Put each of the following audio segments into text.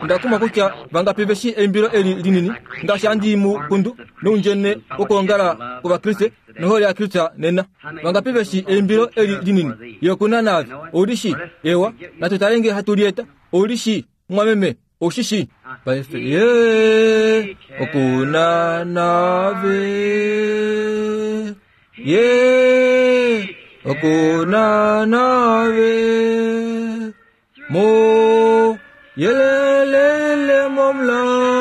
Onda kumwa kutya vangapi ve shii eimbilo eli linini, ngaashi handi mu kundu noundjene wokwoongala kwOvakriste nohole yaKristus nena. Vangapi ve shii eimbilo eli linini? Ye oku na naave. Ou li shii? Eewa, natu tale nge hatu li eta. Ou li shii, mumwameme? Ou shi shii? Paife ye oku na naave. Ye oku na naave. Mo yelelele momulaulu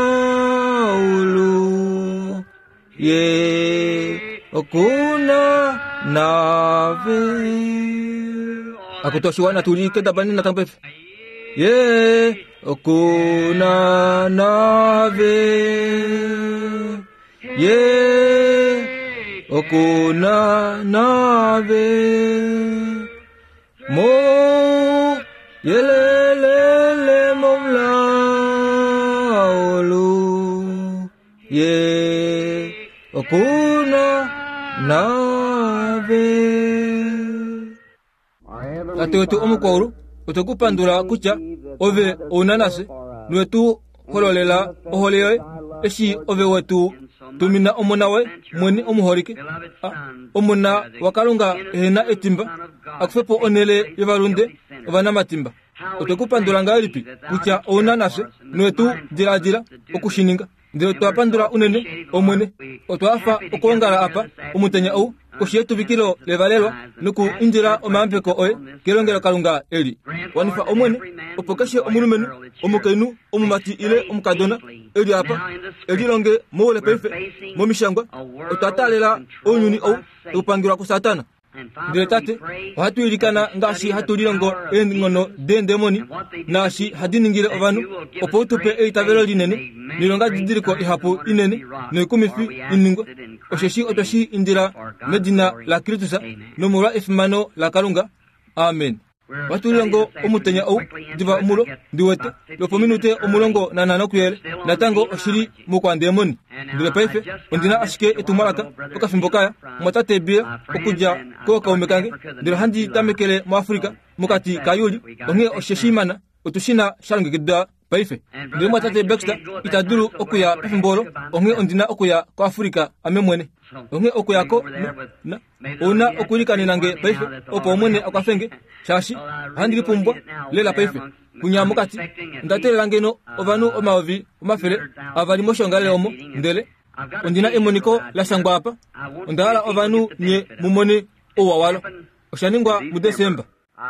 ye okuna nave akutu oshiwana tu li kendabani natango paife ye okuna nave ye okuna nave Mo yelelele momulaulu ye okuna nave. Tate wetu omukwaulu, otwe ku pandula kutya ove ouna nafye nowe tu hololela ohole yoye eshi ove we tu tumina omona woye mwene omuholike, a, omona waKalunga ehe na etimba, a kufe po onhele yovalunde ovanamatimba. Otwe ku pandula ngahelipi kutya ou na nafye nowe tu diladila oku shi ninga. Ndele otwa pandula unene, Omwene. Otwa hafa okwoongala apa omutenya ou koshi yetuvikilo levalelwa noku indila omayambeko oye kelongelokalunga eli. Wanifa, Omwene, opo keshe omulumenhu, omukainhu, omumati ile omukadona e li apa e lilonge moule paife mOmishangwa. Otwa taalela ounyuni ou tau pangelwa kuSatana. Ndele Tate, ohatu ilikana ngaashi hatu lilongo eenghono deendemoni naashi hadi ningile ovanhu, opo u tu pe eitavelo linene noilongadidiliko ihapu inene noikumifi i ningwe. Osheshi otwe shi indila medina laKristus nomolwa efimano laKalunga. Amen. Ohatu lilongo omutenya ou diva omulo, ndi wete, lwopominute 15 kuyele, natango oshi li moukwandemoni. Ndele paife ondi na ashike etumwalaka okafimbo kaya, mumwatate Bill, okudja kookaume kange, ndele ohandi tamekele moAfrica mokati kaJuli, onghee oshe shi mana, otu shi na sha longekidwa paife. Ndele mumwatate Baxter ita dulu okuya pefimbo olo, onghee ondi na okuya koAfrica ame mwene. Onghee okuya ko, na, Ou na okwiilikanena nge paife, opo Omwene a kwafe nge, shaashi ohandi lipumbwa lela paife. Kunya mokati, onda teelela ngeno ovanhu 200,000 moshiongalele omo, ndele ondi na emoniko la shangwa apa. Onda hala ovanhu nye mu mone ouwa walo. Osha ningwa muDesemba.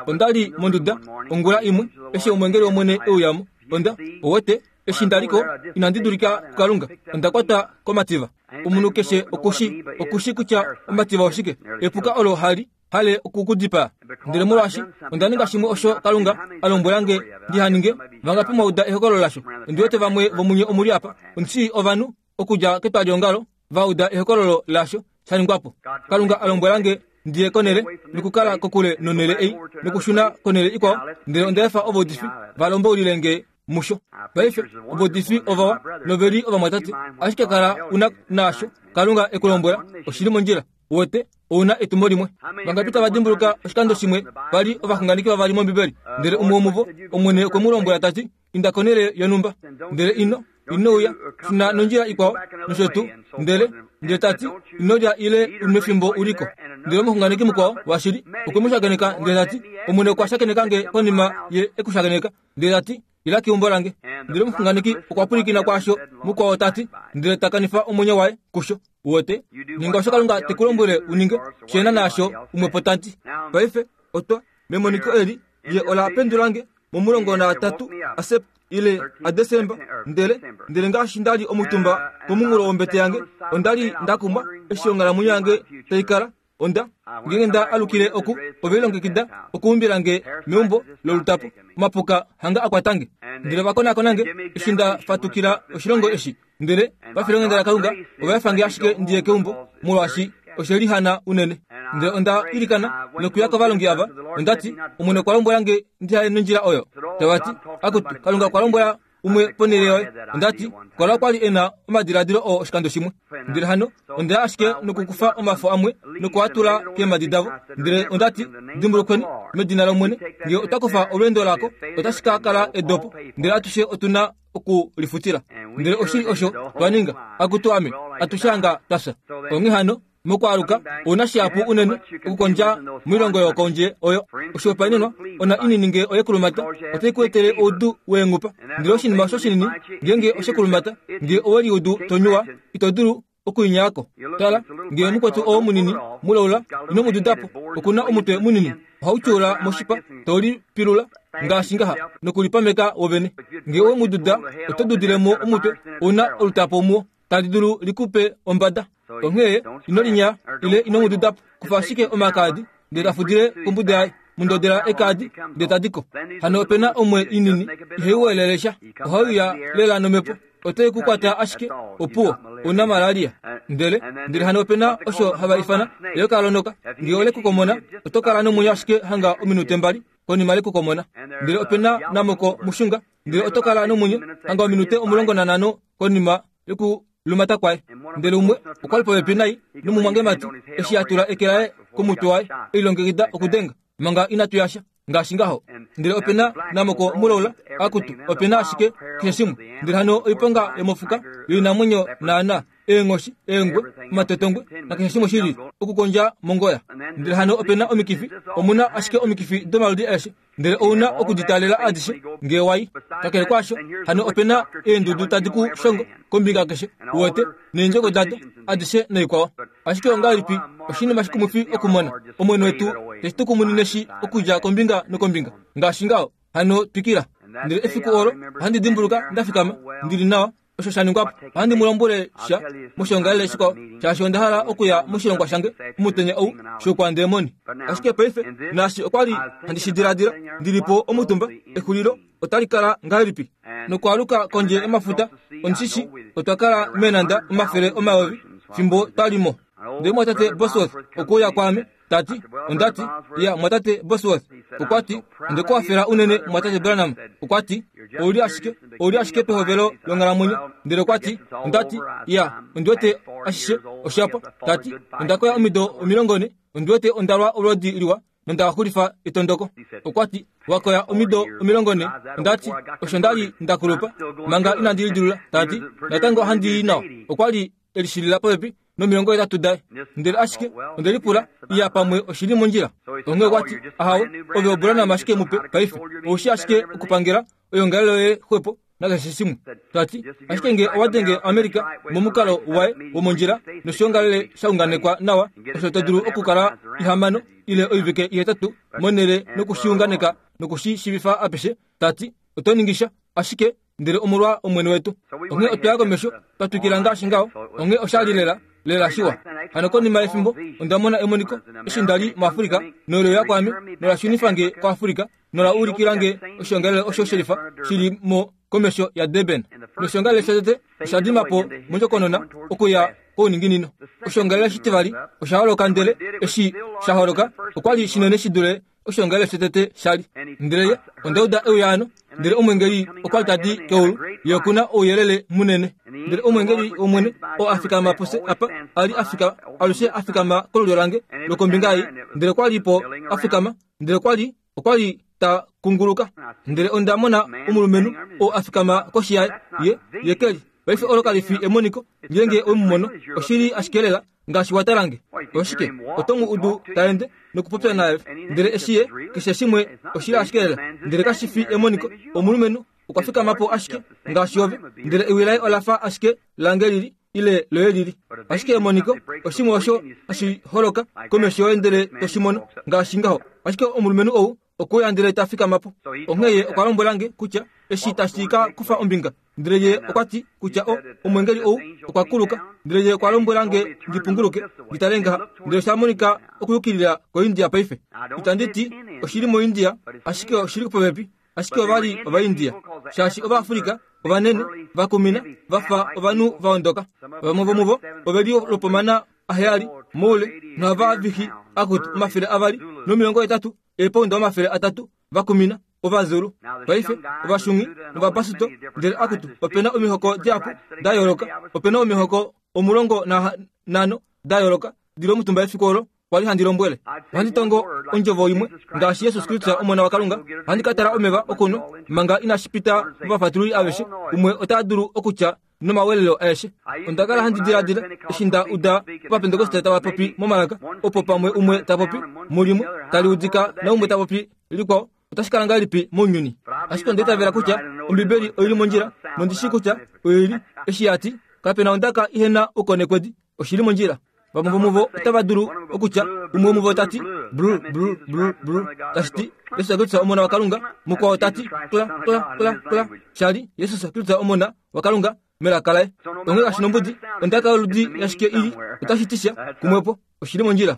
Onda li monduda ongula imwe eshi omweengeli wOmwene e uya mo. Onda, owete, eshi nda li ko, inandi dulika kuKalunga. Onda kwatwa komativa. Omunhu keshe oku shi, oku shi kutya omativa oshike, epuka olo hali hale oku ku dipaa. Ndele molwaashi onda ninga shimwe osho Kalunga a lombwela nge ndi ha ninge, vangapi mwa uda ehokololo lasho? Ondi wete vamwe vomunye omu li apa. Ondi shii ovanhu okudja ketwaliongalo va uda ehokololo laasho sha ningwa po. Kalunga a lombwela nge ndi ye konhele nokukala kokule nonhele ei nokushuna konhele ikwao, ndele onda efa ovaudifi va lomboulile nge musho. Paife, ovaudifi ovawa nove li ovamwatate, ashike kala u na naasho Kalunga e ku lombwela oshi li mondjila. Uwete, ou na etumo limwe. Vangapi tava dimbuluka oshikando shimwe pa li ovaxunganeki vavali mOmbibeli, ndele umwe womuvo, Omwene okwe mu lombwela ta ti, Inda konhele yonhumba, ndele ino, ino uya, shuna nondjila ikwao, nosho tuu. Ndele, ndele ta ti, Ino lya ile u nwe fimbo u li ko. Ndele omuxunganeki mukwao washili okwe mu shakeneka ndele ta ti, Omwene okwa shakeneka nge konima ye e ku shakeneka, ndele ta ti, Ila keumbo lange. Ndele omuxunganeki okwa pwilikina kwaasho mukwao ta ti, ndele ta kanifa omwenyo waye kusho. Uwete? Ninga osho Kalunga te ku lombwele u ninge, shena naasho umwe po ta ti. Paife, otwa, memoniko eli, ye ola pendula nge momulongo naatatu aSept ile aDesemba, ndele, ndele ngaashi nda li omutumba komunghulo wombete yange, onda li nda kumwa eshi onghalamwenyo yange tai kala. Onda, ngeenge nda alukile oku, ove lilongekida okuumbila nge meumbo lolutapo, omapuka hanga a kwata nge. Ndele ova konakona nge eshi nda fatukila oshilongo eshi, Ndele pafilonghenda laKalunga, ova efa nge ashike ndi ye keumbo, molwaashi oshe lihana unene. Ndele onda ilikana nokuya kovalongi ava, onda ti, Omwene okwa lombwela nge ndi haye nondjila oyo. Tava ti, Akutu, Kalunga okwa lombwela umwe ponhele yoye. Onda ti, Kala okwa li e na omadiladilo oo oshikando shimwe. Ndele hano onda ya ashike nokukufa omafo amwe noku a tula keemhadi davo. Ndele onda ti, Dimbulukweni, medina lOmwene, nge otwa kufa olweendo lako, otashi ka kala edopo, ndele atushe otu na oku lifutila. Ndele oshili osho twa ninga. Akutu ame, atushe hanga twa fya. Onghee hano, Mokwaaluka, ou na shihapu unene okukondja moilongo yokondje oyo. Oshihopaenenwa, ona inini ngee oye kulumata, otai ku etele oudu weenghupa. Ndele oshinima osho shinini, ngeenge oshe kulumata, ngee owe liudu to nyuwa, ito dulu okuinyaa ko. Tala, ngee mukwetu oo munini mulaula, ino mu duda po. Oku na omutwe munini, ohau tyuula moshipa, to lipilula ngaashi ngaha, nokulipameka wovene. Ngee owe mu duda, oto dudile mo omutwe, ou na olutapo muwo. tali dulu li ku pe ombada. Onghee ino linya ile ino mu duda po. Kufa ashike omakaadi ndele ta fudile kombuda yaye. Mu ndodela ekaadi ndele ta di ko. Hano ope na omwe inini ihai weelele sha. Ohai uya lela nomhepo. Otai ku kwata ashike, opuwo, ou na malaria. Ndele, ndele hano ope na osho hava ifana eyoka lonoka. Ngee ole ku komona, oto kala nomwenyo ashike hanga ominute mbali konima le ku komona. Ndele ope na namoko mushunga, ndele oto kala nomwenyo hanga ominute 15 konima yokulumata kwaye. Ndele umwe okwa li popepi nai nomumwangemati eshi a tula eke laye komutwe waye e lilongekida okudenga manga inatu yasha ngaashi ngaho. Ndele ope na namoko mulaula akutu ope na ashike keshe shimwe. Ndele hano oiponga yomofuka yoinamwenyo naana eenghoshi, eengwe, omatotongwe nakeshe shimwe shili okukondja mongoya. Ndele hano ope na omikifi, omu na ashike omikifi domaludi aeshe. Ndele ou na oku di taalela adishe ngee wa i. Kakele kwaasho, hano ope na eendudu tadi ku shongo kombinga keshe, uwete, neendjoko dado adishe noikwao. Ashike ongahelipi oshinima shikumwifi okumona Omwene wetu te shi tukumunine shi okudja kombinga nokombinga, ngaashi ngaho. Hano twikila. Ndele efiku olo ohandi dimbuluka nda fikama, ndi li nawa, osho sha ningwa po. Ohandi mu lombwele sha moshiongalele shikwao, shaashi onda hala okuya moshilongwa shange omutenya ou shoukwandeemoni. Ashike paife, naashi okwa li handi shi diladila, ndi li po omutumba, exulilo otali kala ngahelipi? Nokwaaluka kondje yomafuta, ondi shi shii, otwa kala meenhanda 100 000 fimbo twa li mo. Ndele mumwatate Bosworth okwe uya kwaame, ta ti, onda ti, Ya, mumwatate Bosworth. Okwa ti, Onde ku hafela unene, mumwatate Branham. Okwa ti, Ou li ashike, ou li ashike pehovelo longhalamwenyo. Ndele okwa ti, onda ti, Ya, ondi wete ashishe osha pwa. Ta ti, Onda koya omido 40, ondi wete onda lwa olwoodi liwa nonda xulifa etondoko. Okwa ti, Wa koya omido 40. Onda ti, Osho nda li nda kulupa manga inandi lidilula. Ta ti, Natango ohandi i nawa. Okwa li e lishilila popepi no80 daye. Ndele ashike onde lipula, Iya, pamwe oshi li mondjila. Onghee okwa ti, Ahawe, ove oBranham ashike mupe paife. Ou shii ashike okupangela oyoongalele yoye xwepo nakeshe shimwe. Ta ti, Ashike nge owa denge America momukalo waye womondjila noshiongalele sha unganekwa nawa, osho to dulu okukala ihamano ile oivike ihetatu monhele noku shi unganeka noku shi shiivifa apeshe, ta ti, oto ningi sha. Ashike ndele omolwa Omwene wetu. Onghee otwa ya komesho, twa twikila ngaashi ngaho. Onghee osha li lela, lela shiwa. Hano konima yefimbo, onda mona emoniko, eshi nda li muAfrika, nole uya kwaame, nola shunifa nge kuAfrika, nola ulikila nge oshiongalele osho shelifa shi li mo komesho yaDurban. Noshiongalele shotete osha dima po mondjokonona okuya kouninginino. Oshiongalele shitivali osha holoka ndele eshi sha holoka, okwa li shinene shi dule Oshiongalele shotete sha li. Ndele ye, onda uda euyaano, ndele omweengeli okwa li ta di keulu, ye oku na ouyelele munene. Ndele omweengeli wOmwene, oo a fikama pufye apa, a li a fika, alushe a fikama kolulyo lange lokombinga ei, ndele okwa li po a fikama, ndele okwa li, okwa li ta kunguluka. Ndele onda mona omulumenhu oo a fikama koshi yaye, ye, ye ke li. Paife olo kali fi emoniko, ngeenge owe mu mono, oshi li ashike lela ngaashi wa tala nge. Oshike? Oto mu udu ta ende nokupopya naave. Ndele eshi ye, keshe shimwe oshi li ashike lela, ndele kashi fi emoniko. Omulumenhu okwa fikama po ashike ngaashi ove, ndele ewi laye ola fa ashike lange lili ile loye lili. Ashike emoniko oshimwe osho hashi holoka komesho yoye ndele to shi mono ngaashi ngaho. Ashike omulumenhu ou okwe uya ndele ta fikama po. Onghee ye okwa lombwela nge kutya eshi tashi ka kufa ombinga. Ndele ye okwa ti kutya o, omwengeli ou okwa kuluka. Ndele ye okwa lombwela nge ndi punguluke ndi tale ngaha. Ndele osha monika okuyukilila koIndia paife. Itandi ti oshi li moIndia, ashike oshi li popepi. Ashike ova li Ovaindia, shaashi Ovaafrika ovanene, va kumina, va fa ovanhu va ondoka. Vamwe vomuvo ove li lwopomana aheyali moule nohava vihi akutu 280 eepounda 300 va kumina. Ovazulu, paife, Ovashungi nOvabasuto, ndele akutu, ope na omihoko dihapu da yooloka. Ope na omihoko 15 da yooloka di li omutumba efiku olo kwa li handi lombwele. Ohandi tongo ondjovo imwe, ngaashi Jesus Kristus Omona waKalunga, ohandi ka tala omeva okunwa manga inashi pita movafatululi aveshe. Umwe ota dulu okutya nomawelelo aeshe. Onda kala handi diladila eshi nda uda Ovapentekoste tava popi momalaka, opo pamwe umwe ta popi mulimwe tali udika naumwe ta popi likwao. Otashi kala ngahelipi mounyuni? Ashike onda itavela kutya Ombibeli oi li mondjila, nondi shii kutya oi li. Eshi ya ti, Kape na ondaka ihe na oukonekwedi, oshi li mondjila. Vamwe vomuvo otava dulu okutya, umwe womuvo ta ti, Blu, blu, blu, blu, tashi ti, Jesus Kristus Omona waKalunga, mukwao ta ti, Kla, kla, kla, kla, sha li, Jesus Kristus Omona waKalunga, melaka laye. Onghee kashi nombudi, ondaka yoludi yashike i li, otashi ti sha, kumwepo, oshi li mondjila.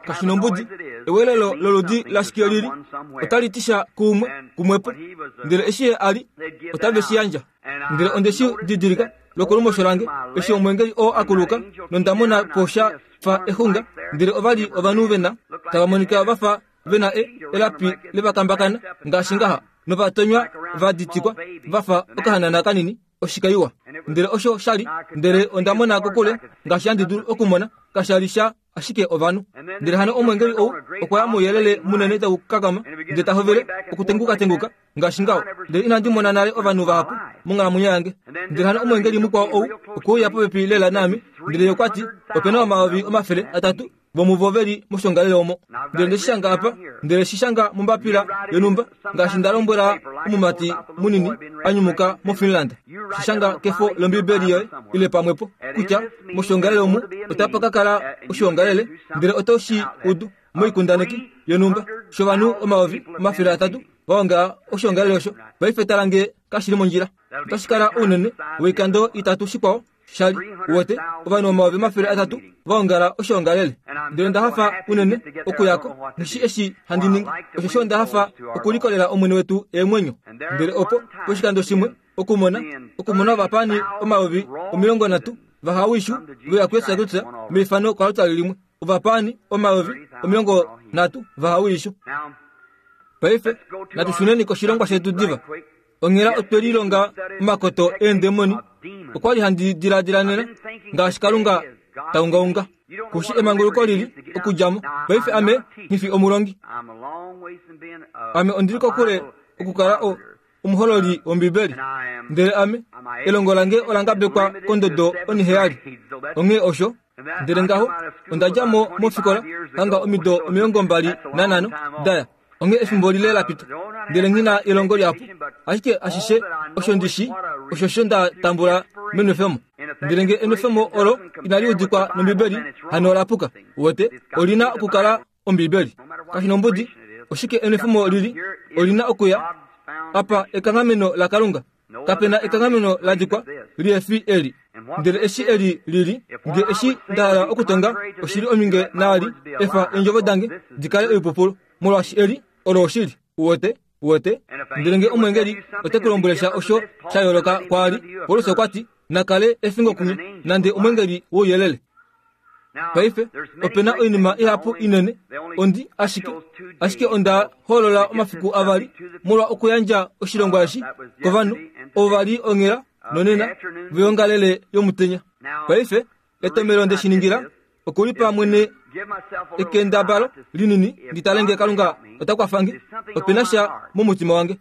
Kashi nombudi, ewelelo loludi lashike li li, otali ti sha kuumwe, kumwepo. Ndele eshi ye a li, otave shi yandja. Ndele onde shi didilika lokolumosho lange, eshi omweengeli oo a kuluka, nonda mona po sha fa exunga, ndele ova li ovanhu ve na, tava monika va fa ve na e, elapi levakambakana, ngaashi ngaha, nova tonywa va ditikwa va fa okahanana kanini, oshikaiwa. Ndele osho sha li, ndele onda mona kokule ngaashi handi dulu okumona, kasha li sha ashike ovanhu. Ndele hano omweengeli ou okwa ya mouyelele munene tau kakama, ndele ta hovele okutengukatenguka ngaashi ngaho. Ndele inandi mona nale ovanhu vahapu monghalamwenyo yange. Ndele hano omweengeli mukwao ou okwe uya popepi lela naame, ndele ye okwa ti, Ope na 300,000 vomuvo ve li moshongalele omo. Ndele nde shi shanga apa, ndele shi shanga mombapila yonhumba, ngaashi nda lombwela omumati munini a nyumuka moFinland. Shi shanga kefo lOmbibeli yoye, ile pamwepo, kutya moshongalele omu otapa ka kala oshiongalele, ndele oto shi udu moikundaneki yonhumba shovanhu 300,000 va ongala oshiongalele osho. Paife tala nge kashi li mondjila. Otashi kala ounene woikando itatu shikwao sha li. Uwete, ovanhu 300,000 va ongala oshiongalele. Ndele onda hafa unene okuya ko, nghi eshi handi ningi, osheshi onda hafa okulikolela Omwene wetu eemwenyo. Ndele opo, poshikando shimwe, okumona, okumona ovapaani 30,000 vahawishu ve uya kuJesus Kristus meifano koaltari limwe. Ovapaani 30,000 vahawishu. Paife, natu shuneni koshilongwa shetu diva. Onghela otwe lilonga omakoto eendemoni. Okwa li handi diladila nena, ngaashi Kalunga ta ungaunga. Kushi emanguluko lili okudja mo. Paife ame nghi fi omulongi. Ame ondi li kokule okukala o, omuhololi wOmbibeli. Ndele ame, elongo lange ola ngabekwa kondodo oniheyali. Onghee osho. Ndele ngaho, onda dja mo mofikola hanga omido 25 daya. Onghee efimbo lile la pita, ndele nghi na elongo lihapu. Ashike ashishe osho ndi shii, oshosho nda tambula menwefemo. Ndele nge enwefemo olo inali udikwa nOmbibeli, hano ola puka. Uwete, oli na okukala Ombibeli. Kashi nombudi oshike enwefemo lili, oli na okuya apa ekanghameno laKalunga. Kape na ekanghameno la dikwa lihe fi eli. Ndele eshi eli lili, nge eshi nda hala okutonga oshili ominge naali, efa eendjovo dange di kale oipupulu, molwaashi eli olo oshili. Uwete? Uwete? Ndele nge omweengeli ote ku lombwele sha osho sha yooloka kwaali, Paulus okwa ti, na kale efingo kunye, nande omweengeli wouyelele. Paife, ope na oinima ihapu inene. Ondi ashike, ashike onda hoolola omafiku avali molwa okuyandja oshilongwa eshi kovanhu ovo va li onghela nonena voyongalele yomutenya. Paife, etomelo nde shi ningila okulipa mwene ekendabalo linini ndi tale nge Kalunga ota kwafa nge. Ope na sha momutima wange.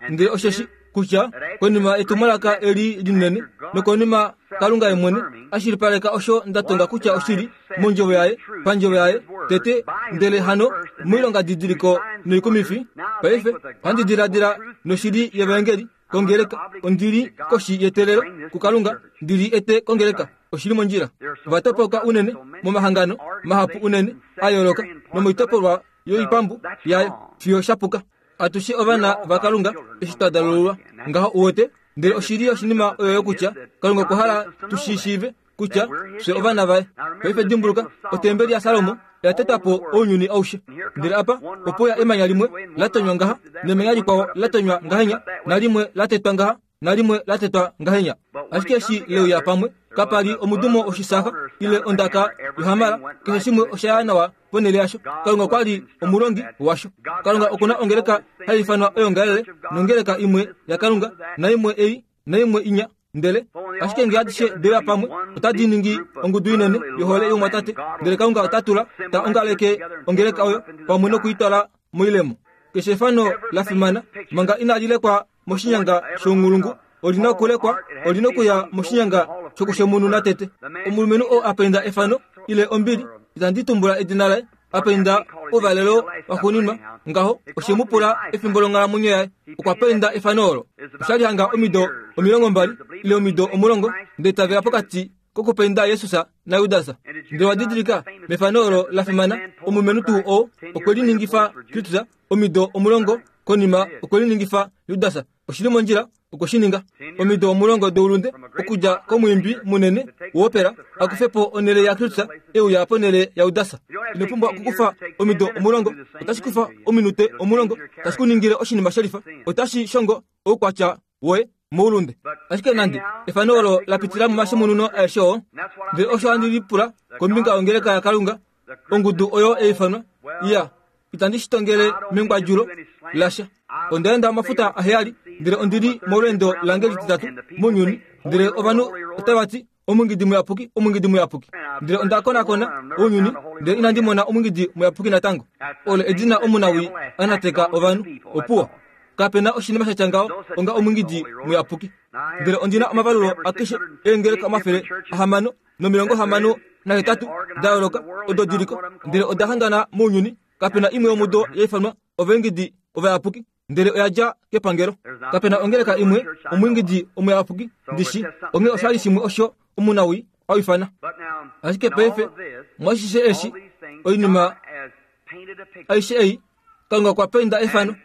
Ndele osheshi kutya konima etumwalaka eli linene nokonima Kalunga ye mwene a shilipaleka osho nda tonga kutya oshili mondjovo yaye pandjovo yaye tete ndele hano moilonga didiliko noikumifi paife ohandi diladila noshili yevaengeli kongeleka ondi li koshi yetelelo kuKalunga ndi li ete kongeleka oshili mondjila ova topoka unene momahangano mahapu unene a yooloka nomoitopolwa yoipambu yayo fiyo sha puka Atushe ovana vaKalunga eshi twa dalululwa ngaho uwete. Ndele oshili yoshinima oyoyo kutya Kalunga okwa hala tu shi shiive kutya fye ovana vaye. Paife dimbuluka, otembeli yaSalomo oya tetwa po ounyuni aushe. Ndele apa ope uya emanya limwe la tonywa ngaha, nemanya likwao la tonywa ngahenya, nalimwe la tetwa ngaha, nalimwe la tetwa ngahenya. Ashike eshi le uya pamwe, Kapa li omudumo woshisafa ile ondaka yohamala, keshe shimwe osha ya nawa ponhele yasho. Kalunga okwa li omulongi washo. Kalunga oku na ongeleka hai ifanwa oyongalele, nongeleka imwe yaKalunga, naimwe ei, naimwe inya. Ndele ashike nge adishe de uya pamwe, otadi ningi ongudu inene yohole youmwatate. Ndele Kalunga ota tula, ta ongaleke ongeleka oyo pamwe noku i twala moilemo. Keshe efano la fimana, manga inali lekwa moshinyanga shounghulungu, oli na okulekwa, oli na okuya moshinyanga shokushemununa tete. Omulumenhu oo a penda efano, ile ombili, itandi tumbula edina laye, a penda ouvalelo waxuuninwa, ngaho, oshe mu pula efimbo longhalamwenyo yaye. Okwa penda efano olo. Osha li hanga omido 20 ile omido 10, ndele tave ya pokati kokupenda Jesus naJudas. Ndele wa didilika, mefano olo la fimana, omulumenhu tuu oo okwe liningifa Kristus omido 10 konima okwe liningifa Judas. Oshi li mondjila okwe shi ninga. Omido 10 doulunde okudja komwiimbi munene woopera a kufe po onhele yaKristus e uya ponhele yaJudas. Ino pumbwa okukufa omido 10, otashi kufa ominute 10, tashi ku ningile oshinima shelifa. Otashi shongo oukwatya woye moulunde. Ashike nande efano olo la pitila momashemununo aeshe oo, ndele osho handi lipula kombinga yongeleka yaKalunga, ongudu oyo ya ifanwa, iya, itandi shi tongele mengwadjulo lasha. Onda enda omafuta aheyali, ndele ondi li molweendo lange lititatu mounyuni, ndele ovanhu otava ti, Omungidi muyapuki, omungidi muyapuki. Ndele onda konakona ounyuni, ndele inandi mona omungidi muyapuki natango. Olo edina omunawii a nateka ovanhu. Opuwo. Kape na oshinima sha tya ngaho onga omungidi muyapuki. Ndele ondi na omavalulo akeshe eengeleka 668 da yooloka odo di li ko, ndele oda hangana mounyuni. Kape na imwe yomudo ya ifanwa ovaengidi ovayapuki, ndele oya dja kepangelo. Kape na ongeleka imwe omuingidi omuyapuki ndi shi, onghee osha li shimwe osho omunawii a ifana. Ashike paife, mwashishe eshi, oinima aishe ei, Kalunga okwa painda efano.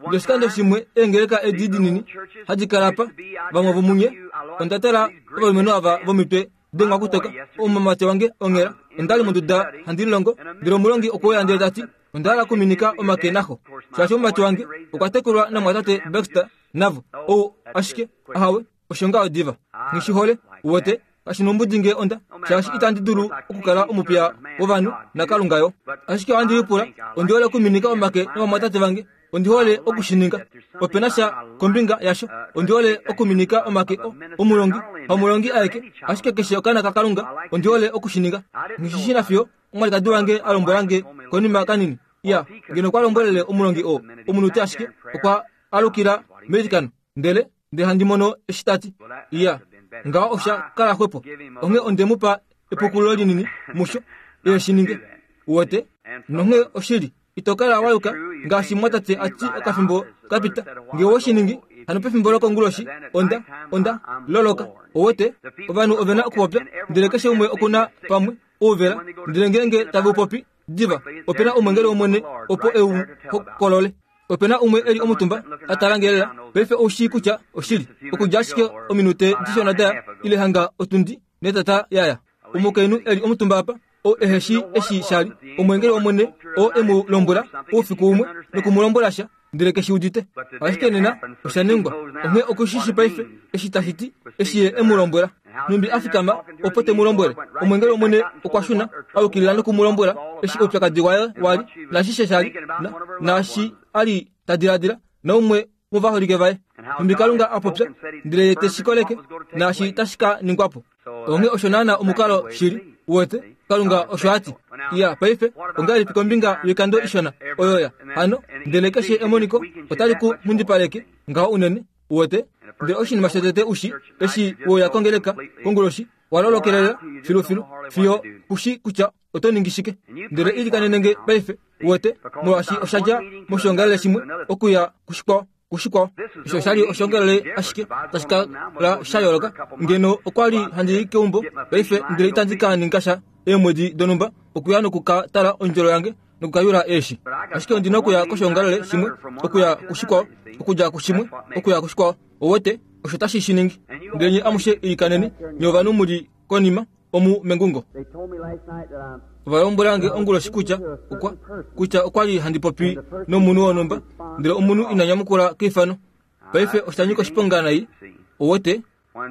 Ndoshikando shimwe eengeleka edi dinini hadi kala apa, vamwe vomunye, onda tala ovalumenhu ava vomitwe dengwa kutoka, omumati wange onghela, onda li monduda handi lilongo, ndele omulongi okwe uya ndele ta ti, Onda hala okuminika omake naxo, shaashi omumati wange okwa tekulwa namwatate Baxter navo. Ou ashike, ahawe, osho ngaho diva. Nghi shi hole, uwete, kashi nombudi nge onda, shaashi itandi dulu okukala omupiya wovanhu naKalunga yo. Ashike ohandi lipula, ondi hole okuminika omake novamwatate vange, ondi hole oku shi ninga. Ope na sha kombinga yasho, ondi hole okuminika omake o, omulongi, hamulongi aeke, ashike keshe okaana kaKalunga, ondi hole oku shi ninga. Nghi shi shi nafiyo omwalikadi wange a lombwela nge konima kanini. Iya, ngeno okwa lombwelele omulongi oo omunute ashike, okwa alukila meilikano, ndele ndele handi mono eshi ta ti, Iya, ngaho osha kala xwepo. Onghee onde mu pa epukululo linini musho, e shi ninge. Uwete? Nonghee oshili, ito kala wa yuka ngaashi mwatate a ti okafimbo ka pita. Nge owe shi ningi, hano pefimbo lokonguloshi, onda, onda loloka. Uwete? Ovanhu ove na okupopya, ndele keshe umwe oku na pamwe ouvela, ndele ngeenge tave u popi, diva, ope na omwengeli wOmwene opo e u hokolole. Ope na umwe e li omutumba a tala nge lela. Paife ou shii kutya oshili. Okudja ashike ominute dishona daya, ile hanga otundi netata ya ya. Omukainhu e li omutumba apa, oo ehe shii eshi sha li omweengeli wOmwene oo e mu lombwela oufiku umwe noku mu lombwela sha, ndele ke shi udite. Ashike nena osha ningwa. Onghee oku shi shii paife eshi tashi ti, eshi Ye e mu lombwela. Nhumbi a fikama opo te mu lombwele. Omweengeli wOmwene okwa shuna a yukilila noku mu lombwela eshi oupyakadi waye wa li, naashishe sha li, na, naashi a li ta diladila, naumwe womovaholike vaye. Nhumbi Kalunga a popya, ndele Ye te shi koleke, naashi tashi ka ningwa po. Onghee osho naana omukalo shili, uwete, Kalunga osho a ti. Iya, paife, ongahelipi kombinga yoikando ishona oyo ya hano, ndele keshe emoniko otali ku nghundipaleke ngaho unene, uwete? Ndele oshinima shotete u shi, eshi we uya kongeleka konguloshi, wa lolokelela filufilu fiyo ku shi kutya oto ningi shike. Ndele ilikanene nge paife, uwete, molwaashi osha dja moshiongalele shimwe okuya kushikwao. kushikwao. Osho osha li oshiongalele ashike tashi kala sha yooloka. Ngeno okwa li handi i keumbo paife ndele itandi ka ninga sha eemwedi donhumba okuya noku ka tala ondjolo yange noku ka yula eeshi. Ashike ondi na okuya koshiongalele shimwe, okuya kushikwao, okudja kushimwe okuya kushikwao. Ouwete, osho tashi shi ningi. Ndele nye amushe ilikaneni, nye ovanhu mu li konima omu mengungo. Ova lombwela nge onguloshi kutya okwa kutya okwa li handi popi nomunhu wonhumba, ndele omunhu ina nyamukula keifano. Paife osha nyika oshiponga nai, ouwete.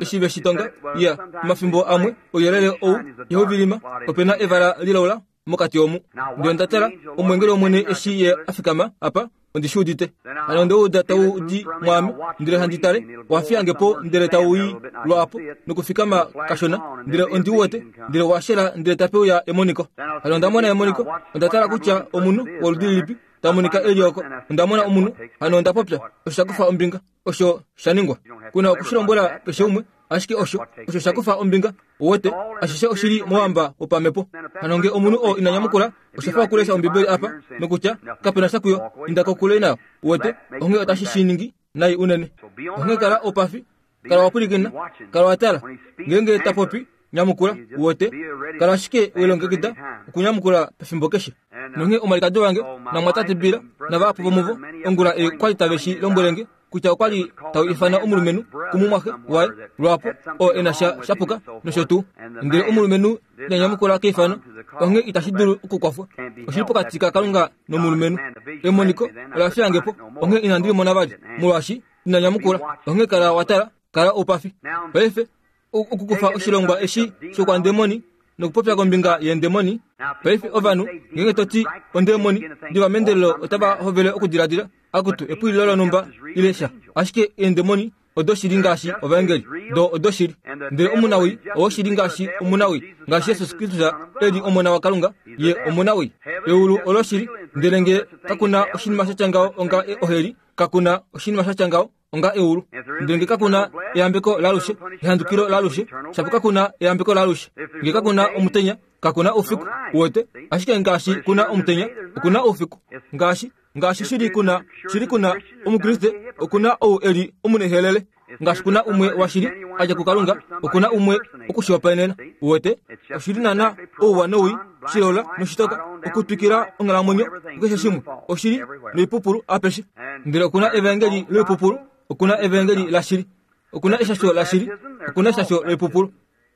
Eshi ve shi tonga, ya, omafimbo amwe ouyelele ou ihau vilima, ope na evala lilaula mokati omu. Ndele onda tala omweengeli wOmwene eshi Ye a fikama apa, ondi shi udite. Hano onde uda tau di mwaame, ndele handi tale, owa fiya nge po ndele tau i lwaapo nokufikama kashona, ndele ondi u wete, ndele wa shela ndele tape uya emoniko. Hano onda mona emoniko, onda tala kutya omunhu woludi lilipi ta monika e li oko. Onda mona omunhu, hano onda popya, osho sha kufa ombinga, osho sha ningwa. Ku na oku shi lombwela keshe umwe, ashike osho, osho sha kufa ombinga, uwete, ashishe oshi li mowamba wopamhepo. Hano nge omunhu oo ina nyamukula, osha fa okulesha Ombibeli apa, nokutya, Kape na sha kuyo, inda kokule nayo. Uwete, onghee otashi shi ningi nai unene. Onghee kala oupafi, kala wa pwilikina, kala wa tala. Ngeenge ta popi, nyamukula, uwete, kala ashike we longekida okunyamukula pefimbo keshe. Nonghee omwalikadi wange namwatate Bill navahapu vomuvo ongula ei kwa li tave shi lombwele nge kutya okwa li tau ifana omulumenhu kumumwaxe waye lwaapo oo e na sha sha puka nosho tuu. Ndele omulumenhu ina nyamukula keifano, onghee itashi dulu okukwafwa. Oshi li pokati kaKalunga nomulumenhu. Emoniko ola fiya nge po, onghee inandi li mona vali, molwaashi ina nyamukula. Onghee kala wa tala, kala oupafi. Paife, okukufa oshilongwa eshi shokwandemoni nokupopya kombinga yeendemoni. Paife ovanhu, ngeenge to ti ondemoni, diva meendelelo otava hovele okudiladila, akutu, epwililo lonhumba ile sha. Ashike eendemoni odoshili ngaashi ovaengeli, do odoshili. Ndele omunawii owoshili ngaashi omunawii, ngaashi Jesus Kristus e li Omona waKalunga, ye omunawii. Eulu oloshili, ndele nge kaku na oshinima sha tya ngaho onga oheli, kaku na oshinima sha tya ngaho onga eulu. Ndele nge kaku na eyambeko laalushe, ehandukilo laalushe, shapo kaku na eyambeko laalushe. Nge kaku na omutenya, kaku na oufiku. Uwete? Ashike ngaashi ku na omutenya, oku na oufiku. Ngaashi, ngaashi shili ku na, shili ku na Omukriste, oku na ou e li omunehelele. Ngaashi ku na umwe washili a dja kuKalunga, oku na umwe oku shi hopaenena. Uwete? Oshili naana ouwa nowii, shilola noshitoka, okutwikila onghalamwenyo kukeshe shimwe, oshili noipupulu apeshe. Ndele oku na evaengeli loipupulu, oku na evaengeli lashili. Oku na eshasho lashili, oku na eshasho loipupulu.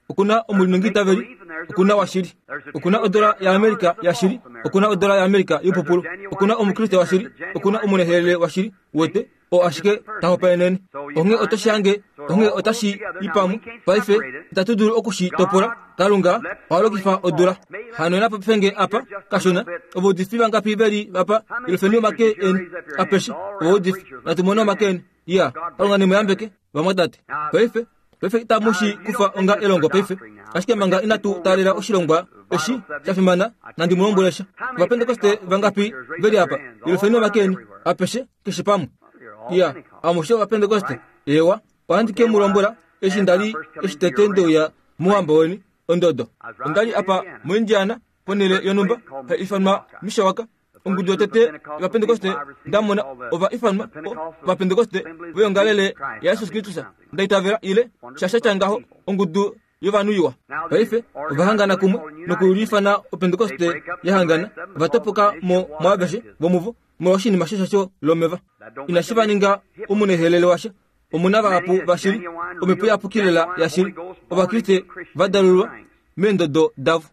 Oku na omulinengiitaveli, oku na washili. Oku na odola yaAmerica yashili, oku na odola yaAmerica yoipupulu. Oku na Omukriste washili, oku na omunehelele washili, uwete, oo ashike ta hopaenene. Onghee oto shi hange, onghee otashi i pamwe. Paife, itatu dulu oku shi topola. Kalunga oha lokifa odula. Hano napa pefenge apa, kashona, ovaudifi vangapi ve li apa, yelufeni omake eni apeshe, ovaudifi. Natu mone omake eni. Iya, Kalunga ne mu yambeke, vamwatate. Paife, paife itamu shi kufa onga elongo paife, ashike manga inatu taalela oshilongwa eshi sha fimana, nandi mu lombwele sha. Ovapentekoste vangapi ve li apa? Yelufeni omake eni, apeshe, keshe pamwe. Iya, amushe Ovapentekoste. Eewa, ohandi ke mu lombwela eshi nda li eshi tete nde uya mouhamba weni, ondodo. Onda li apa moIndiana, ponhele yonhumba hai ifanwa Mishawaka. Ongudu yotete yOvapentekoste nda mona ova ifanwa Ovapentekoste voyongalele yaJesus Kristus, nda itavela ile sha sha tya ngaho, ongudu yovanhu iwa. Paife ova hangana kumwe nokuliifana Opentekoste ya hangana, ova topoka mo mwaaveshe vomuvo molwa oshinima sheshasho lomeva. Inashi va ninga omunehelele washa. Omu na vahapu vashili, Omhepo Iyapuki lela yashili, Ovakriste va dalulwa meendodo davo.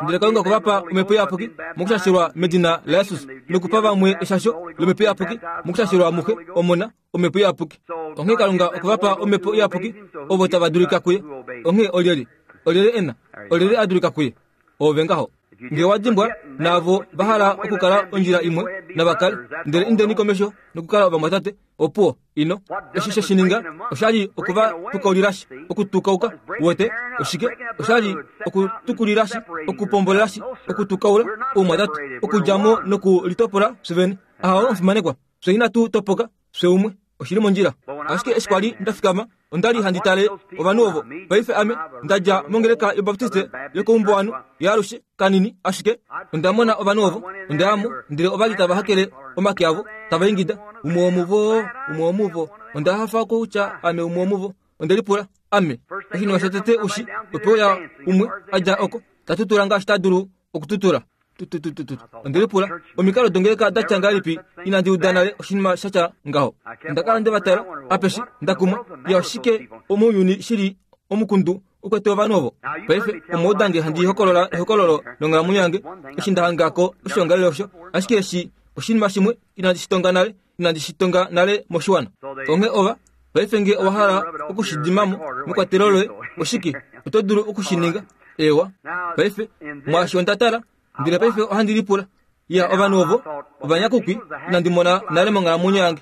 Ndele Kalunga okwa va pa Omhepo Iyapuki mokushashelwa medina laJesus nokupa vamwe eshasho lOmhepo Iyapuki mokushashelwa muXe, Omona, Omhepo Iyapuki. Onghee Kalunga okwe va pa Omhepo Iyapuki ovo tava dulika kuye. Onghee olyelye? Olyelye e na? Olyelye a dulika kuye? Oove ngaho. Nge wa dimbwa, naavo va hala okukala ondjila imwe, nava kale. Ndele indeni komesho nokukala ovamwatate. Opuwo, ino. Eshi she shi ninga, osha li oku va tukaulilashi, okutukauka. Uwete? Oshike? Osha li okutukulilashi, okupombolelashi, okutukaula oumwatate, okudja mo nokulitopola fye vene. Ahawo, omufimanekwa. Fye inatu topoka, fye umwe. Oshi li mondjila. Ashike eshi kwa li nda fikama, onda li handi tale ovanhu ovo. Paife ame nda dja mongeleka yObaptiste yokoumbuwanhu yaalushe kanini, ashike onda mona ovanhu ovo. Onda ya mo, ndele ova li tava hakele omake avo, tava ingida, Umwe womuvo! Umwe womuvo! Onda hafa kutya ame umwe womuvo. Onde lipula, Ame? Oshinima shotete u shi, ope uya umwe a dja oko, ta tutula ngaashi ta dulu okututula. Tututututu. Onde lipula, omikalo dongeleka da tya ngahelipi inandi uda nale oshinima sha tya ngaho. Onda kala nde va tala apeshe, nda kumwa, ya oshike mounyuni shi li omukundu u kwete ovanhu ovo. Paife omwa uda nge handi hokolola ehokololo longhalamwenyo yange eshi nda hanga ko oshiongalele osho, ashike eshi oshinima shimwe inandi shi tonga nale, inandi shi tonga nale moshiwana. Onghee ova. Paife nge owa hala oku shi dima mo mekwatelo loye, oshike, oto dulu oku shi ninga. Eewa. Paife, mwaashi onda tala, ndele paife ohandi lipula. Ya, ovanhu ovo ovanyakukwi inandi mona nale monghalamwenyo yange.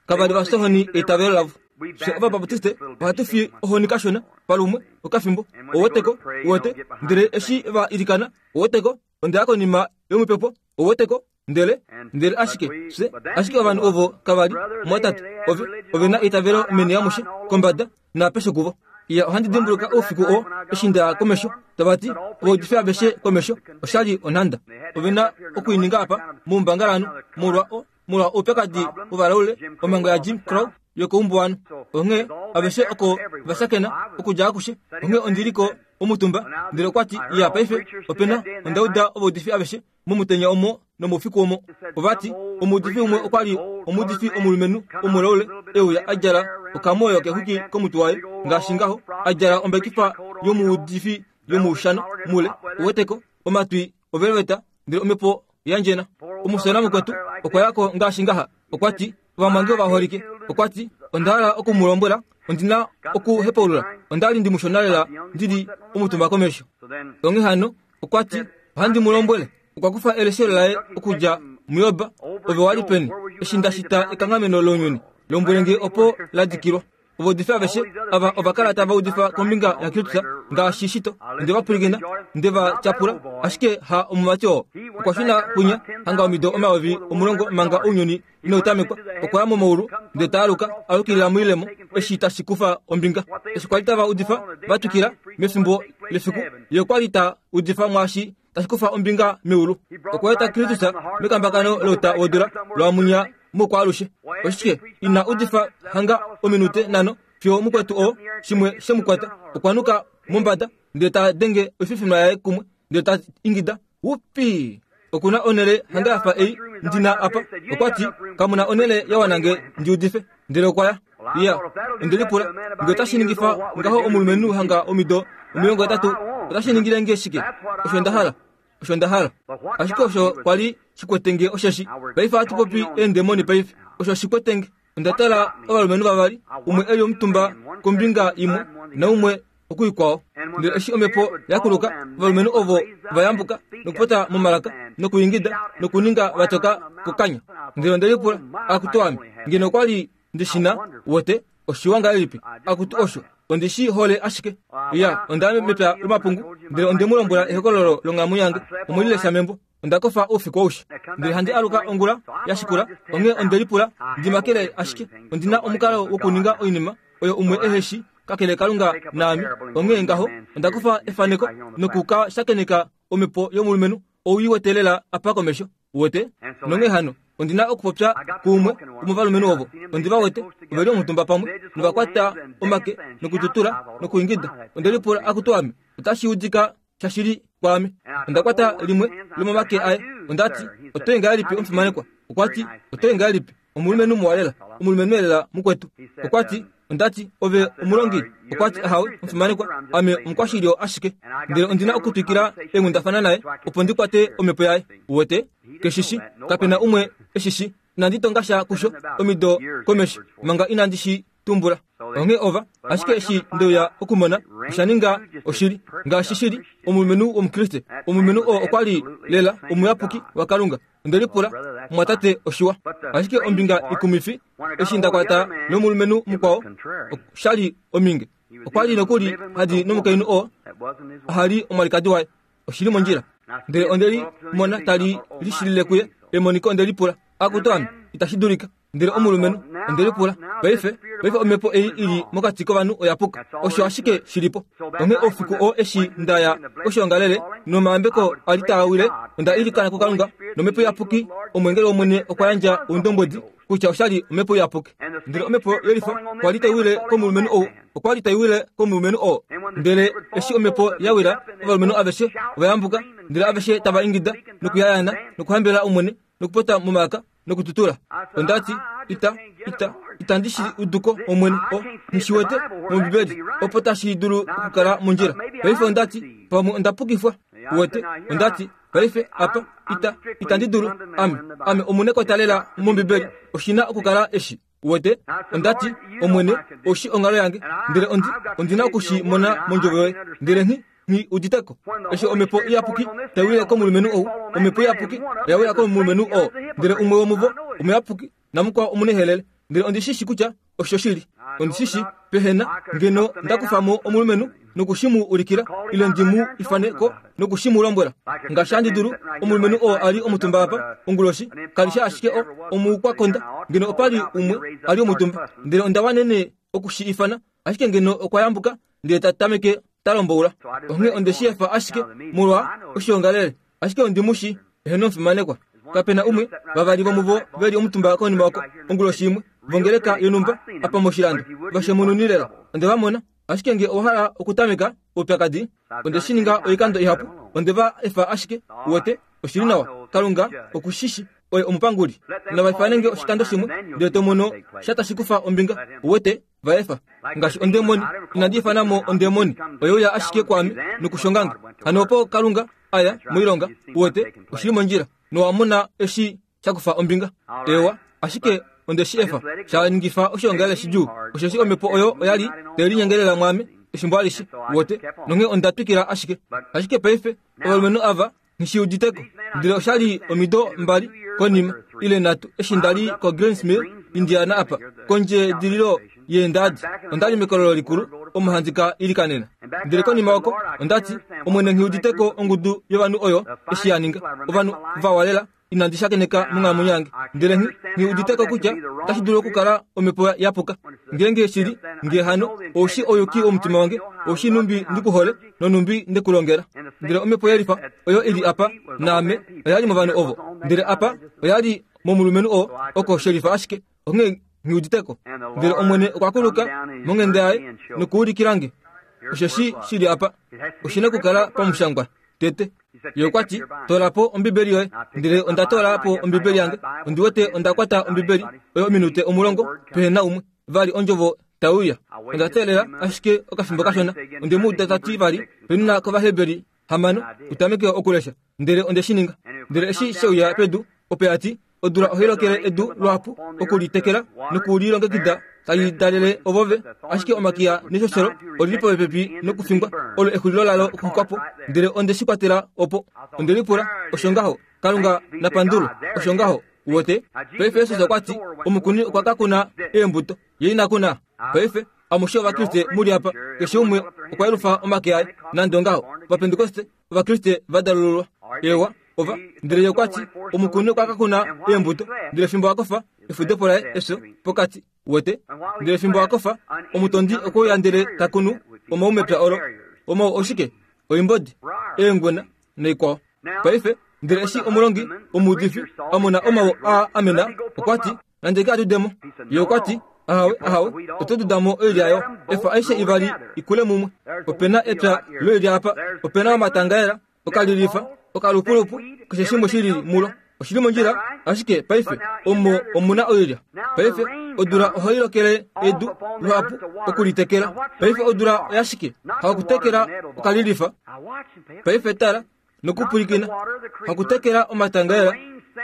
Kava li va fya ohoni eitavelo lavo. Fye Ovabaptiste ohatu fi ohoni kashona palumwe okafimbo, ouweteko, uwete, ndele eshi va ilikana, ouweteko, onda ya konima yomupepo, ouweteko, ndele, ndele ashike, fye, ashike ovanhu ovo kava li, mwatate, ove, ove na eitavelo meni amushe, kombada, naapeshe kuvo. Iya, ohandi dimbuluka oufiku oo eshi nda ya komesho, tava ti, Ovaudifi aveshe komesho, osha li onhanda. Ove na oku i ninga apa, moumbangalanhu, molwa o, molwa oupyakadi wovalaule, omhango yaJim Crow yokoumbuwanhu. Onghee aveshe oko va shakena, okudja akushe. Onghee ondi li ko omutumba, ndele okwa ti, Iya, paife, ope na, onda uda ovaudifi aveshe momutenya omo nomoufiku omo. Ova ti, Omuudifi umwe okwa li omuudifi omulumenhu omulaule e uya a djala okamoyo kexwiki komutwe waye, ngaashi ngaho, a djala ombekifa yomuudifi yomoushano mule, uweteko, omatwi ovelveta, ndele omhepo ya ndjena. Omusona mukwetu okwa ya ko ngaashi ngaha, okwa ti, Ovamwange ovaholike, okwa ti, onda hala oku mu lombwela, ondi na okuhepaulula. Onda li ndi mushona lela ndi li omutumba komesho. Onghee hano, okwa ti, Ohandi mu lombwele, okwa kufa eleshelo laye okudja muJob, Ove wa li peni, eshi nda shita ekanghameno lounyuni? Lombwele nge opo la dikilwa. Ovaudifi aveshe ava ova kala tava udifa kombinga yaKristus ngaashi shito. Onde va pwilikina, nde va tyapula, ashike ha omumati oo. Okwa shuna kwinya hanga omido 10,000 manga ounyuni inau tamekwa. Okwa ya momaulu ndele ta aluka, a yukilila moilemo eshi tashi kufa ombinga. Eshi kwa li tava udifa va twikila mefimbo lefiku, ye okwa li ta udifa mwaashi tashi kufa ombinga meulu. Okwa eta Kristus mekambakano louta wodula lwamunya moukwaalushe. Oshike ina udifa hanga ominute nhano fiyo mukwetu oo shimwe she mu kwata, okwa nuka mombada ndele ta denge oififinwa yaye kumwe ndele ta ingida, Wupi! Oku na onhele hanga ya fa ei ndi na apa. Okwa ti, Kamu na onhele ya wana nge ndi udife. Ndele okwa ya. Iya, onde lipula, nge otashi ningifa ngaho omulumenhu hanga omido 80, otashi ningile nge shike? Osho nda hala. Osho nda hala. Ashike osho kwa li shi kwete nge osheshi. Paife ohatu popi eendemoni paife. Osho shi kwete nge. Onda tala ovalumenhu vavali, umwe e li omutumba kombinga imwe naumwe okuikwao. Ndele eshi omhepo ya kuluka, ovalumenhu ovo va yambuka nokupota momalaka nokuingida nokuninga va toka kokanya. Ndele onde lipula, Akutu ame, ngeno okwa li ndi shi na, wote, oshiwa ngahelipi? Akutu osho, ondi shi hole ashike. Ya, onda ya mepya lomapungu, ndele onde mu lombwela ehokololo longhalamwenyo yange, omwe li lesha membo. Onda kofa oufiku aushe, ndele handi aluka ongula ya shikula. Onghee onde lipula ndi makele ashike. Ondi na omukalo wokuninga oinima oyo umwe ehe shi, kakele Kalunga naame. Onghee ngaho, onda kufa efaneko noku ka shakeneka omhepo yomulumenhu ou i wete lela apa komesho. Uwete? Nonghee hano, ondi na okupopya kuumwe womovalumenhu ovo. Ondi va wete, ove li omutumba pamwe, nova kwata omake nokututula nokuingida. Onde lipula, Akutu ame, otashi udika shashili kwaame. Onda kwata limwe lomomake aye. Onda ti, Oto i ngahelipi omufimanekwa? Okwa ti, Oto i ngahelipi, omulumenhu muwa lela, omulumenhu elela mukwetu. Okwa ti, Onda ti, Ove omulongi? Okwa ti, Ahawe, omufimanekwa, ame omukwashilyo ashike. Ndele ondi na okutwikila eenghundafana naye opo ndi kwate omhepo yaye. Uwete? Ke shi shi. Kape na umwe e shi shi. Inandi tonga sha kusho omido komesho manga inandi shi tumbula. Onghee ova, ashike eshi nde uya okumona, osha ninga oshili. Ngaashi shi li, omulumenhu wOmukriste, omulumenhu oo okwa li lela omuyapuki waKalunga. Onde lipula, Mumwatate, oshiwa. Ashike ombinga ikumwifi, eshi nda kwata nomulumenhu mukwao, osha li ominge. Okwa li nokuli hadi nomukainhu oo aha li omwalikadi waye. Oshi li mondjila. Ndele onde li mona tali lishilile kuye, emoniko onde lipula, Akutu ame, itashi dulika. Ndele omulumenhu, onde lipula, Paife, paife omhepo ei i li mokati kovanhu oya puka. Osho ashike shi li po. Onghee oufiku oo eshi nda ya koshoongalele, nomayambeko a li taa wile, onda ilikana kuKalunga, nOmhepo Iyapuki, Omweengeli wOmwene okwa yandja oundombwedi kutya osha li Omhepo Iyapuki. Ndele Omhepo yelifa kwa li tai wile komulumenhu ou, okwa li tai wile komulumenhu oo. Ndele eshi Omhepo ya wila, ovalumenhu aveshe ova yambuka, ndele aveshe tava ingida nokuyayaana nokuhambelela Omwene nokupota momalaka nokututula. Onda ti, Ita, ita, itandi shi udu ko, Omwene. O, nghi shi wete mOmbibeli, opo tashi dulu okukala mondjila. Paife onda ti, Pamwe onda pukifwa. Uwete? Onda ti, Paife, apa, ita, itandi dulu. Ame, ame omunekwata lela mOmbibeli. Oshi na okukala eshi. Uwete? Onda ti, Omwene, ou shii onghalo yange, ndele ondi, ondi na oku shi mona mondjovo yoye. Ndele nghi, nghi udite ko. Eshi Omhepo Iyapuki tai wile komulumenhu ou, Omhepo Iyapuki oya wila komulumenhu oo, ndele umwe womuvo omuyapuki namukwao omunehelele. Ndele ondi shi shi kutya oshoshili. Ondi shi shi, pehena, ngeno nda kufa mo omulumenhu noku shi mu ulikila, ile ndi mu ifane ko noku shi mu lombwela. Ngaashi handi dulu, omulumenhu oo a li omutumba apa, onguloshi, kali shi ashike o, omukwakonda, ngeno opa li umwe a li omutumba. Ndele onda wanene oku shi ifana, ashike ngeno okwa yambuka ndele ta tameke ta lomboula. Onghee onde shi efa ashike molwa oshiongalele. Ashike ondi mu shi, eheno omufimanekwa. Kape na umwe, vavali vomuvo ve li omutumba konima oko, onguloshi imwe, vongeleka yonhumba apa moshilando, va shemununi lela. Onde va mona. Ashike nge owa hala okutameka oupyakadi, onde shi ninga oikando ihapu, onde va efa ashike, uwete, oshi li nawa. Kalunga oku shi shi, oye omupanguli. Nava ifane nge oshikando shimwe, ndele to mono sha tashi kufa ombinga, uwete, va efa. Ngaashi ondemoni, inandi ifana mo ondemoni, oye uya ashike kwaame nokushonga nge. Hano opo Kalunga a ya moilonga, uwete, oshi li mondjila, nowa mona eshi sha kufa ombinga. Eewa, ashike onde shi efa, sha ningifa oshiongalele shidjuu, osheshi omhepo oyo oya li tai linyengelela mwaame efimbo alishe, uwete, nonghee onda twikila ashike. Ashike paife, ovalumenhu ava nghi shi udite ko. Ndele osha li omido mbali konima, ile nhatu, eshi nda li koGreens Mill, Indiana apa, kondjedililo yeendadi. Onda li mekololo likulu, omo handi ka ilikanena. Ndele konima oko, onda ti, Omwene nghi udite ko ongudu yovanhu oyo eshi ya ninga. Ovanhu vawa lela, inandi shakeneka monghalamwenyo yange. Ndele nghi, nghi udite ko kutya otashi dulu okukala omhepo ya puka. Ngeenge shi li, nge hano, ou shii ouyuki womutima wange, ou shii nhumbi ndi ku hole, nonhumbi nde ku longela. Ndele omhepo yelifa oyo i li apa naame oya li movanhu ovo, ndele apa oya li momulumenhu oo, oko shelifa ashike, onghee nghi udite ko. Ndele Omwene okwa kuluka monghenda yaye nokuulikila nge osheshi shi li apa. Oshi na okukala pamushangwa tete. Ye okwa ti, Toola po Ombibeli yoye. Ndele onda toola po Ombibeli yange. Ondi wete onda kwata Ombibeli oyo ominute omulongo pehe na umwe. Vali ondjovo tai uya. Onda teelela ashike okafimbo kashona. Onde mu uda ta ti vali, Penuna kOvaheberi hamano, u tameke okulesha. Ndele onde shi ninga. Ndele eshi she uya pedu, opo ya ti, Odula ohai lokele edu luhapu oku li tekela noku li longekida tali dalele ovo ve, ashike omakiya neshoshelo oli li popepi nokufingwa, olo exulilo lalo okuxuka po. Ndele onde shi kwatela opo. Onde lipula, Osho ngaho? Kalunga na pandulwe. Osho ngaho. Uwete? Paife Jesus okwa ti, Omukuni okwa ka kuna eembuto, ye ina kuna. Paife, amushe Ovakriste mu li apa, keshe umwe okwa yelufa omake aye, nande ongaho. Ovapentekoste, Ovakriste va dalululwa. Ewa, ova. Ndele ye okwa ti, Omukuni okwa ka kuna eembuto, ndele fimbo a kofa, efudepo laye, efyo, pokati. Uwete? Ndele fimbo a kofa, omutondi okwe uya ndele ta kunu omau mepya olo. Omau oshike? Oimbodi, eengwena, naikwao. Paife, ndele eshi omulongi omuudifi a mona omau aa a mena, okwa ti, Nande ke a dude mo. Ye okwa ti, Ahawe, ahawe, oto duda mo oilya yo. Efa aishe ivali i kule mumwe. Ope na epya loilya apa, ope na omatangaela, okalilifa, okalupulupu, keshe shimwe shi li mulo. Oshi li mondjila, ashike paife omo omu na oilya. Paife odula ohai lokele edu luhapu oku li tekela. Paife odula oyashike? Hakutekela okalilifa. Paife tala nokupwilikina. Hakutekela omatangaela,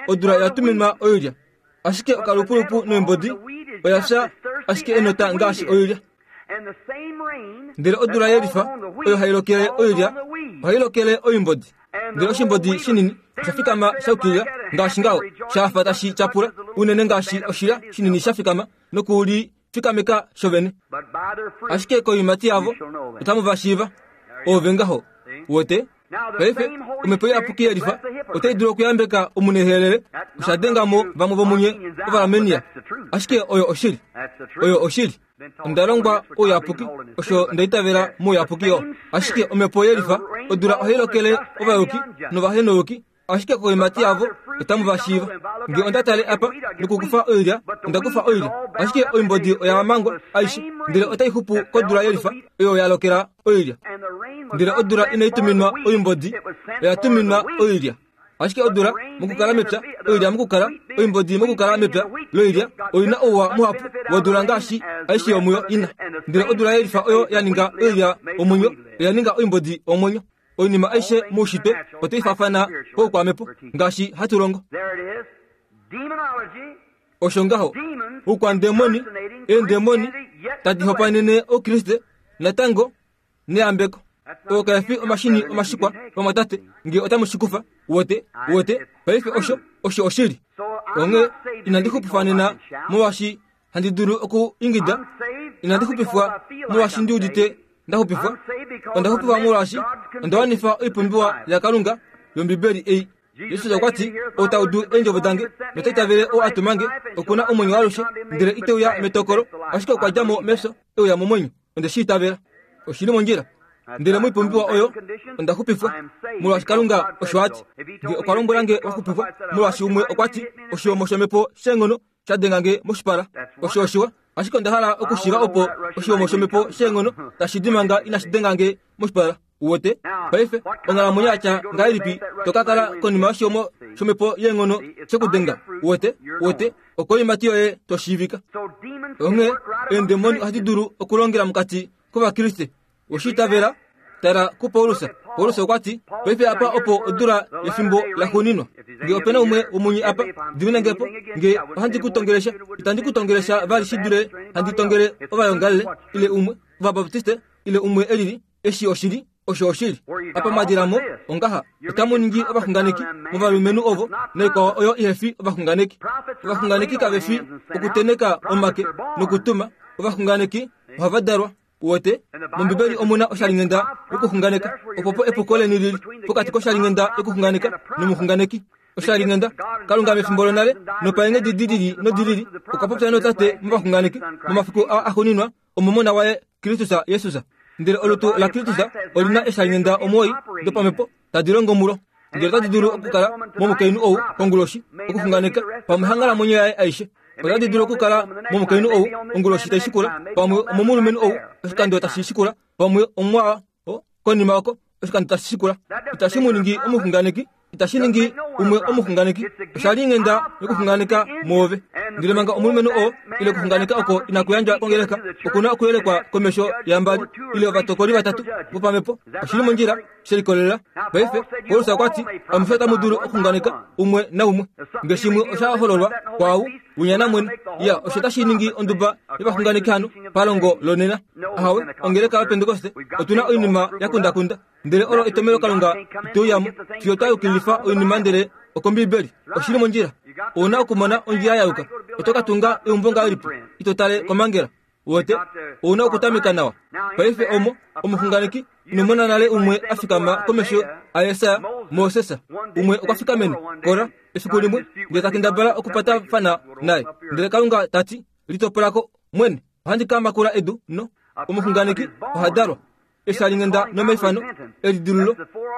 odula oya tuminwa oilya. Ashike okalupulupu noimbodi oya fya ashike enota ngaashi oilya. Ndele odula yelifa oyo hai lokele oilya ohai lokele oimbodi. Ndele oshimbodi shinini osha fikama sha yukilila ngaashi ngaho, sha fa tashi tyapula unene ngaashi oshilya shinini sha fikama noku li fikameka shovene. Ashike koiimati yavo otamu va shiiva. Oove ngaho, uwete? Paife, Omhepo Iyapuki yelifa otai dulu okuyambeka omunehelele. Osha denga mo vamwe vomunye Ovaarmenia. Ashike oyo oshili. Oyo oshili. Onda longwa ouyapuki, osho nda itavela mouyapuki yo. Ashike Omhepo yelifa, odula ohai lokele ovayuki novahenouyuki, ashike koimati yavo otamu va shiiva. Nge onda tale apa nokukufa oilya, onda kufa oilya, ashike oimbodi oya mangwa aishe, ndele otai xupu kodula yelifa oyo ya lokela oilya. Ndele odula inai tuminwa oimbodi, oya tuminwa oilya. Ashike odula mokukala mepya, oilya mokukala, oimbodi mokukala mepya loilya oi na ouwa muhapu wodula ngaashi aishe yomuyo ina. Ndele odula yelifa oyo ya ninga oilya omwenyo, oya ninga oimbodi omwenyo. Oinima aishe moushitwe otai faafana poukwamhepo ngaashi hatu longo. Osho ngaho, oukwandemoni, eendemoni, tadi hopaenene Oukriste, natango, neyambeko. Oo kae fi omashini omashikwa, vamwatate, nge otamu shi kufa. Wote, wote, paife osho, osho oshili. Onghee inandi xupifwa nena molwaashi handi dulu oku ingida. Inandi xupifwa molwaashi ndi udite nda xupifwa. Onda xupifwa molwaashi onda wanifa oipumbiwa yaKalunga yOmbibeli ei. Jesus okwa ti, Ou ta udu eendjovo dange nota itavele ou a tuma nge, oku na omwenyo waalushe, ndele ite uya metokolo, ashike okwa dja mo mefyo e uya momwenyo. Onde shi itavela. Oshi li mondjila. Ndele moipumbiwa oyo onda xupifwa, molwaashi Kalunga osho a ti. Nge okwa lombwela nge wa xupifwa, molwaashi umwe okwa ti, Oshihomo shomhepo sheenghono sha denga nge moshipala. Osho oshiwa, ashike onda hala okushiiva opo oshihomo shomhepo sheenghono tashi di manga inashi denga nge moshipala. Uwete? Paife, onghalamwenyo ya tya ngahelipi to ka kala konima yoshihomo shomhepo yeenghono shekudenga? Uwete? Uwete? Okoimati yoye to shiivika. Onghee, eendemoni ohadi dulu okulongela mokati kOvakriste. Oshi itavela? Tala kuPaulus. Paulus okwa ti, Paife apa opo odula yefimbo laxuuninwa. Nge ope na umwe womunye apa, dimina nge po. Nge ohandi ku tongele sha, itandi ku tongele sha vali shi dule handi tongele ovayongalele, ile umwe, Ovabaptiste, ile umwe e lili. Eshi oshili, osho oshili. Apa mwa dila mo, ongaha, otamu ningi ovaxunganeki movalumenhu ovo naikwao oyo ihe fi ovaxunganeki. Ovaxunganeki kave fi okuteneka omake nokutuma. Ovaxunganeki ohava dalwa. Uwete, mOmbibeli omu na oshalinghenda yokuxunganeka. Opopo epuko leni lili pokati koshalinghenda yokuxunganeka nomuxunganeki. Oshalinghenda, Kalunga mefimbo lonale nopaenghedi di lili nodi lili okwa popya nootate movaxunganeki momafiku aa axuuninwa omomona waye Kristus Jesus. Ndele olutu laKristus oli na eshalinghenda omuwoi dopamhepo tadi longo mulo. Ndele otadi dulu okukala momukainhu ou konguloshi okuxunganeka pamwe hanghalamwenyo yaye aishe. Otadi dulu okukala momukainhu ou onguloshi tai shikula, pamwe omomulumenhu ou oshikando tashi shikula, pamwe omwaa konima oko oshikando tashi shikula. Itashi mu ningi omuxunganeki, itashi ningi umwe omuxunganeki. Osha li nghenda yokuxunganeka mwoove. Ndele manga omulumenhu oo ile okuxunganeka oko inaku yandjwa kongeleka, oku na okuyelekwa komesho yambali ile ovatokoli vatatu vopamhepo. Oshi li mondjila, she likolelela. Paife, Paulus okwa ti, Amushe otamu dulu okuxunganeka umwe naumwe. Nge shimwe osha hololwa kwaau, winya namwene. Ya, osho otashi ningi onduba yovaxunganeki hano, palongo lonena. Ahawe, ongeleka yoPentekoste, otu na oinima ya kundakunda. Ndele olo etomelo Kalunga ite uya mo, fiyo twa yukililifa oinima ndele okOmbiibeli. Oshi li mondjila. Ou na okumona ondjila ya yuka. Oto ka tunga eumbo ngahelipi ito tale komangela? Uwete, ou na okutameka nawa. Paife omo, omuxunganeki, ino mona nale umwe a fikama komesho aJesaja, Moses. Umwe okwa fikamene, Kora, efiku limwe, ndele ta kendabala okupatafana naye. Ndele Kalunga ta ti, Litopola ko, mwene. Ohandi ka makula edu no. Omuxunganeki oha dalwa. Eshalinghenda nomaifano elidilululo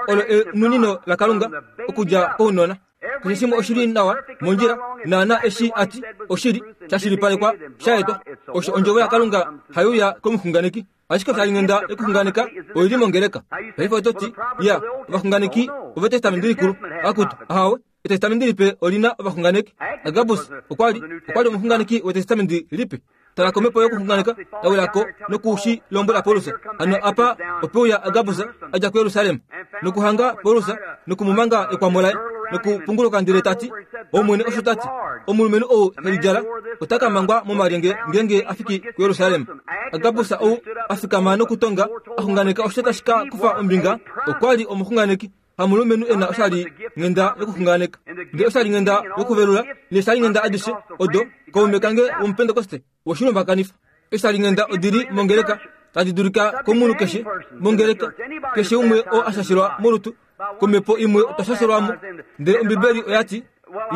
olo enunino laKalunga okudja kounona. Keshe shimwe oshi li nawa mondjila naana eshi a ti oshili sha shilipalekwa sha etwa. Osho ondjovo yaKalunga hai uya komuxunganeki. Ashike oshalinghenda yokuxunganeka oi li mongeleka. Paife oto ti, Ya, ovaxunganeki ovEtestamenti Likulu. Akutu, ahawe. Etestamenti Lipe oli na ovaxunganeki. Agabus okwa li okwa li omuxunganeki wEtestamenti Lipe. Tala komhepo yokuxunganeka ya wila ko noku shi lombwela Paulus. Hano apa ope uya Agabus a dja kuJerusalem nokuhanga Paulus noku mu manga ekwamo laye nokupunguluka ndele ta ti, Omwene osho ta ti, omulumenhu ou he lidjala ota ka mangwa momalyenge ngeenge a fiki kuJerusalem. Agabus ou a fikama nokutonga a xunganeka osho tashi ka kufa ombinga, okwa li omuxunganeki hamulumenhu e na oshalinghenda yokuxunganeka, ndele oshalinghenda yokuvelula neeshalinghenda adishe odo kaume kange womupentekoste woshilumbakanifa. Eeshalinghenda odi li mongeleka tadi dulika komunhu keshe mongeleka, keshe umwe oo a shashelwa molutu komhepo imwe otwa shashelwa mo. Ndele Ombibeli oya ti,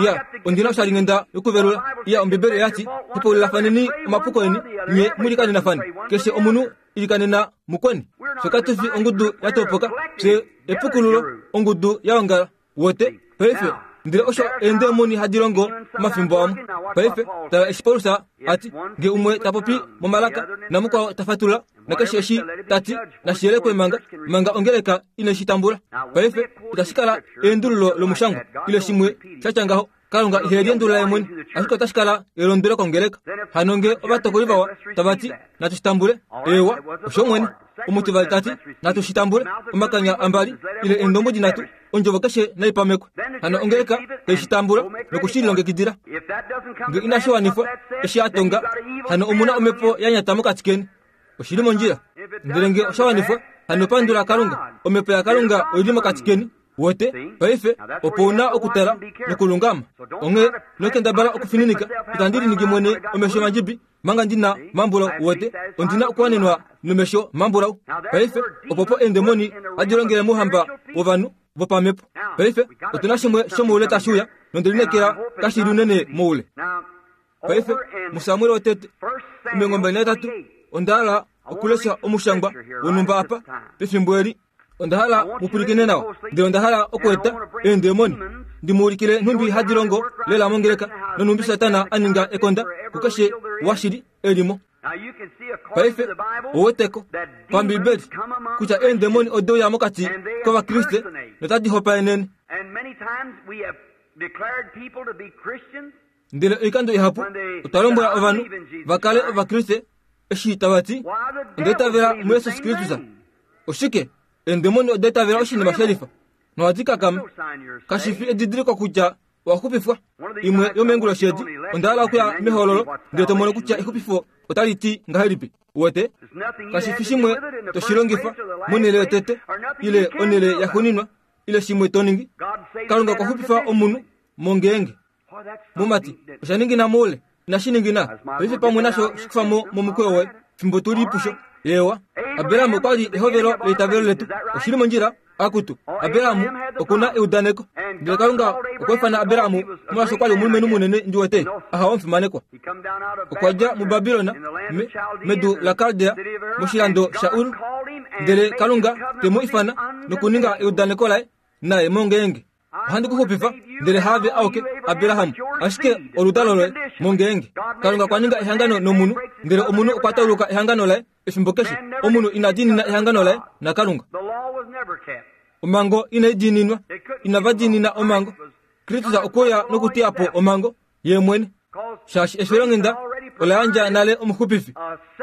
Ya, ondi na oshalinghenda yokuvelula. Ya, Ombibeli oya ti, Hepaululilafaneni omapuko eni, nye mu likaninafane. Keshe omunhu ilikanena mukweni. Fye katu fi ongudu ya topoka, fye epukululo, ongudu ya ongala. Wote, paife, ndele osho eendemoni hadi longo omafimbo amwe. Paife, tala eshi Paulus a ti, Nge umwe ta popi momalaka, namukwao ta fatulula, nakeshe eshi ta ti, nashi yelekwe manga, manga ongeleka ine shi tambula. Paife, itashi kala eendululo lomushangwa, ile shimwe sha tya ngaho. Kalunga ihe liendulula ye mwene, ashike otashi kala elondwelo kongeleka. Hano nge ovatokoli vawa tava ti, natu shi tambule, eewa, osho mwene. Omutivali ta ti, Natu shi tambule, omakanya ambali, ile eendombwedi nhatu, ondjovo keshe nai pamekwe. Hano ongeleka tai shi tambula noku shi lilongekidila. Nge inashi wanifwa, eshi a tonga, hano omu na omhepo ya nyata mokati keni. Oshi li mondjila. Ndele nge osha wanifwa, hano pandula Kalunga. Omhepo yaKalunga oi li mokati keni. Wete, paife, opo u na okutala nokulungama. Onghee, ino kendabala okufininika, itandi liningi mwene omesho mandjibi, manga ndi na mambulau. Wete, ondi na okuwanenwa nomesho mambulau. Paife, opo po eendemoni hadi longele mouhamba wovanhu vopamhepo. Paife, otu na shimwe shomoule tashi uya, nonde lineekela kashi li unene moule. Paife, muSamuel wotete, 23, onda hala okulesha omushangwa wonhumba apa pefimbo eli. Onda hala mu pwilikine nawa, ndele onda hala okueta eendemoni ndi mu ulikile nhumbi hadi longo lela mongeleka nonhumbi Satana a ninga ekonda kukeshe washili e li mo. Paife, ou weteko, paMbibeli, kutya eendemoni ode uya mokati kOvakriste notadi hopaenene. Ndele oikando ihapu otwa lombwela ovanhu va kale Ovakriste eshi tava ti, Onda itavela muJesus Kristus. Oshike? Eendemoni oda itavela oshinima she lifa nohadi kakama. Kashi fi edidiliko kutya owa xupifwa. Imwe yomeenguloshi edi, onda hala okuya mehololo ndele to mono kutya exupifo otali ti ngahelipi. Uwete? Kashi fi shimwe to shi longifa monhele yotete ile onhele yaxuuninwa ile shimwe to ningi. Kalunga okwa xupifa omunhu mongeenge. Mumati, osha ningina moule, inashi ningina? Paife pamwe nasho shi kufa mo momukweyo woye, fimbo tu li pusho. Eewa. Abraham okwa li ehovelo leitavelo letu. Oshi li mondjila? Akutu, Abraham oku na eudaneko. Ndele Kalunga okwa ifana Abraham molwaashi okwa li omulumenhu munene ndi wete, aha omufimanekwa. Okwa dja muBabilon, me, medu laKaldea, moshilando shaUr, ndele Kalunga te mu ifana nokuninga eudaneko laye naye mongeenge. Ohandi ku xupifa, ndele haave auke, Abraham, ashike oludalo loye, mongeenge. Kalunga okwa ninga ehangano nomunhu, ndele omunhu okwa tauluka ehangano laye efimbo keshe. Omunhu ina diinina ehangano laye naKalunga. Omhango inai diininwa. Inava diinina omhango. Kristus okwe uya nokuteya po omhango, ye mwene. Shaashi efilonghenda ola yandja nale omuxupifi.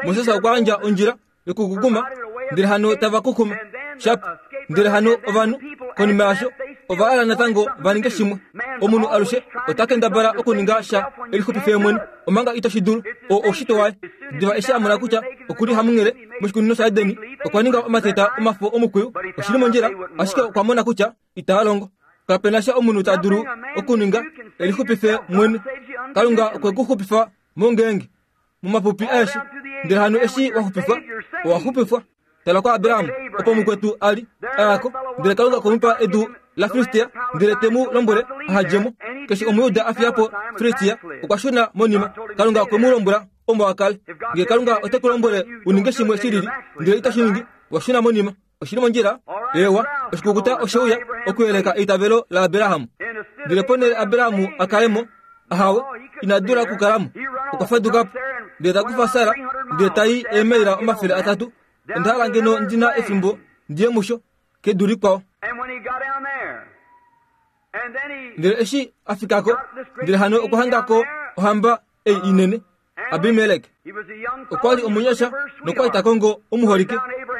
Moses okwa yandja ondjila yokukukuma, ndele hano tava kukuma. Shap, ndele hano ovanhu, konima yasho, ova hala natango va ninge shimwe. Omunhu alushe ota kendabala okuninga sha e lixupife ye mwene, omanga ito shi dulu. Oo oushitwe waye. Diva eshi a mona kutya oku li hamunghele moshikunino shaEdeni, okwa ninga omateta omafo omukwiyu. Oshi li mondjila, ashike okwa mona kutya itaa longo. Kape na sha omunhu ta dulu okuninga e lixupife mwene. Kalunga okwe ku xupifa mongeenge, momapupi aeshe. Ndele hano eshi wa xupifwa, owa xupifwa. Tala kuAbraham, opo mukwetu a li a ya ko, ndele Kalunga okwe mu pa edu laFilistia, ndele te mu lombwele aha dje mo. Keshe Omuyuda a fiya po Filistia okwa shuna monima. Kalunga okwe mu lombwela omo a kale. Ngee Kalunga ote ku lombwele u ninge shimwe shi lili, ndele ito shi ningi, wa shuna monima. Oshi li mondjila? Eewa, oshikukuta oshe uya okuyeleka eitavelo laAbraham. Ndele ponhele Abraham a kale mo, ahawe, ina dula okukala mo. Okwa faduka po, ndele ta kufa Sara, ndele ta i eemaila 300. Onda hala ngeno ndi na efimbo ndi ye musho, kedu likwao. Ndele eshi a fika ko, ndele hano okwa hanga ko ohamba ei inene, Abimelek. Okwa li omunyasha nokwa li ta kongo omuholike,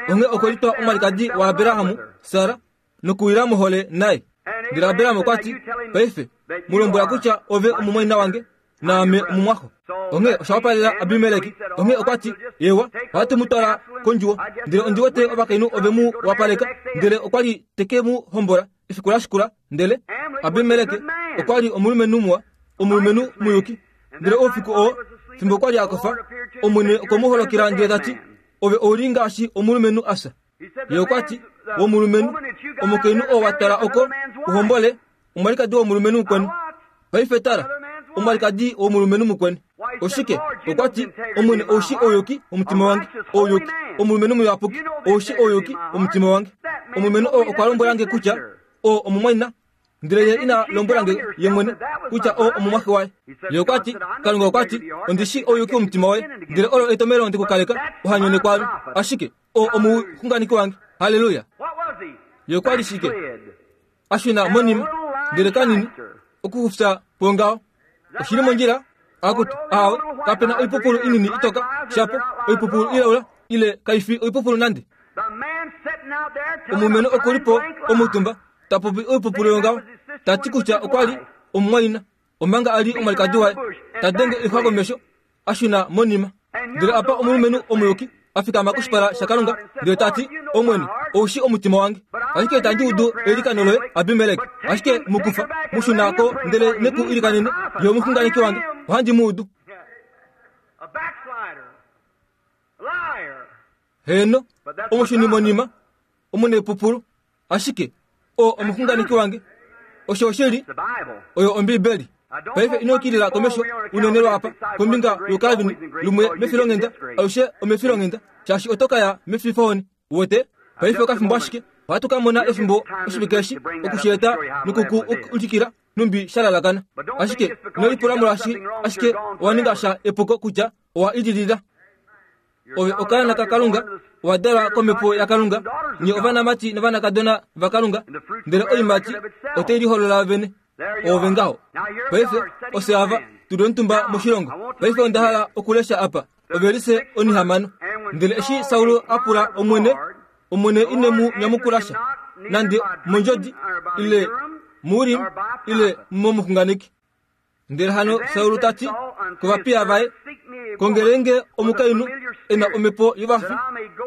onghee okwe litwa omwalikadi waAbraham, Sara, nokuwila mohole naye. Ndele Abraham okwa ti, Paife, mu lombwela kutya ove omumwaina wange, naame omumwaxo. Onghee osha wapalela Abimelek. Onghee okwa ti, Eewa, ohatu mu twala kondjuwo. Ndele ondi wete ovakainhu ove mu wapaleka, ndele okwa li te ke mu hombola efiku la shikula. Ndele Abimelek okwa li omulumenhu muwa, omulumenhu muyuki. Ndele oufiku oo, fimbo kwa li a kofa, Omwene okwe mu holokela ndele ta ti, Ove ou li ngaashi omulumenhu a fya. Ye okwa ti, Womulumenhu, omukainhu oo wa twala oko u hombole, omwalikadi womulumenhu mukweni. Paife tala, omwalikadi womulumenhu mukweni. Oshike? Okwa ti, Omwene ou shii ouyuki womutima wange. Ouyuki, omulumenhu muyapuki, ou shii ouyuki womutima wange. Omulumenhu oo okwa lombwela nge kutya oo omumwaina Ndele ye ina lombwela nge ye mwene kutya oo omumwaxe waye. Ye okwa ti, Kalunga okwa ti, Ondi shii ouyuki womutima woye, ndele olo etomhelo nde ku kaleka uha nyone kwaame. Ashike oo omuxunganeki wange. Halleluya! Ye okwa li shike? A shuna monima, ndele kanini, okuxufya po ngaho. Oshi li mondjila? Akutu, aawe, kape na oipupulu inini itoka, shapo oipupulu ilaula, ile kai fi oipupulu nande. Omulumenhu oku li po omutumba ta popi oipupulu yongaho, ta ti kutya okwa li omumwaina, omanga a li omwalikadi waye, ta denge oixwa komesho, a shuna monima. Ndele apa omulumenhu omuyuki a fikama koshipala shaKalunga ndele ta ti, Omwene, ou shii omutima wange. Ashike itandi udu eilikano loye, Abimelek. Ashike mu kufa, mu shuna ko ndele ne ku ilikanene, ye omuxunganeki wange. Ohandi mu udu. Heeno, omushunimonima, omunepupulu, ashike oo omuxunganeki wange. Osho oshili, oyo Ombibeli. Paife ino kilila komesho unene lwaapa kombinga yoCalvin lumwe mefilonghenda, alushe omefilonghenda, shaashi oto ka ya mefifohoni. Uwete? Paife okafimbo ashike ohatu ka mona efimbo oshivike eshi oku shi eta noku ku ulikila nhumbi sha lalakana. Ashike ino lipula molwaashi ashike owa ninga sha epuko kutya owa ililila. Ove okaana kaKalunga, owa dalwa kOmhepo yaKalunga, nye ovanamati novanakadona vaKalunga, ndele oiimati otai liholola vene. Oove ngaho. Paife, ofye ava, tu li omutumba moshilongo. Paife onda hala okulesha apa, ovelise onihamano. Ndele eshi Saul a pula Omwene, Omwene ine mu nyamukula sha, nande mondjodi, ile muUrim, ile momuxunganeki. Ndele hano Saul ta ti kovapiya vaye, Kongele nge omukainhu e na omhepo yovafi,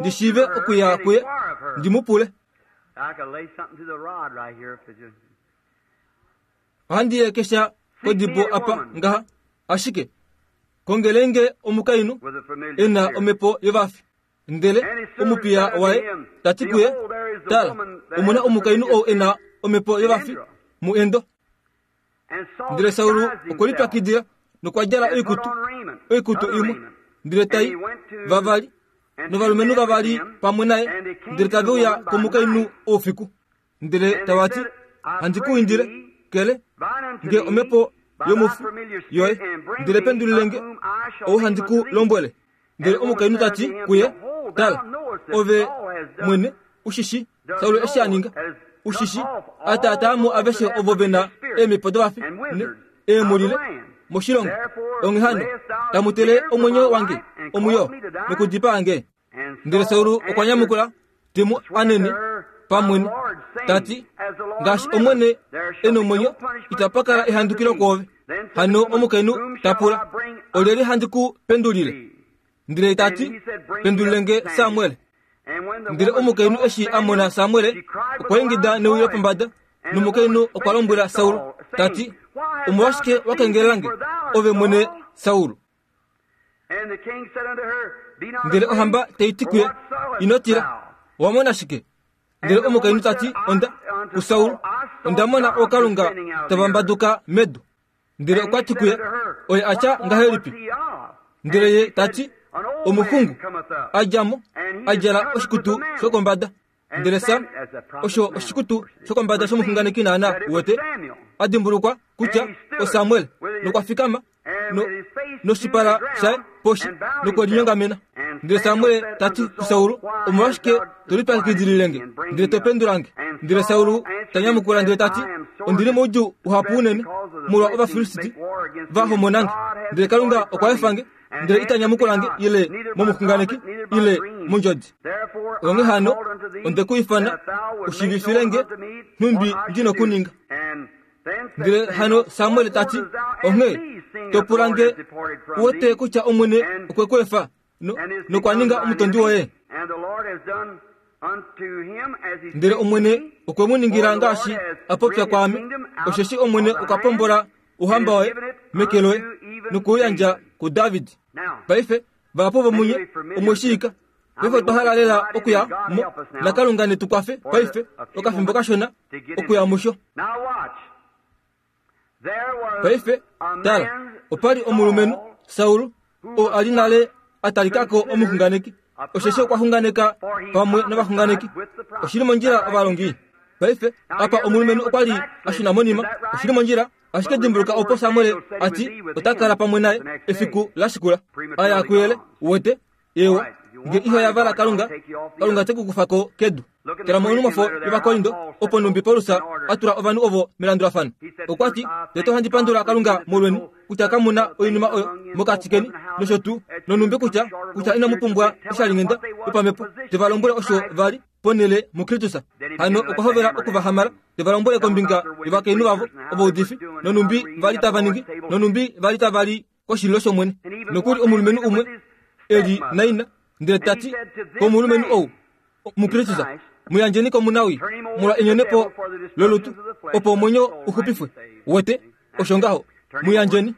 ndi shiive okuya kuye ndi mu pule. Ohandi yekesha kodibo apa ngaha, ashike kongele nge omukainhu e na omhepo yovafi. Ndele omupiya waye ta ti kuye, Tala, omu na omukainhu ou e na omhepo yovafi muEndo. Ndele Saul okwe lipyakidila nokwa djala oikutu, oikutu imwe, ndele ta i vavali novalumenhu vavali pamwe naye, ndele tave uya komukainhu oufiku. Ndele tava ti, Handi ku indile, kele nge omhepo yomufi yoye, ndele pendulile nge ou handi ku lombwele. Ndele omukainhu ta ti kuye, Tala, ove mwene u shi shii Saul eshi a ninga, u shi shii a taataa mo aveshe ovo ve na eemhepo dovafi eemhulile moshilongo. Onghee hano tamu tele omwenyo wange omwiyo nokudipaa nge. Ndele Saul okwa nyamukula te mu anene pamwene ta ti, Ngaashi Omwene e nomwenyo, itapa kala ehandukilo kwoove. Hano omukainhu ta pula, Olyelye handi ku pendulile? Ndele ta ti, Pendulile nge Samuel. Ndele omukainhu eshi a mona Samuel, okwa ingida newi lopombada, nomukainhu okwa lombwela Saul ta ti, Omolwashike wa kengelela nge, ove mwene Saul? Ndele ohamba tai ti kuye, Ino tila, owa mona shike? Ndele omukainhu ta ti, Onda kuSaul, onda mona ookalunga tava mbaduka medu. Ndele okwa ti kuye, Oye a tya ngahelipi? Ndele ye ta ti, Omuxungu a dja mo, a djala oshikutu shokombada. Ndele Sam, osho oshikutu shokombada shomuxunganeki naana, uwete, a dimbulukwa kutya oSamuel, nokwa fikama no, noshipala shaye poshi nokwe linyongamena. Ndele Samuel ta ti kuSaul, Omolwashike to lipyakidilile nge, ndele to pendula nge? Ndele Saul ta nyamukula ndele ta ti, Ondi li moudjuu uhapu unene molwa Ovafilisti va homona nge, ndele Kalunga okwa efa nge, ndele ita nyamukula nge ile momuxunganeki ile mondjodi. Onghee hano onde ku ifana u shiivifile nge nhumbi ndi nokuninga. Ndele hano Samuel ta ti, Onghee to pula nge u wete kutya Omwene okwe ku efa nokwa ninga omutondi woye? Ndele Omwene okwe mu ningila ngaashi a popya kwaame, osheshi Omwene okwa pombola ouhamba waye meke loye noku u yandja kuDavid. Paife vahapu vomunye omwe shiika Paife otwa hala lela okuya mo, naKalunga ne tu kwafe paife, okafimbo kashona, okuya musho. Paife, tala, opa li omulumenhu, Saul, oo a li nale a talika ko omuxunganeki, osheshi okwa xunganeka pamwe novaxunganeki. Oshi li mondjila, ovalongi? Paife, apa omulumenhu okwa li a shuna monima. Oshi li mondjila? Ashike dimbuluka opo Samuel a ti ota kala pamwe naye efiku la shikula. A ya kuyele, uwete, Eewa, nge iho yavala Kalunga, Kalunga te ku kufa ko kedu. Tala monhumwafo yOvakorindo, opo nhumbi Paulus a tula ovanhu ovo melandulafano. Okwa ti, Tete ohandi pandula Kalunga molweni, kutya kamu na oinima oyo mokati keni, nosho tuu, nonhumbi kutya, kutya inamu pumbwa oshalinghenda yopamhepo, te va lombwele osho va li. ponhele muKristus. Hano okwa hovela oku va hamala, te va lombwele kombinga yovakainhu vavo ovaudifi, nonhumbi va li tava ningi, nonhumbi va li tava li koshililo shOmwene. Nokuli omulumenhu umwe e li naina, ndele ta ti komulumenhu ou, muKristus, mu yandjeni komunawii molwa enyonepo lolutu, opo omwenyo u xupifwe. Wete, osho ngaho. Mu yandjeni.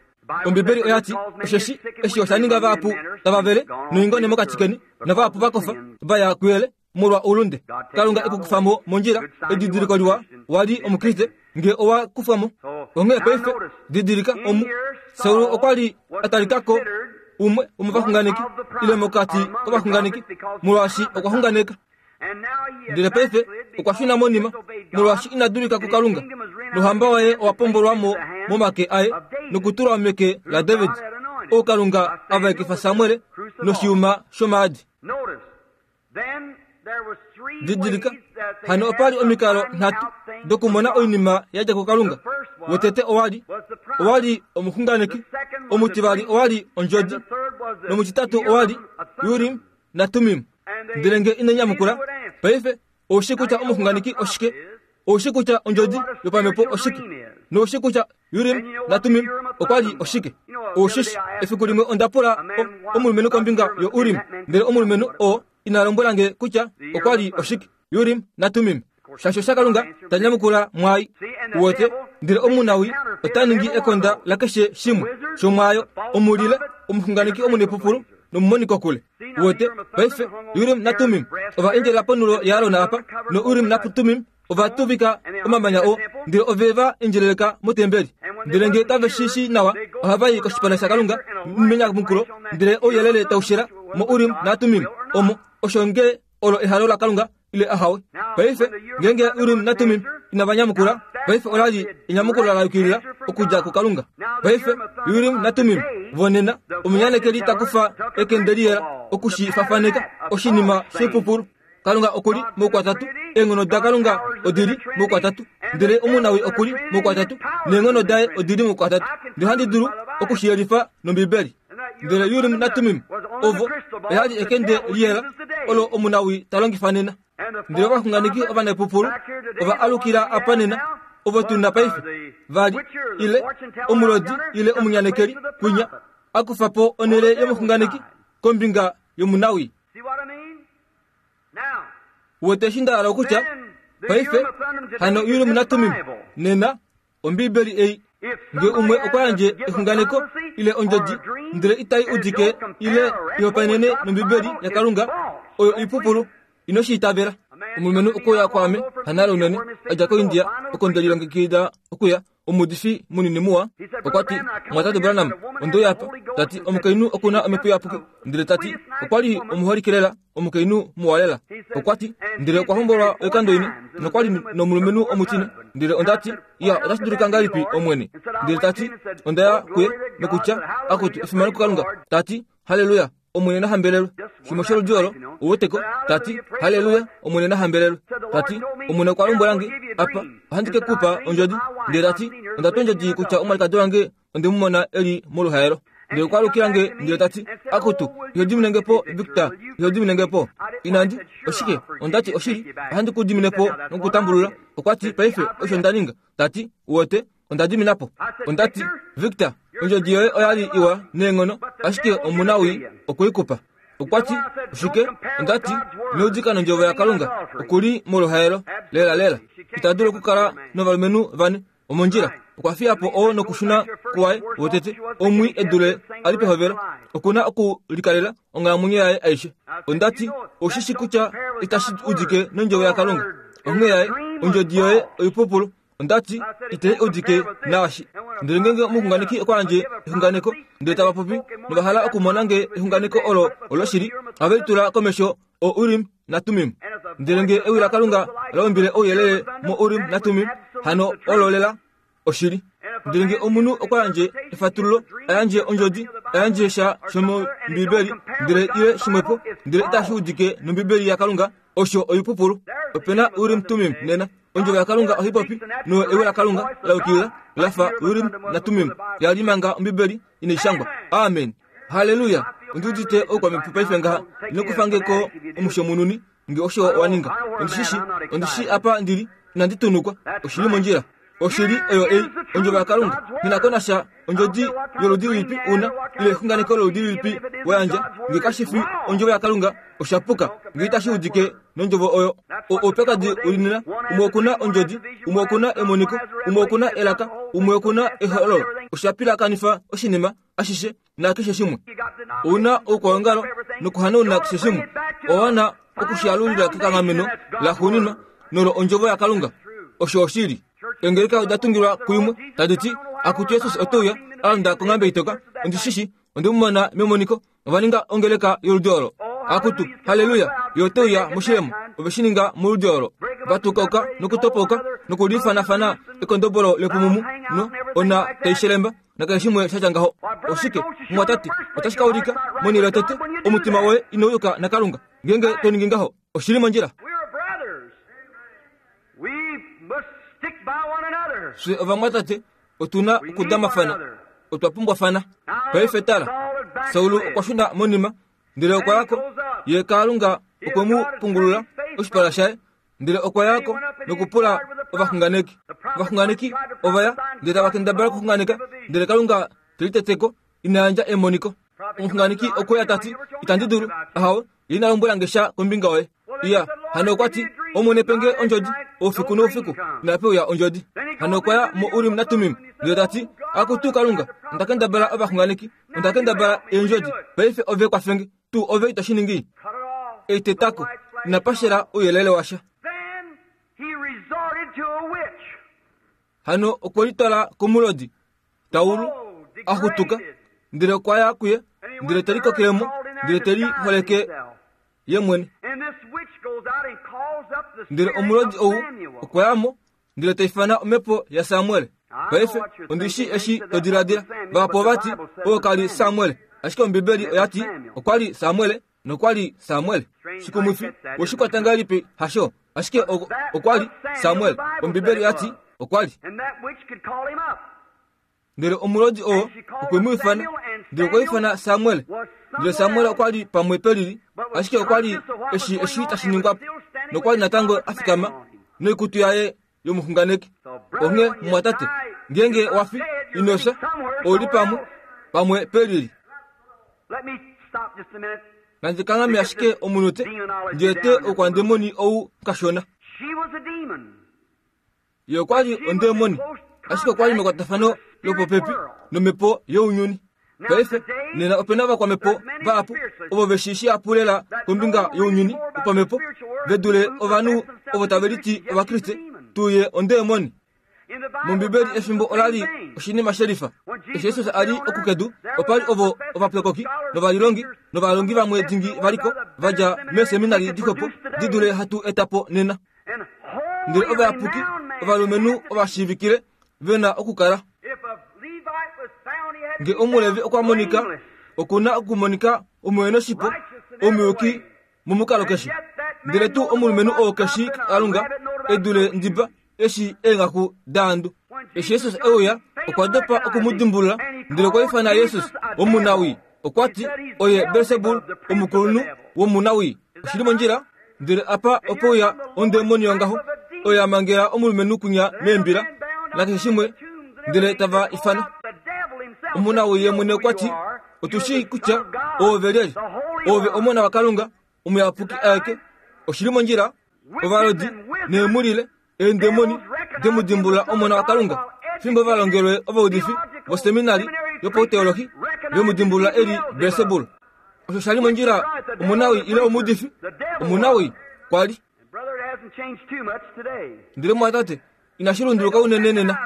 Ombibeli oya ti, Osheshi eshi osha ninga vahapu tava vele noingone mokati keni, navahapu va kofa va ya kuyele molwa oulunde. Kalunga e ku kufa mo mondjila, edidiliko liwa wa li Omukriste nge owa kufwa mo. Onghee paife didilika omu, Saul okwa li a talika ko umwe womovaxunganeki ile mokati kovaxunganeki molwaashi okwa xunganeka. Ndele paife okwa shuna monima molwaashi ina dulika kuKalunga, nohamba waye owa pombolwa mo momake aye nokutulwa meke laDavid, ou Kalunga a vaekifa Samuel noshiyuma shomaadi. Didilika, hano opa li omikalo nhatu dokumona oinima ya dja kuKalunga. Wotete owa li owa li omuxunganeki, omutivali owa li ondjodi, nomutitatu owa li Urim naTummim. Ndele nge ino nyamukula, paife ou shi kutya omuxunganeki oshike, ou shi kutya ondjodi yopamhepo oshike, nou shi kutya Urim naTummim okwa li oshike. Ou shi shi, efiku limwe onda pula omulumenhu kombinga yoUrim, ndele omulumenhu oo ina lombwela nge kutya okwa li oshike Urim naTummim. Shasho shaKalunga ta nyamukula mwaai. Uwete, ndele omunawi ota ningi ekonda lakeshe shimwe shomwaayo, omulile, omuxunganeki omunepupulu nomumonikokule. Uwete, paife, Urim naTummim ova endjelela ponulo yaAron apa, noUrim naTummim ova tuvika omamanya oo, ndele ove va endjeleleka motembeli. Ndele nge kave shi shii nawa, ohava i koshipala shaKalunga menyamukulo, ndele ouyelele tau shela moUrim naTummim omo, osho nge olo ehalo laKalunga ile ahawe. Paife, ngeenge Urim naTummim inava nyamukula, paife ola li enyamukulo la yukilila okudja kuKalunga. Paife, Urim naTummim vonena, omunyanekeli ta kufa ekende liyela oku shi fafaneka, oshinima shoipupulu. Kalunga oku li moukwatatu, eenghono daKalunga odi li moukwatatu, ndele omunawii oku li moukwatatu, neenghono daye odi li moukwatatu. Ndele ohandi dulu oku shi yelifa nOmbibeli. Ndele Urim naTummim ovo oya li ekende liyela olo omunawii ta longifa nena. Ndele ovaxunganeki ovanepupulu ova alukila apa nena, ovo tu na paife, va li, ile omulodi ile omunyanekeli kwinya, a kufa po onhele yomuxunganeki kombinga yomunawii. Wete eshi nda hala okutya? Paife, hano Urim naTummim, nena, Ombiibeli ei, nge umwe okwa yandje exunganeko ile ondjodi ndele itai udike ile ihopaenene nOmbiibeli yaKalunga, oyo oipupulu. Ino shi itavela. Omulumenhu okwe uya kwaame, hanale unene, a dja koIndia, oko nde lilongekida okuya. Omuudifi munini muwa okwa ti, Mumwatate Branham, onde uya apa. Ta ti, Omukainhu oku na omhepo iyapuki. Ndele ta ti, Okwa li omuholike lela, omukainhu muwa lela. Okwa ti, Ndele okwa hombolwa oikando ine, nokwa li nomulumenhu omutine. Ndele onda ti, Iya, otashi dulika ngahelipi, Omwene? Ndele ta ti, Onda ya kuye, nokutya, Akutu, efimano kuKalunga. Ta ti, Halleluya! Omwene na hambelelwe. Shimwe sholudi olo, uweteko, ta ti, Halleluya, Omwene na hambelelwe. Ta ti, Omwene okwa lombwela nge, apa, ohandi ke ku pa ondjodi. Ndele ta ti, Onda twa ondjodi kutya omwalikadi wange onde mu mona e li moluhaelo. Ndele okwa alukila nge ndele ta ti, Akutu, iho dimine nge po, Victor, iho dimine nge po. Inandi, oshike, onda ti, oshili, ohandi ku dimine po nokutambulula. Okwa ti, Paife, osho nda ninga. Ta ti, Uwete, onda dimina po. Onda ti, Victor, ondjodi yoye oya li iwa neenghono, ashike omunawii okwe i kupa. Okwa ti, Oshike? Onda ti, Ino udika nondjovo yaKalunga. Oku li moluhaelo. Lelalela. Ita dulu okukala novalumenhu vane. Omondjila. Okwa fiya po oo nokushuna kuwaye wotete, omwii e dule a li pehovelo. Oku na okulikalela onghalamwenyo yaye aishe. Onda ti, Ou shi shi kutya itashi udike nondjovo yaKalunga. Onghee yaye, ondjodi yoye oipupulu. Onda ti, Itai udike naashi. Ndele ngeenge omuxunganeki okwa yandje exunganeko, ndele tava popi nova hala okumona nge exunganeko olo oloshili, ohave litula komesho o-Urim naTummim. Ndele nge ewi laKalunga la umbile ouyelele mo-Urim naTummim, hano olo lela oshili. Ndele nge omunhu okwa yandje efatululo, a yandje ondjodi, a yandje sha shomOmbibeli, ndele ile shimwepo, ndele itashi udike nOmbibeli yaKalunga, osho oipupulu. Ope na Urim Tumim nena. Ondjovo yaKalunga ohai popi no ewi laKalunga la yukilila la fa Urim naTumim ya li manga Ombibeli inai shangwa. Amen. Halleluya! Ondi udite oukwamhepo paife ngaha. Ino kufa nge ko omushomununi. Nge osho wa ninga, ondi shi shi, ondi shi apa ndi li, inandi tunukwa. Oshi li mondjila. Oshili oyo ei, Ondjovo yaKalunga. Nghi na ko nasha ondjodi yoludi lilipi u na, ile exunganeko loludi lilipi wa yandja, nge kashi fi Ondjovo yaKalunga, osha puka, nge itashi udike nOndjovo oyo. O, oupyakadi u li nena, umwe oku na ondjodi, umwe oku na emoniko, umwe oku na elaka, umwe oku na ehololo. Osha pilakanifa oshinima ashishe nakeshe shimwe. Ou na oukwaongalo nokuhanauna keshe shimwe. Owa wana oku shi alulila kekanghameno laxuuninwa nolo Ondjovo yaKalunga. Osho oshili. Eengeleka oda tungilwa kuimwe, tadi ti, Akutu Jesus ote uya, a londa konghambe itoka. Ondi shi shi, onde mu mona memoniko. Ova ninga ongeleka yoludi olo. Akutu, halleluya, ye ote uya moshilemo. Ove shi ninga moludi olo. Va tukauka nokutopauka nokulifanafana ekondobolo lepumumu no ona tai shelemba nakeshe shimwe sha tya ngaho. Oshike, mumwatate, otashi ka ulika, monhele yotete, omutima woye inau yuka naKalunga, ngeenge to ningi ngaho. Oshi li mondjila. Fye ovamwatate otu na okudamafana, otwa pumbwafana. Paife tala, Saul okwa shuna monima, ndele okwa ya ko, ye Kalunga okwe mu pungulula oshipala shaye, ndele okwa ya ko nokupula ovaxunganeki. Ovaxunganeki ova ya, ndele tava kendabala okuxunganeka, ndele Kalunga te litete ko, ina yandja emoniko. Omuxunganeki okwe ya ta ti, Itandi dulu, ahawe, ye ina lombwela nge sha kombinga yoye. Iya, hano okwa ti, Omwene pe nge ondjodi, oufiku noufiku, inape uya ondjodi. Hano okwa ya moUrim naTummim, ndele ta ti, Akutu Kalunga, onda kendabala ovaxunganeki, onda kendabala eendjodi, paife ove kwafe nge. Tuu ove ito shi ningi? Eitetako, inapa shela ouyelele washa. Hano okwe litwala komulodi, Taulu, a xutuka, ndele okwa ya kuye, ndele te likokele mo, ndele te liholeke ye mwene. Ndele omulodi ou okwa ya mo, ndele ta ifana omhepo yaSamuel. Paife, ondi shii eshi to diladila. Vahapu ova ti, Oo ka li Samuel. Ashike Ombibeli oya ti, Okwa li Samuel, nokwa li Samuel. Shikumwifi, we shi kwata ngahelipi? Hasho. Ashike okwa li Samuel. Ombibeli oya ti, Okwa li. Ndele omulodi oo okwe mu ifana, ndele okwa ifana Samuel. Ndele Samuel okwa li pamwe pelili, ashike okwa li eshi eshi tashi ningwa po, nokwa li natango a fikama noikutu yaye yomuxunganeki. Onghee mumwatate, ngeenge wa fi, ino fya, ou li pamwe, pamwe pelili. Nandi kanghame ashike omunute, ndi ete oukwandemoni ou kashona. Ye okwa li ondemoni, ashike okwa li mekwatafano lopopepi nomhepo younyuni. Paife, nena ope na ovakwamhepo vahapu ovo ve shii shihapu lela kombinga younyuni wopamhepo ve dule ovanhu ovo tave liti Ovakriste. Tuu ye ondemoni. MOmbibeli efimbo ola li oshinima shelifa. Eshi Jesus a li oku kedu, opa li ovo ovapyokoki novalilongi novalongi vamwe dingi va li ko, va dja meeseminari dixwepo di dule hatu eta po nena. Ndele ovayapuki, ovalumenhu ovashiivikile, ve na okukala. Nge Omulevi okwa monika, oku na okumonika omuhenoshipo, omuyuki momukalo keshe. Ndele tuu omulumenhu oo ke shii Kalunga e dule ndiba eshi eenghaku daandu. Eshi Jesus e uya, okwa dopa oku mu dimbulula, ndele okwa ifana Jesus omunawii. Okwa ti, Oye Belsebul, omukulunhu womunawii. Oshi li mondjila? Ndele apa ope uya ondemoni yongaho, oyo ya mangela omulumenhu kwinya meembila, nakeshe shimwe, ndele tava ifana. Omunawii ye mwene okwa ti, Otu shii kutya oove lyelye. Oove Omona waKalunga, Omuyapuki aeke. Oshi li mondjila? Ovalodi neemhulile, eendemoni, de mu dimbulula Omona waKalunga, fimbo va longelwe ovaudifi voseminari yopauteolohi ve mu dimbulula e li Belsebul. Osho sha li mondjila omunawii ile omuudifi? Omunawii, kwa li. Ndele mumwatate, inashi lunduluka unene nena.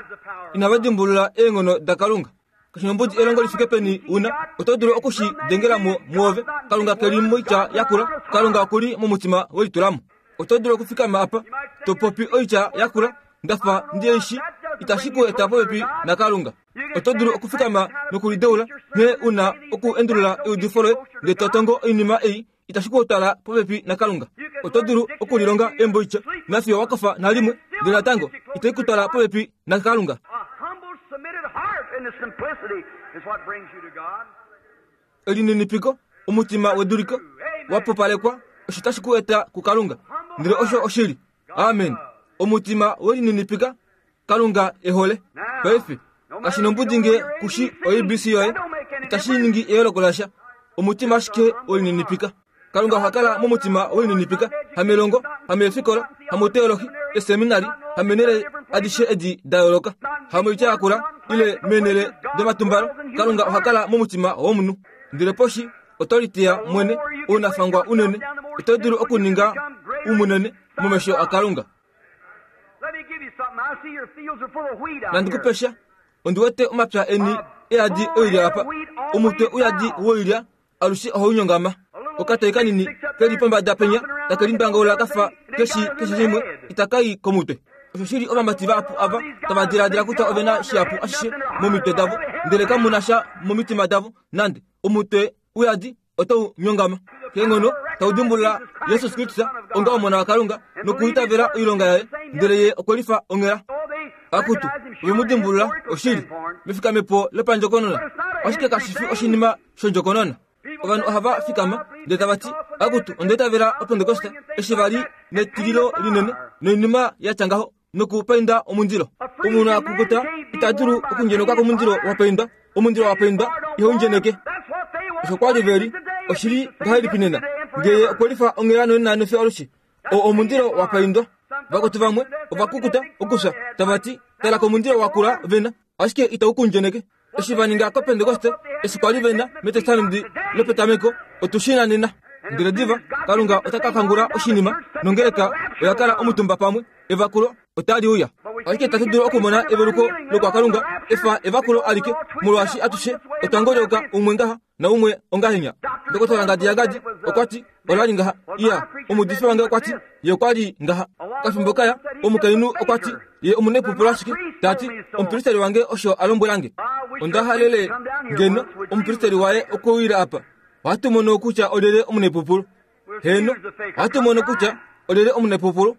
Inava dimbulula eenghono daKalunga. Kashi nombudi elongo li fike peni u na, oto dulu oku shi dengela mo mwoove. Kalunga ke li moitya ya kula, Kalunga oku li momutima we litula mo. Oto dulu okufikama apa, to popi oitya ya kula, nda fa ndi i shii, itashi ku eta popepi naKalunga. Oto dulu okufikama nokulideula nghee u na oku endulula eudifo loye, ndele to tongo oinima ei, itashi ku twala popepi naKalunga. Oto dulu okulilonga emboitya nafiyo wa kofa nalimwe, ndele natango itai ku twala popepi naKalunga. Elininipiko, omutima weduliko wa pupalekwa, Osho tashi ku eta kuKalunga. Ndele osho oshili. Amen. Omutima welininipika, Kalunga e hole. Paife, kashi nombudi nge kushi oABC yoye, itashi ningi eyooloko lasha. Omutima ashike welininipika. Kalunga oha kala momutima welininipika, hamelongo, hameefikola, hamoteolohi, eseminari, hameenhele adishe edi da yooloka, hamoitya yakula, ile meenhele domatumbalo. Kalunga oha kala momutima womunhu. Ndele poshi oto liteya mwene ounafangwa unene, oto dulu okuninga umunene momesho aKalunga. Nandi ku pe sha, ondi wete omapya eni e yadi oilya apa, omutwe uyadi woilya alushe ohau nyongama. Okatoi kanini ke li pombada penya take limbangaula ka fa keshi keshe shimwe itaka i komutwe. Oshoshili ovamati vahapu ava tava diladila kutya ove na shihapu ashishe momitwe davo, ndele kamu na sha momitima davo nande. Omutwe uyadi otau nyongama keenghono tau dimbulula Jesus Kristus onga Omona waKalunga nokuitavela oilonga yaye, ndele ye okwe lifa onghela. Akutu, ove mu dimbulula oshili mefikamepo lopandjokonona, ashike kashi fi oshinima shondjokonona. Ovanhu ohava fikama ndele tava ti, Akutu, onda itavela Opentekoste eshi va li netililo linene noinima ya tya ngaho nokupainda omundilo. Omunhu a kukuta ita dulu okundjenuka komundilo wa paindwa. Omundilo wa paindwa ihau ndjeneke. Osho kwa li ve li, oshi li ngahelipi nena? Nge ye okwe lifa onghela nonena nefyo alushe, oo omundilo wa paindwa. Vakwetu vamwe ova kukuta okufya, tava ti, Tala komundilo wa kula ve na, ashike itau ku ndjeneke. Eshi va ninga kOpentekoste, eshi kwa li ve na mEtestamenti lopetameko, otu shi na nena. Ndele diva, Kalunga ota ka kangula oshinima, nongeleka oya kala omutumba pamwe, evakulo otali uya. Ashike itatu dulu okumona eveluko lokwaKalunga, efa evakulo alike, molwaashi atushe otwa ngolyoka umwe ngaha naumwe ongahenya. Ndokotola Ngadi yaGadi okwa ti, Ola li ngaha. Iya, omuudifi wange okwa ti, Ye okwa li ngaha. Okafimbo kaya, omukainhu okwa ti, Ye omunepupulo ashike. Ta ti, Omupristeri wange osho a lombwela nge. Onda halele ngeno omupristeri waye okwe uyile apa. Ohatu mono kutya olyelye omunepupulo. Heeno, ohatu mono kutya olyelye omunepupulo.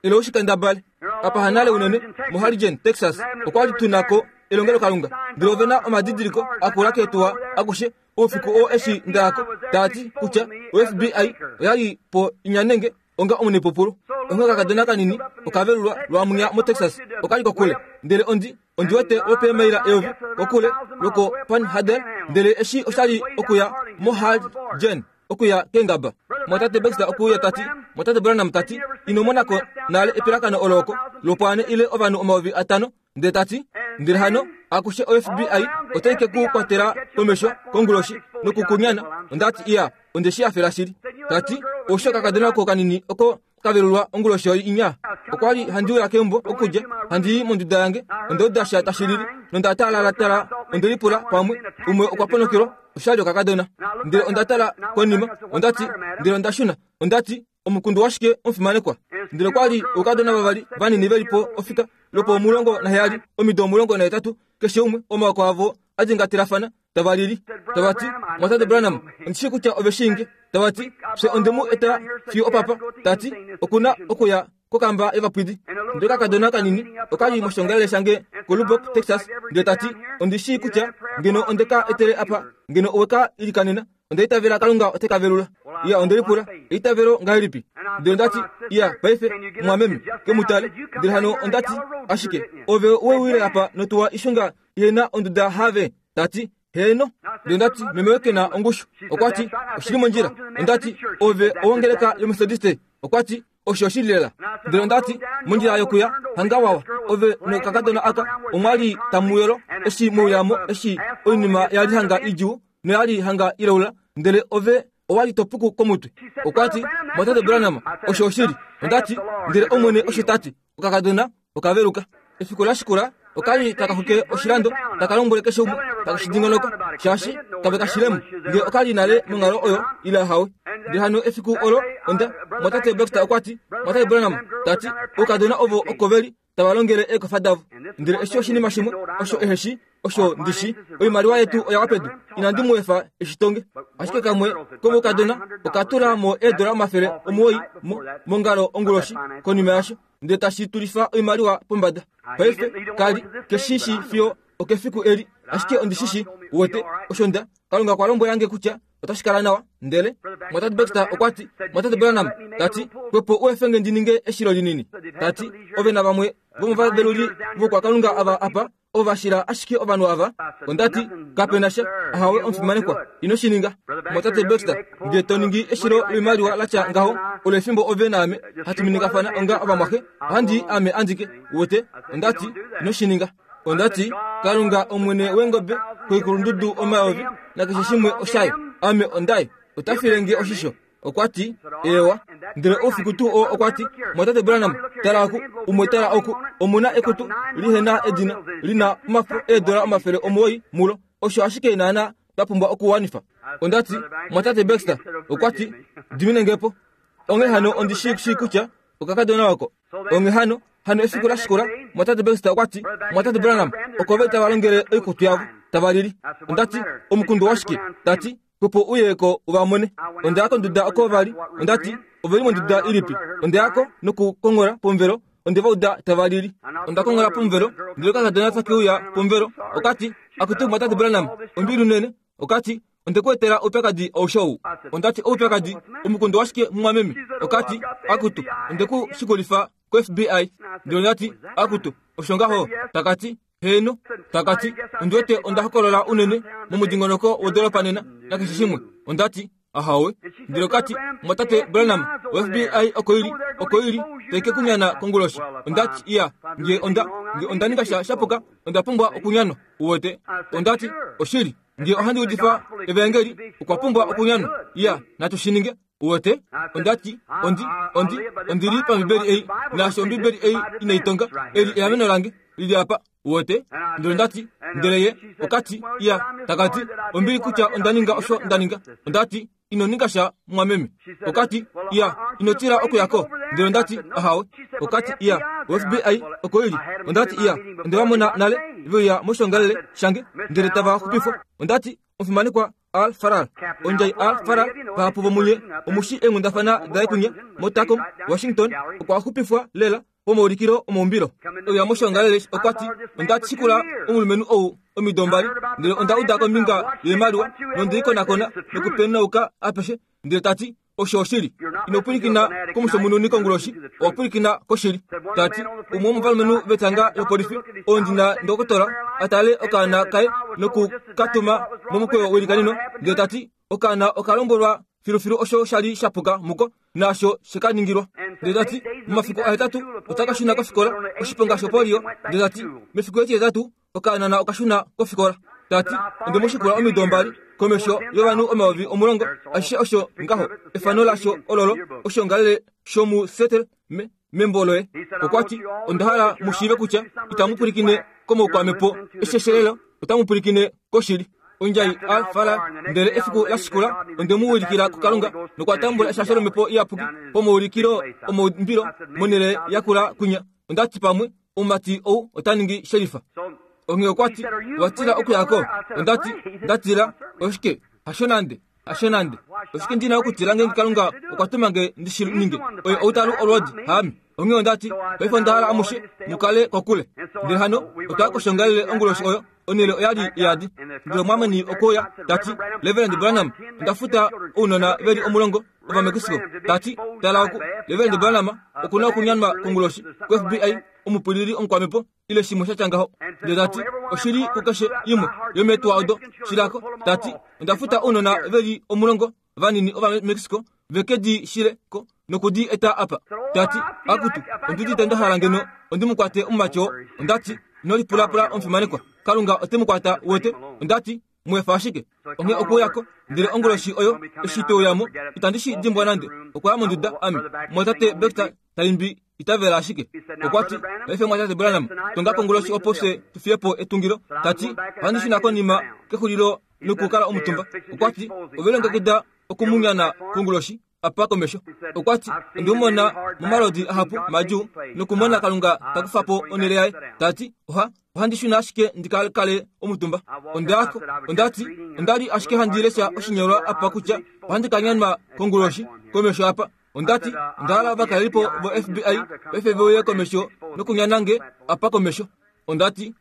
Ile u shi kendabale. Apa hanale unene, moHarrigan, Texas, okwa li tu na ko elongelokalunga. Ndele ove na omadidiliko akula keetuwa akushe oufiku oo eshi nda ya ko, taa ti kutya o-FBI oya li po inyanenge onga omunepupulo. Onghee okakadona kanini oka velulwa lwaamunya moTexas, oka li kokule. Ndele ondi, ondi wete lwopeemaila eyovi kokule lwoko-Panhandle, ndele eshi osha li okuya moHarrigan. okuya keengaba. Mwatate Baxter okwe uya ta ti, Mwatate Branham ta ti, ino mona ko nale epilakano olo oko, lwopwaane ile ovanhu 5000, ndele ta ti, ndele hano akushe o-FBI otai ke ku kwatela komesho konguloshi noku ku nyana. Onda ti, Iya, onde shi hafela shili. Ta ti, Oushi okakadona oko kanini oko ka velulwa onguloshi oyo inya. Okwa li handi uya keumbo okudja, handi i monduda yange, onda uda sha tashi lili, nonda taalaalatala, onde lipula pamwe umwe okwa ponokelwa, osha li okakadona. Ndele onda tala konima, onda ti, ndele onda shuna, onda ti, Omukundu washike omufimanekwa? Ndele okwa li oukadona vavali vanini ve li po ofika lwopo 17, omido 18 keshe umwe, omaoko avo a dingatelafana, tava lili, tava ti, Mwatate Branham, ondi shii kutya ove shii nge. Tava ti, Fye onde mu eta fiyo opapa. Ta ti, Oku na okuya kokamba yovapwidi. Ndele okakadona kanini oka li moshongalele shange koLubbock, Texas, ndele ta ti, Ondi shii kutya ngeno onde ka etele apa, ngeno owe ka ilikanena. Onda itavela Kalunga ote ka velula. Iya, onde lipula, Eitavelo ngahelipi? Ndele onda ti, Iya, paife, mumwameme, ke mu tale. Ndele hano onda ti, Ashike, ove we uyile apa notuwa ishunga Ihe na onduda have? Ta ti, Heeno. Ndele onda ti, Meme ke na ongushu. Okwa ti, Oshi li mondjila. Onda ti, Ove owongeleka yOmetodiste. Okwa ti, Osho oshili lela. Ndele onda ti, Mondjila yokuya, hanga wawa, ove nokakadona aka omwa li tamu yolo eshi mwe uya mo, eshi oinima ya li hanga idjuu noya li hanga ilaula, ndele ove owa li to puku komutwe. Okwa ti, Mwatate Branham, osho oshili. Onda ti, Ndele Omwene osho ta ti. Okakadona oka veluka. Efiku la shikula, oka li taka xwikile oshilando, taka lombwele keshe umwe taka shi dingonoka, shaashi kave ka shile mo nge oka li nale monghalo oyo ile ahawe. Ndele hano efiku olo onda, Mwatate Baxter okwa ti, Mwatate Branham, ta ti, oukadona ovo oko ve li tava longele eekofa davo. Ndele eshi oshinima shimwe osho ehe shi Osho ndi shi, oimaliwa yetu oya wa pedu. Inandi mu efa e shi tonge. Ashike kamwe komoukadona oka tula mo eedola 900 mo, mongalo onguloshi konima yasho, ndele tashi tulifa oimaliwa pombada. Paife, ka li ke shi shii fiyo. Okefiku eli, ashike ondi shi shii, uwete, osho nda, Kalunga okwa lombwela nge kutya otashi kala nawa. Ndele Mwatate Baxter okwa ti, Mwatate Branham, ta ti, xwepo u efe nge ndi ninge eshilo linini. Ta ti, Ove navamwe vomovaveluli voukwakalunga ava apa, ovo va shila ashike ovanhu ava. Onda ti, Kape na sha, ahawe omufimanekwa, ino shi ninga. Mwatate Baxter, nge to ningi eshilo loimaliwa la tya ngaho, olo efimbo ove naame hatu miningafana onga ovamwaxe, ohandi i ame andike, uwete. Onda ti, Ino shi ninga. Onda ti, Kalunga omwene weengobe koikulundudu omayovi nakeshe shimwe oshaye. Ame ondaye. Ota file nge oshisho. Okwa ti, Eewa. Ndele oufiku tuu oo okwa ti, Mwatate Branham, tala oku, umwe tala oku, omu na ekutu li he na edina, li na omafo eedola 900 mulo. Osho ashike naana twa pumbwa okuwanifa. Onda ti, Mwatate Baxter, okwa ti, dimine nge po. Onghee hano ondi shii shii kutya okakadona oko. Onghee hano, hano efiku la shikula, Mwatate Baxter okwa ti, Mwatate Branham, oko ve tava longele oikutu yavo, tava lili. Onda ti, Omukundu washike? Ta ti, Opo u ye ko u va mone. Onda ya konduda oko va li. Onda ti, Ove li monduda ilipi? Onda ya ko nokukonghola pomuvelo. Onde va uda tava lili. Onda konghola pomuvelo, ndele okakadona take uya pomuvelo. Oka ti, Akutu Mwatate Branham, ombili unene. Oka ti, Onde ku etela oupyakadi aushe ou. Onda ti, Oupyakadi? Omukundu washike, mumwameme? Oka ti, Akutu, onde ku shikulifa ko-FBI. Ndele onda ti, Akutu, osho ngaho? Taka ti, Heeno, taka ti, ondi wete onda hokolola unene momudingonoko wodoolopa nena, nakeshe shimwe. Onda ti, Ahawe. Ndele oka ti, Mwatate Branham, o FBI oko ili, oko ili, tai ke ku nyana konguloshi. Onda ti, Iya, nge onda, nge onda ninga sha shapuka, onda pumbwa okunyanwa. Uwete? Onda ti, Oshili, nge ohandi udifa Evaengeli, okwa pumbwa okunyanwa. Iya, natu shi ninge. Uwete? Onda ti, Ondi, ondi, ondi li paMbibeli ei, naashi Ombibeli ei inai tonga, eli eameno lange, li li apa. Uwete? Ndele onda ti, ndele ye oka ti, Iya, taka ti, ombili kutya onda ninga osho nda ninga. Onda ti, Ino ninga sha, mumwameme. Oka ti, Iya, ino tila okuya ko. Ndele onda ti, Ahawe. Oka ti, Iya, o FBI oko ili. Onda ti, Iya, onde va mona nale ve uya moshiongalele shange, ndele tava xupifwa. Onda ti, Omufimanekwa Al Farrar, ondjai Al Farrar, vahapu vomunye omu shi eenghundafana daye kunya moTacom, Washington, okwa xupifwa lela pomaulikilo omaumbilo. Ouya moshiongalele okwa ti, Onda shikula omulumenhu ou omido mbali, ndele onda uda kombinga yoimaliwa nonde i konakona nokupenauka apeshe, ndele ta ti, Osho oshili. Ino pwilikina komushomununi konguloshi, owa pwilikina koshili. Ta ti, umwe womovalumenhu vetanga lopolifi, oo ndi na ndokotola, a tale okaana kaye noku ka tuma momukweyo weilikaneno, ndele ta ti, okaana oka lombwelwa filufilu osho sha li sha puka muko naasho she ka ningilwa. Ndele ta ti, momafiku ahetatu ota ka shuna kofikola, oshiponga shopolio. Ndele ta ti, mefiku etihetatu Okaanana oka shuna kofikola. Ta ti, Onde mu shikula omido mbali, komesho yovanhu 10,000, ashishe osho ngaho, efano lasho ololo, oshiongalele shomu Seattle me, membo loye. Okwa ti, Onda hala mu shiive kutya itamu pwilikine komoukwamhepo esheshelelo, otamu pwilikine koshili. Ondjai a fala, ndele efiku la shikula onde mu ulikila kuKalunga, nokwa tambula eshasho lOmhepo Iyapuki pomaulikilo omaumbilo monhele yakula kwinya. Onda ti pamwe Omumati ou ota ningi shelifa. Onghee okwa ti, Owa tila okuya ko? Onda ti, Nda tila? Oshike? Hasho nande. Hasho nande. Oshike ndi na okutila ngeenge Kalunga okwa tuma nge ndi shi ninge? Oye ou ta lu olwoodi, haame. Onghee onda ti, Paife onda hala amushe mu kale kokule. Ndele hano otwa ya koshiongalele onguloshi oyo. Onhele oya li iyadi. Ndele omwaameni okwe uya, ta ti, Reverend Branham, onda futa ounona ve li omulongo Ovamexico, ta ti, Tala oku, Reverend Branham oku na okunyanwa konguloshi ko-FBI, omupwilili omukwamhepo, ile shimwe sha tya ngaho. Ndele ta ti, Oshi li kukeshe imwe yomeetuwa odo, shilako. Ta ti, Onda futa ounona ve li omulongo vanini Ovamexico ve ke di shile ko noku di eta apa. Ta ti, Akutu, ondi udite nda hala ngeno ondi mu kwate omumati oo. Onda ti, Ino lipulapula omufimanekwa. Kalunga ote mu kwata, uwete. Onda ti, Mu efa ashike. Onghee okwe uya ko, ndele onguloshi oyo eshi twe uya mo, itandi shi dimbwa nande. Okwa ya monduda, ame, Mumwatate Baxter ta imbi Itavela ashike. Okwa ti, Paife Mumwatate Branham, tonga konguloshi opo fye tu fiye po etungilo. Ta ti, Ohandi shuna konima kexulilo nokukala omutumba. Okwa ti, Ove longekida okumunyana konguloshi? apa komesho. Okwa ti, Onde mu mona momalodi ahapu madjuu nokumona Kalunga ta kufa po onhele yaye. Ta ti, Oha, ohandi shuna ashike ndi ka kale omutumba. Onda ya ko. Onda ti, Onda li ashike handi lesha oshinyolwa apa kutya ohandi ka nyanwa konguloshi komesho apa. Onda ti, Onda hala ovakalelipo vo-FBI paife ve uye komesho nokunyana nge apa komesho. Onda ti.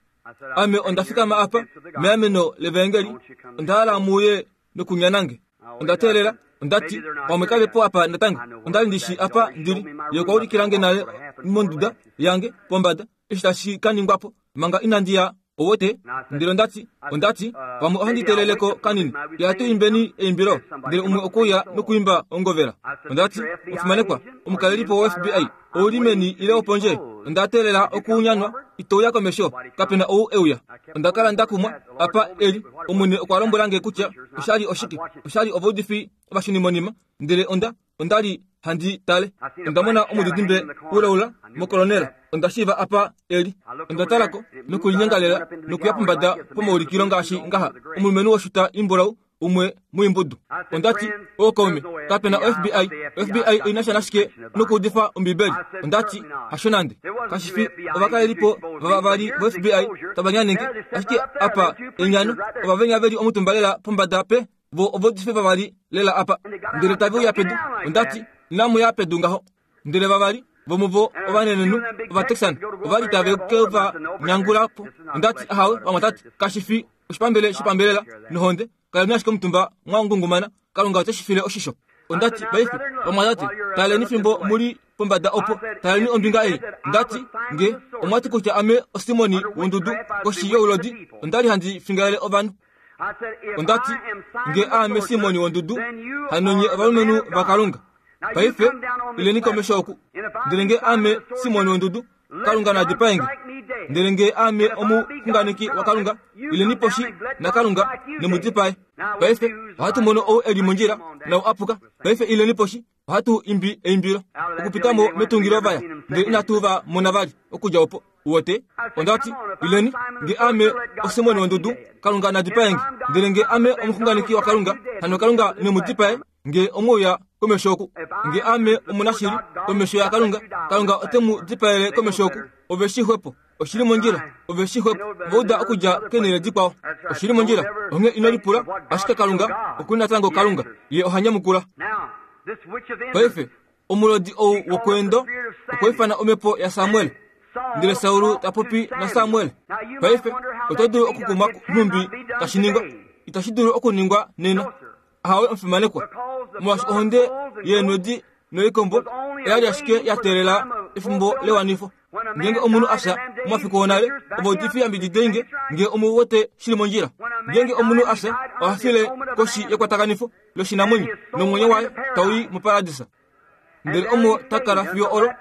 Ame onda fikama apa meameno levaengeli, onda hala mu uye nokunyanange. Onda teelela, onda ti, Pamwe kave po apa natango. Onda li ndi shi apa ndi li. Ye okwa ulikila nge nale monduda yange pombada eshi tashi ka ningwa po manga inandi ya owote. Ndele onda ti, onda ti, Pamwe ohandi teelele ko kanini. Ya tu imbeni eimbilo, ndele umwe okwe uya nokuimba ongovela. Onda ti, Omufimanekwa, omukalelipo wo-FBI, ou li meni ile opondje? Onda teelela okuunyanwa, ito uya komesho. Kape na ou e uya. Onda kala nda kumwa, apa e li. Omwene okwa lombwela nge kutya osha li oshike. Osha li ovaudifi ovashunimonima. Ndele onda, onda li handi tale. Onda mona omudidimbe ulaula mokolonela. Onda shiiva apa e li. Onda tala ko, nokulinyengalela, nokuya pombada pomaulikilo ngaashi ngaha, omulumenhu woshuta imbulau umwe muimbudu. Onda ti, Ookaume, kape na o-FBI. O-FBI oi na sha nashike nokuudifa Ombibeli? Onda ti, Hasho nande. Kashi fi ovakalelipo vavavali vo-FBI tava nyanenge, ashike apa enyano, ova venya ve li omutumba lela pombada pe vo ovaudifi vavali lela apa. Ndele tave uya pedu. Onda ti, Inamu ya pedu ngaho. Ndele vavali vomuvo ovanenenhu Ovatexan ova li tave ke va nyangula po. Onda ti, Ahawe, vamwatate, kashi fi oshipambele shopambelela nohonde, kaleni ashike omutumba mwa ngungumana, Kalunga ote shi file oshisho. Onda ti, Paife, vamwatate, taleni fimbo mu li pombada opo, taleni ombinga ei. Onda ti, Nge omwa ti kutya ame oSimoni wondudu koshi youlodi, onda li handi fingalele ovanhu. Onda ti, Nge aame Simoni wondudu, hano nye ovalumenhu vaKalunga. Paife, ileni komesho oku. Ndele nge aame Simoni wondudu, Kalunga na dipae nge. Ndele nge aame omuxunganeki waKalunga, ileni poshi naKalunga ne mu dipae. Paife, ohatu mono ou e li mondjila nau a puka. Paife ileni poshi, ohatu imbi eimbilo. Okupita mo metungilo va ya, ndele inatu va mona vali okudja opo. Uwete? Onda ti, Ileni, nge aame oSimoni wondudu, Kalunga na dipae nge. Ndele nge aame omuxunganeki waKalunga, hano Kalunga ne mu dipae. Nge omwe uya komesho oku, nge aame omunashili komesho yaKalunga, Kalunga ote mu dipaele komesho oku. Ove shi xwepo. Oshi li mondjila. Ove shi xwepo. Va uda okudja keenhele dikwao. Oshi li mondjila. Onghee ino lipula, ashike Kalunga oku li natango Kalunga. Ye oha nyamukula. Paife, omulodi ou wokweendo okwa ifana omhepo yaSamuel. Ndele Saul ta popi naSamuel. Paife, oto dulu okukumwa nhumbi tashi ningwa. Itashi dulu okuningwa nena. Ahawe omufimanekwa, molwaashi ohonde yeenwedi noikombo oya li ashike ya teelela efimbo lewanifo. Ngeenge omunhu a fya momafiku onale, ovaudifi yambididei nge ngee omu wete shi li mondjila. Ngeenge omunhu a fya, oha file koshi yekwatakanifo loshinamwenyo nomwenyo waye tau i moparadisa. Ndele omo ta kala fiyo olo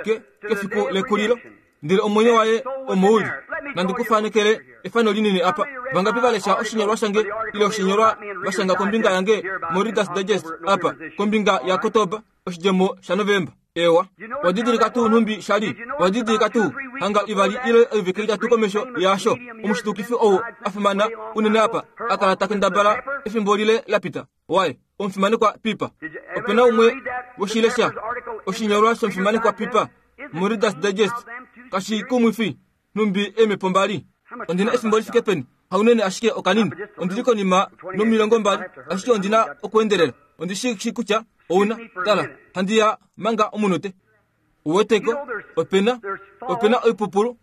ke, kefiku lekulilo. Ndele omwenyo waye omo u li. Nandi ku fanekele efano linini apa. Vangapi va lesha oshinyolwa shange ile oshinyolwa va shanga kombinga yange moReader's Digest apa, kombinga yaKotoba, oshidjemo shaNovemba? Eewa. Wa didilika tuu nhumbi sha li? Wa didilika tuu hanga ivali ile oivike itatu komesho yaasho, omushitukifi ou a fimana unene apa a kala ta kendabala efimbo lile la pita? Waye, omufimanekwa Pipa. Ope na umwe woshilesha oshinyolwa shomufimanekwa Pipa moReader's Digest. Kashi kumwifi nhumbi eemhepo mbali. Ondi na efimbo li fike peni? Haunene ashike okanini. Ondi li konima nomilongombali, ashike ondi na okuendelela. Ondi shi shii kutya ou na. Tala, handi ya manga omunute. Uweteko, ope na, ope na oipupulu,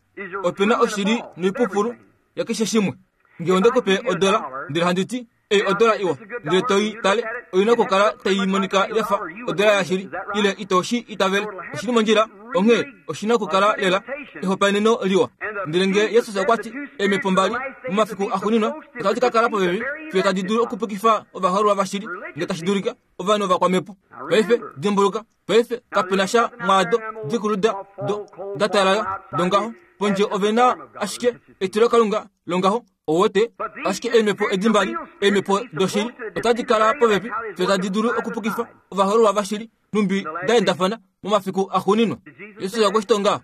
ope na oshili noipupulu yakeshe shimwe. Nge onde ku pe odola, ndele handi ti, Ei odola iwa, ndele to i tale, oi na okukala tai monika ya fa odola yashili, ile ito shi itavele. Oshi li mondjila, onghee oshi na okukala lela ehopaeneno liwa. Ndele nge Jesus okwa ti, Eemhepo mbali, momafiku axuuninwa, otadi ka kala popepi fiyo tadi dulu okupukifa ovahoololwa vashili, nge tashi dulika, ovanhu ovakwamhepo. Paife, dimbuluka, Paife kape na sha mwaado dikulu da, do, da talala dongaho. Pondje ove na ashike etilokalunga longaho, ouwete, ashike eemhepo edi mbali, eemhepo doshili, otadi kala popepi fiyo tadi dulu okupukifa ovahoololwa vashili, nhumbi da endafana momafiku axuuninwa. Jesus okwe shi tonga.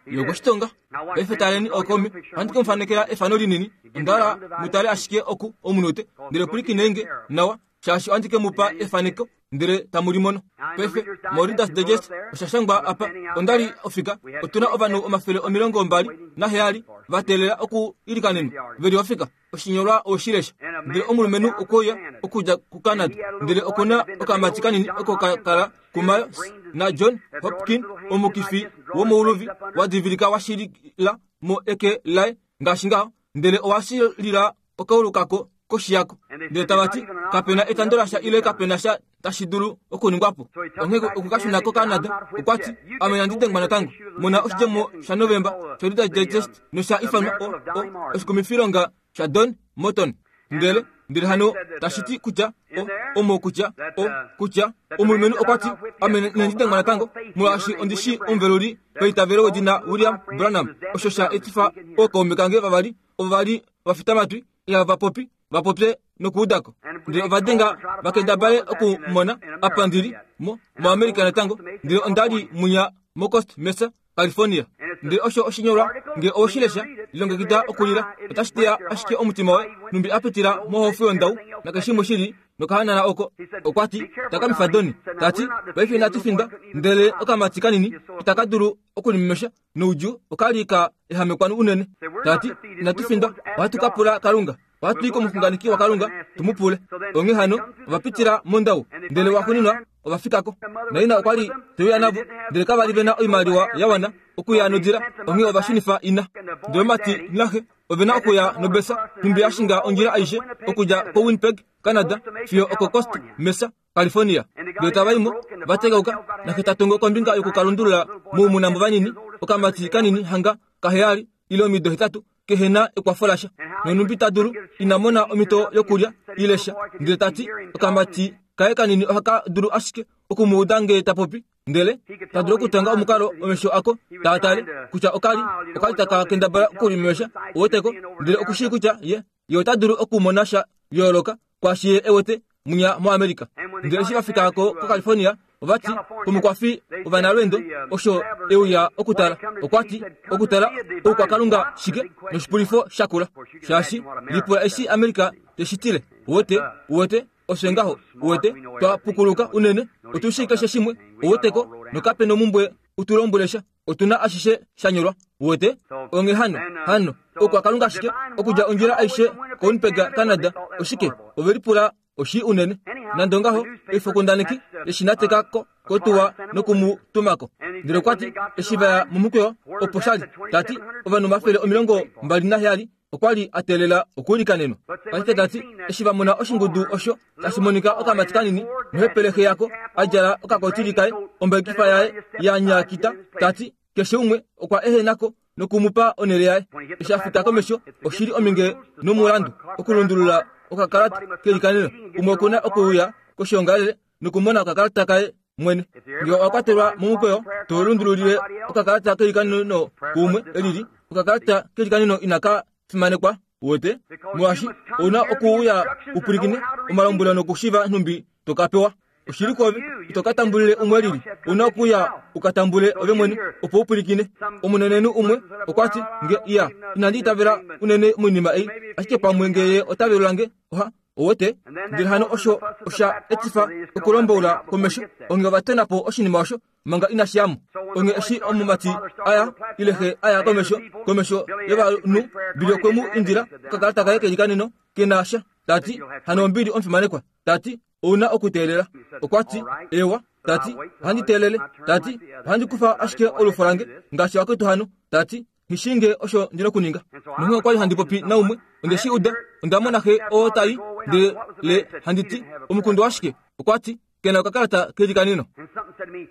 Ye okwe shi tonga. Paife taleni ookaume, ohandi ke mu fanekela efano linini. Onda hala mu tale ashike oku omunute, ndele pwilikinei nge nawa, shaashi ohandi ke mu pa efaneko ndele tamu li mono. Paife, moReader's Digest osha shangwa apa, Onda li ofika, otu na ovanhu 27 va teelela oku ilikanenwa, ve li ofika. Oshinyolwa owe shi lesha. Ndele omulumenhu okwe uya okudja kuCanada, ndele oku na okamati kanini oko ka kala kuMayo naJohn Hopkin, omukifi womouluvi wa divilika wa shilila mo eke laye. ngaashi ngaho, ndele owa shilila okaulu kako koshi yako. Ndele tava ti, Kape na etando lasha ile kape na sha tashi dulu okuningwa po. Onghee okwe ka shuna koCanada. Okwa ti, Ame inandi dengwa natango. Mona oshidjemo shaNovemba shoReader's Digest nosha ifanwa o, o, oshikumifilonga shaDon Morton. Ndele, ndele hano tashi ti kutya, o, omo kutya, o, kutya, omulumenhu okwa ti, Ame inandi dengwa natango, molwaashi ondi shii omuveluli paitavelo wedina William Branham, osho sha etifa ookaume kange vavali ovo va li vafitamatwi ihava popi va popye nokuuda ko. Ndele ova denga va kendabale oku mona apa ndi li, mo, moAmerica natango, ndele onda li munya moCosta Mesa, California. Ndele osho oshinyolwa, nge owe shi lesha, lilongekida okulila, otashi teya ashike omutima woye, nhumbi a pitila mohofu yondau, nakeshimwe shi li nokahanana oko. Okwa ti, Takamifa Donny. Ta ti, Paife inatu findwa, ndele okamati kanini itaka dulu okulimemesha noudjuu oka li ka ehamekwa unene. Ta ti, Inatu findwa, ohatu ka pula Kalunga. Ohatu i komuxunganeki waKalunga tu mu pule. Onghee hano, ova pitila mondau, ndele waxuuninwa ova fika ko. Naina okwa li te uya navo, ndele kava li ve na oimaliwa ya wana okuya nodila, onghee ova shunifa ina. Ndele omumati naxe ove na okuya nobesa, nhumbi ya shinga ondjila aishe okudja koWinnipeg, Canada, fiyo okoCosta Mesa, California. Ndele tava i mo, va tegauka, naxe ta tongo kombinga yoku ka lundulula moumuna vanini, okamati kanini hanga kaheyali ile omido hetatu, kehe na ekwafo lasha. Nonhumbi ta dulu, ina mona omhito yokulya ile sha. Ndele ta ti, okamati kaye kanini ohaka dulu ashike oku mu uda ngee ta popi, ndele ta dulu okutanga omukalo omesho ako taa tale kutya oka li oka li taka kendabala okulimemesha, uweteko, ndele oku shii kutya ye, ye ota dulu okumona sha yooloka kwaashi ye e wete munya moAmerica. Ndele eshi va fika ko koCalifornia, ova ti komukwafi wovanalweendo osho e uya okutala. Okwa ti, Okutala oukwakalunga shike noshipulifo shakula, shaashi lipula eshi America te shi tile. Uwete? Uwete? Osho ngaho. Uwete? Twa pukuluka unene, otu shii keshe shimwe, uweteko, nokape nomumbwe u tu lombwele sha. Otu na ashishe sha nyolwa. Uwete? Onghee hano, hano, oukwakalunga ashike, okudja ondjila aishe koWinnipeg, Canada, oshike, ove lipula oshii unene. Nande ongaho, oifokundaneki ye shi nateka ko kotuwa noku mu tuma ko. Ndele okwa ti, eshi va ya momukweyo, opo sha li, ta ti, ovanhu 27 okwa li a teelela okuulikanenwa. Ashike ta ti, eshi va mona oshingudu osho tashi monika okamati kanini nohepele xe yako a djala okakotili kaye, ombaikifa yaye ya nyakita, ta ti, keshe umwe okwa ehena ko noku mu pa onhele yaye. Eshi a fika komesho, oshi li ominge nomulandu okulundulula okakalata kelikaneno. Umwe oku na okuuya koshoongalele nokumona okakalata kaye mwene. Ngee owa kwatelwa momukweyo, to lundululile okakalata kelikaneno kuumwe e lili. Okakalata kelikaneno inaka fimanekwa, uwete, molwaashi ou na okuuya u pwilikine omalombwelo nokushiiva nhumbi to ka pewa. Oshili kwoove, ito ka tambulile umwe e lili. Ou na okuuya u ka tambule ove mwene, opo u pwilikine. Omunenenhu umwe okwa ti, Nge, iya, inandi itavela unene moinima ei, ashike pamwe nge ye ota velula nge, oha, Uwete? Ndele hano osho osha etifa okulomboula komesho. Onge ova tona po oshinima osho manga inashi ya mo. Onge eshi omumati a ya, ile xe a ya komesho, komesho yovanhu, Billy okwe mu indila okakalata kaye kelikaneno ke na sha. Ta ti, Hano ombili omufimanekwa. Ta ti, Ou na okuteelela. Okwa ti, Ewa. Ta ti, Ohandi teelele. Ta ti, Ohandi kufa ashike olufo lange, ngaashi vakwetu hano. Ta ti, Nghi shii nge osho ndi na okuninga. Nonghee okwa li handi popi naumwe, onde shi uda, onda mona xe oo ta i, ndele handi ti, Omukundu washike? Okwa ti, Ke na okakalata kelikaneno.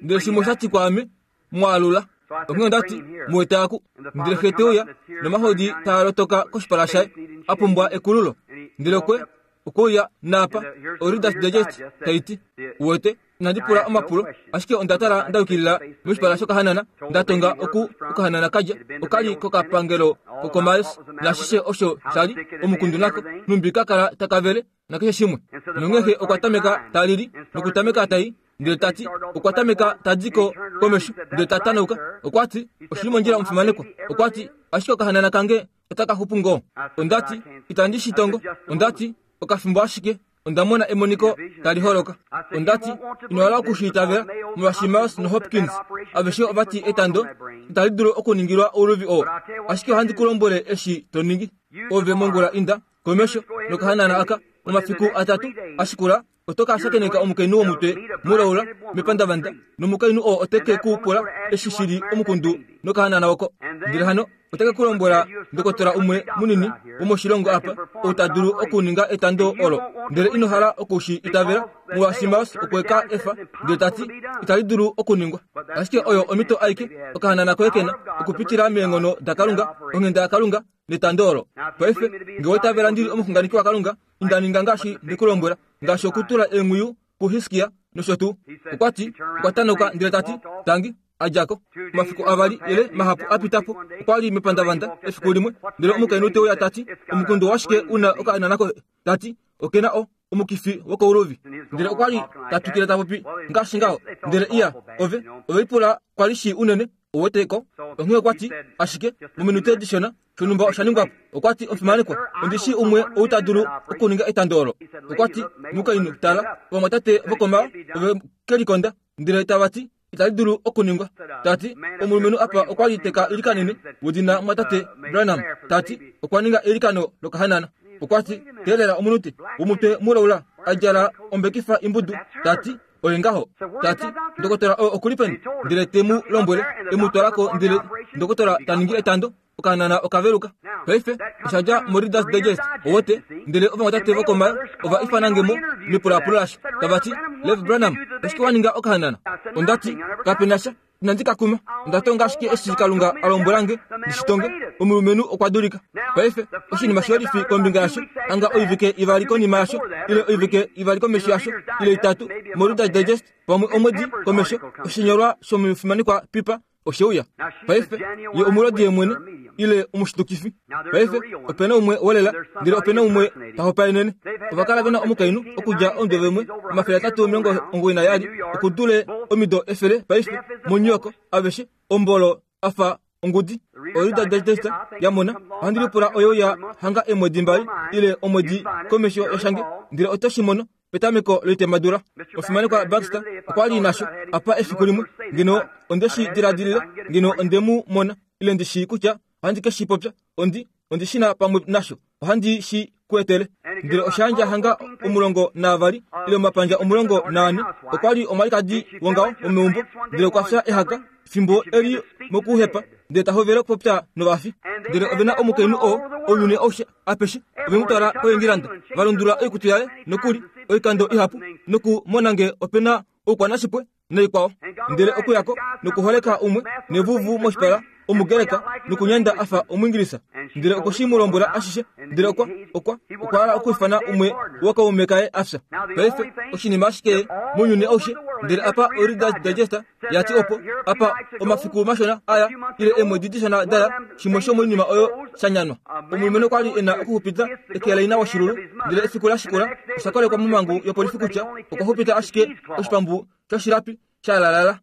Ndele shimwe osha ti kwaame, Mu alula. Onghee onda ti, Mu eta aku. Ndele xe te uya, nomahodi taa lotoka koshipala shaye, a pumbwa ekululo. Ndele okwe okwe uya naapa, oReader's Digest tai ti, Uwete, inandi pula omapulo, ashike onda tala nda yukilila moshipala shokahanana, nda tonga oku okahanana ka dja, oka li kokapangelo kokoMars, naashishe osho sha li, omukundu nako, nhumbi ka kala taka vele, nakeshe shimwe. Nonghee xe okwa tameka ta lili, nokutameka ta i, ndele ta ti, okwa tameka ta di ko komesho, ndele ta tanauka. Okwa ti, Oshi li mondjila omufimanekwa. Okwa ti, Ashike okahanana kange otaka xupu ngoo. Onda ti, Itandi shi tongo. Onda ti, Okafimbo ashike, onda mona emoniko tali holoka. Onda ti, Ino hala oku shi itavela, molwaashi Miles noHopkins aveshe ova ti etando itali dulu okuningilwa ouluvi oo. Ashike ohandi ku lombwele eshi to ningi. Ove mongula inda komesho nokahanana aka momafiku atatu a shikula. Oto ka shakeneka omukainhu womutwe mulaula mepandavanda, nomukainhu oo ote ke ku pula eshi shi li omukundu nokahanana oko. Ndele hano ote ke ku lombwela ndokotola umwe munini womoshilongo apa ou ta dulu okuninga etando olo. Ndele ino hala oku shi itavela, molwaashi Miles okwe ka efa, ndele ta ti, Itali dulu okuningwa. Ashike oyo omhito aike okahanana koye ke na, okupitila meenghono daKalunga, onghenda yaKalunga, netando olo. Paife, nge owa itavela ndi li omuxunganeki waKalunga, inda ninga ngaashi nde ku lombwela, ngaashi okutula eenghwiyu kuHiskia nosho tuu. Okwa ti, okwa tanauka ndele ta ti, Tangi, a dja ko. Omafiku avali ile mahapu a pita po, okwa li mepandavanda efiku limwe, ndele omukainhu te uya ta ti, Omukundu washike u na okaana koye? Ta ti, Oke na o, omukifi wokouluvi. Ndele okwa li ta twikile ta popi ngaashi ngaho. Ndele iya, ove, ove lipula kwa li shii unene, uwete ko. Onghee okwa ti, Ashike, mominute dishona, shonhumba osha ningwa po. Okwa ti, Omufimanekwa, ondi shii umwe ou ta dulu okuninga etando olo. Okwa ti, Mukainhu, tala, ovamwatate vokomao ove ke likonda, ndele tava ti, Itali dulu okuningwa. Ta ti, Omulumenhu apa okwa li te ka ilikanene, wedina mumwatate Branham. Ta ti, Okwa ninga eilikano lokahanana. Okwa ti, Teelela omunute, womutwe mulaula, a djala ombekifa imbudu. Ta ti, Oye ngaho. Ta ti, Ndokotola oo oku li peni? Ndele te mu lombwele, e mu twala ko, ndele ndokotola ta ningi etando. Okahanana oka veluka. Paife, osha dja moReader's Digest, owote, ndele ovamwatate vokomayo ova ifana nge mo mepulaapulo lasho, tava ti, Lev Branham, oshike wa ninga okahanana? Onda ti, Kape na sha. Inandi ka kuma. Onda tonga ashike eshi Kalunga a lombwela nge ndi shi tonge. Omulumenhu okwa dulika. Paife, oshinima shiyolifi kombinga yasho, hanga oivike ivali konima yasho, ile oivike ivali komesho yasho, ile itatu, moReader's Digest, pamwe omwedi komesho, oshinyolwa shomufimanekwa Piper oshe uya. Paife, ye omulodi yemwene, ile omushitukifi. Paife, ope na umwe wolela, ndele ope na umwe ta hopaenene. Ova kala ve na omukainhu okudja omudo vemwe 392 okudule omido 100 paife, moNew York, aveshe, ombolo a fa ongudi. Oyo Digest ya mona. Ohandi lipula oyo ya hanga eemwedi mbali ile omwedi komesho yashange, ndele oto shi mono Petameko loitemadula, omufimanekwa Baxter okwa li nasho apa efiku limwe. Ngeno onde shi diladilile, ngeno onde mu mona, ile ndi shii kutya ohandi ke shi popya. Ondi, ondi shi na pamwe nasho. Ohandi shi ku etele. Ndele osha yandja hanga 12 ile omapandja 14. Okwa li omwalikadi wongaho womeumbo, ndele okwa fya ehaka fimbo e li mokuhepa, ndele ta hovele okupopya novafi. Ndele ove na omukainhu oo ounyuni aushe apeshe ove mu twala koEngilanda, va lundulula oikutu yaye nokuli oikando ihapu nokumona nge ope na oukwanashipwe naikwao. Ndele okuya ko nokuholeka umwe nevuvu moshipala Omugreka nokunyanda a fa Omuingilisa. Ndele okwe shi mu lombwela ashishe. Ndele okwa, okwa, okwa hala okwiifana umwe wookaume kaye a fya. Paife, oshinima ashike mounyuni aushe, ndele apa oReader's Digest ya ti opo, apa omafiku mashona aya, ile eemwedi dishona daya, shimwe shomoinima oyo sha nyanwa. Omulumenhu okwa li e na okuxupita eke laina woshilulu, ndele efiku la shikula osha kolekwa momhangu yopolifi kutya okwa xupita ashike oshipambu shoshilapi sha lalala.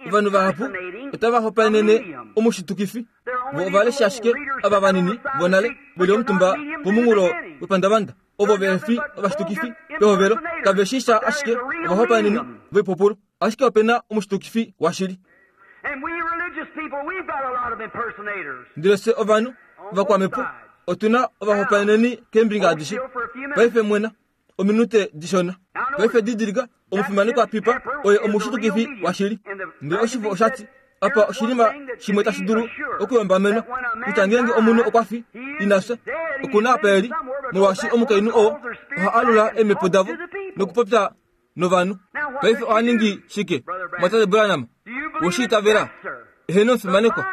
Ovanhu vahapu otava hopaenene omushitukifi. Vo ova lesha ashike ava vanini vonale ve li omutumba pomunghulo wepandavanda. Ovo vehe fi ovashitukifi pehovelo kave shii sha ashike ovahopaeneni voipupulu. Ashike ope na omushitukifi washili. Ndele fye ovanhu ovakwamhepo otu na ovahopaeneni keembinga adishe. Paife mwena ominute dishona. Paife didilika, omufimanekwa Pipa oye omushitukifi washili. Ndele oshifo osha ti, Apa oshinima shimwe tashi dulu okuyombamenwa, kutya ngeenge omunhu okwa fi, ina fya, oku na apa e li, molwaashi omukainhu oo oha alula eemhepo davo nokupopya novanhu. Paife oha ningi shike, Mwatate Branham? We shi itavela? Eheno, omufimanekwa.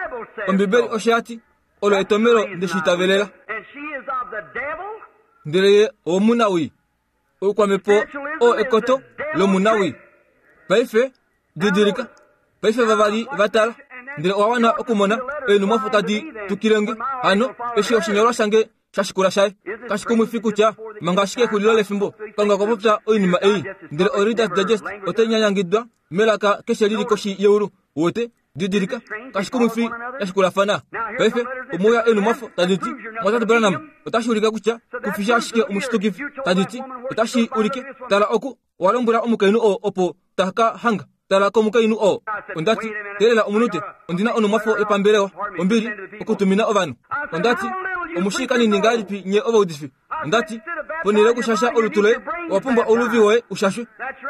Ombibeli osho ya ti. Olo etomelo nde shi itavelela. Ndele ye owomunawii. Oukwamhepo oo ekoto lomunawii. Paife, didilika. Paife vavali va tala, ndele owa wana okumona eenhumwafo tadi tukile nge. Hano, eshi oshinyolwa shange sha shikula shaye. Kashi kumwifi kutya manga ashike exulilo lefimbo, Kalunga okwa popya oinima ei, ndele oReader's Digest otai nyanyangidwa melaka keshe li li koshi yeulu. Uwete? Didilika, kashi kumwifi ya shikulafana. Paife, omwe uya eenhumwafo tadi ti, Mwatate Branham, otashi ulike kutya ku fi ashike omushitukifi. Tadi ti, Otashi ulike, tala oku, owa lombwela omukainhu oo opo ta ka hanga. Tala komukainhu oo. Onda ti, Teelela omunute, ondi na onhumwafo yopambelewa, ombili, okutumina ovanhu. Onda ti, Omu shii kanini ngahelipi nye ovaudifi? Onda ti, Ponhele yokushasha olutu loye, owa pumbwa ouluvi woye u shashwe.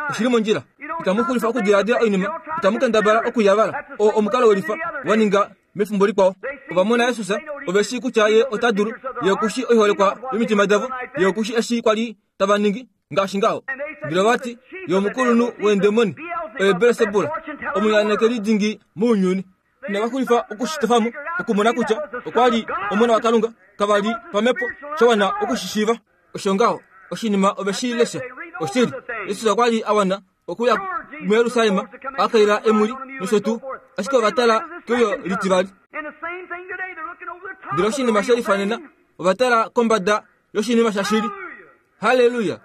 Oshi li mondjila. Itamu xulifa okudiladila oinima, itamu kendabala okuyavala. Oo omukalo welifa wa ninga mefimbo likwao. Ova mona Jesus, ove shii kutya Ye ota dulu. Ye oku shii oiholekwa yomitima davo. Ye oku shii eshi kwa li tava ningi, ngaashi ngaho. Ndele ova ti, Ye omukulunhu weendemoni, oye Belsebul, omunyanekeli dingi mounyuni. Inava xulifa oku shi tofa mo, okumona kutya okwa li Omona waKalunga. Kava li pamhepo sha wana oku shi shiiva. Osho ngaho, oshinima ove shi lesha. Oshili, Jesus okwa li a wana okuya muJerusalem a kaila emwili nosho tuu, ashike ova tala keuyo litivali. Ndele oshinima she lifanena, ova tala kombada yoshinima shashili. Halleluya!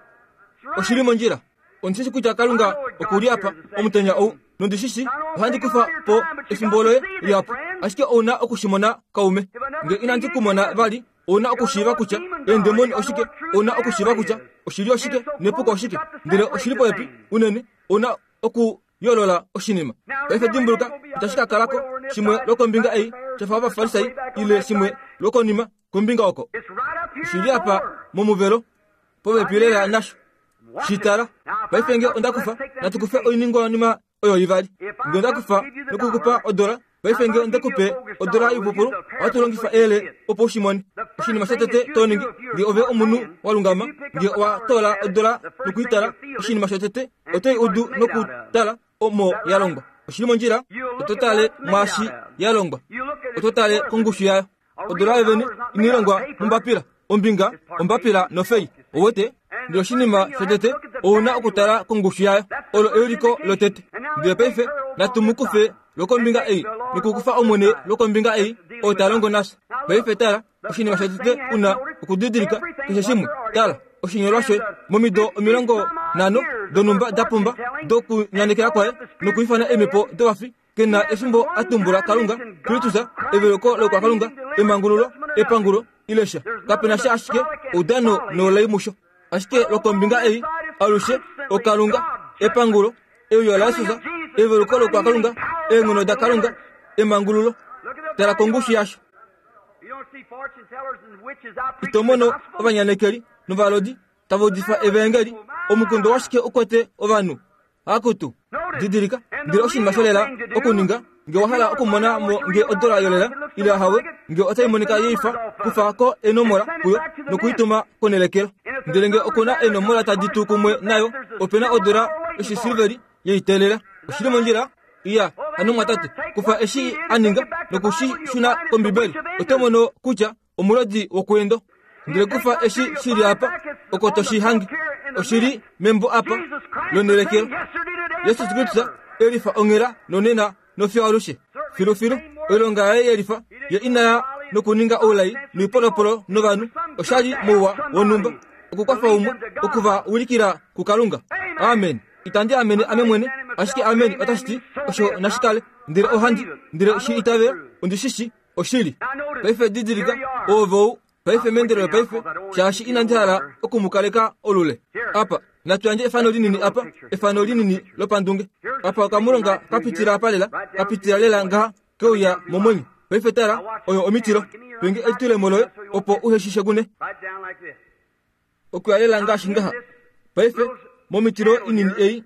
Oshi li mondjila. Ondi shi shi kutya Kalunga oku li apa omutenya ou, nondi shi shi ohandi kufa po efimbo loye lihapu. Ashike ou na oku shi mona, kaume. Nge inandi ku mona vali, ou na okushiiva kutya eendemoni oshike, ou na okushiiva kutya oshili oshike nepuko oshike. Ndele oshi li popepi unene, ou na okuyoolola oshinima. Paife dimbuluka, itashi ka kala ko shimwe lwokombinga ei sha fa Ovafarisai ile shimwe lwokonima kombinga oko. Oshi li apa momuvelo, popepi lela nasho. Shi tala. Paife nge onda kufa, natu kufe oiningwanima oyo ivali. Nge onda kufa noku ku pa odola, paife nge onde ku pe odola yoipupulu, ohatu longifa eyele opo u shi mone. Oshinima shotete to ningi, nge ove omunhu wa lungama, nge owa toola odola noku i tala, oshinima shotete oto i udu nokutala omo ya longwa. Oshi li mondjila? Oto tale mwaashi ya longwa. Oto tale kongushu yayo. Odola yovene inai longwa mombapila, ombinga, ombapila nofei. Ouwete? Ndele oshinima shotete, ou na okutala kongushu yayo. Olo euliko lotete. Ndele paife natu mu kufe lwokombinga ei, nokukufa Omwene lwokombinga ei, oo ta longo nafye. Paife tala, oshinima shotete u na okudidilika, keshe shimwe, tala, oshinyolwa shoye, momido 50 donhumba da pumba dokunyanekela kwaye nokuifana eemhepo dovafi, Ke na efimbo a tumbula Kalunga, Kristus, eveluko lokwakalunga, emangululo, epangulo, ile sha. Kape na sha ashike oudano noulai musho. Ashike lwokombinga ei, alushe, oKalunga, epangulo, euyo laJesus, eveluko lokwakalunga, eenghono daKalunga, emangululo. Tala kongushu yasho. Ito mono ovanyanekeli novalodi tava udifa evaengeli. Omukundo washike u kwete ovanhu? Akutu, didilika, ndele oshinima sholela okuninga, nge wa hala okumona mo nge odola yolela ile ahawe, nge otai monika yeifa, kufa ko enomola kuyo nokuituma konelekelo. Ndele nge oku na eenomola tadi tu kumwe nayo, ope na odola yoshisilveri yeiteelela. Oshi li mondjila? Iya, hano mwatate, kufa eshi a ninga noku shi shuna kOmbibeli, oto mono kutya omulodi wokuendo. Ndele kufa eshi shi li apa, oko to shi hange. Oshi li membo apa lonelekelo. Jesus Kristus e lifa onghela nonena nofiyo alushe. Filufilu, oilonga yaye ye lifa, ye ina ya nokuninga oulai noipolopolo novanhu, osha li mouwa wonhumba, okukwafa umwe, oku va wilikila kuKalunga. Amen. Itandi amene ame mwene, ashike amen otashi ti osho nashi kale. Ndele ohandi, ndele shi itavela, ondi shi shi. Oshili. Paife didilika, oove ou, paife meendelelo paife, shaashi inandi hala oku mu kaleka olule. Apa, natu yandje efano linini apa, efano linini lopandunge. Apa okamulonga ka pitila apa lela, ka pitila lela ngaha keuya momwenyo. Paife tala, oyo omitilo. Penge elitulemo loye opo uhe shi shekune. Okuya lela ngaashi ngaha. Paife, momitilo inini ei,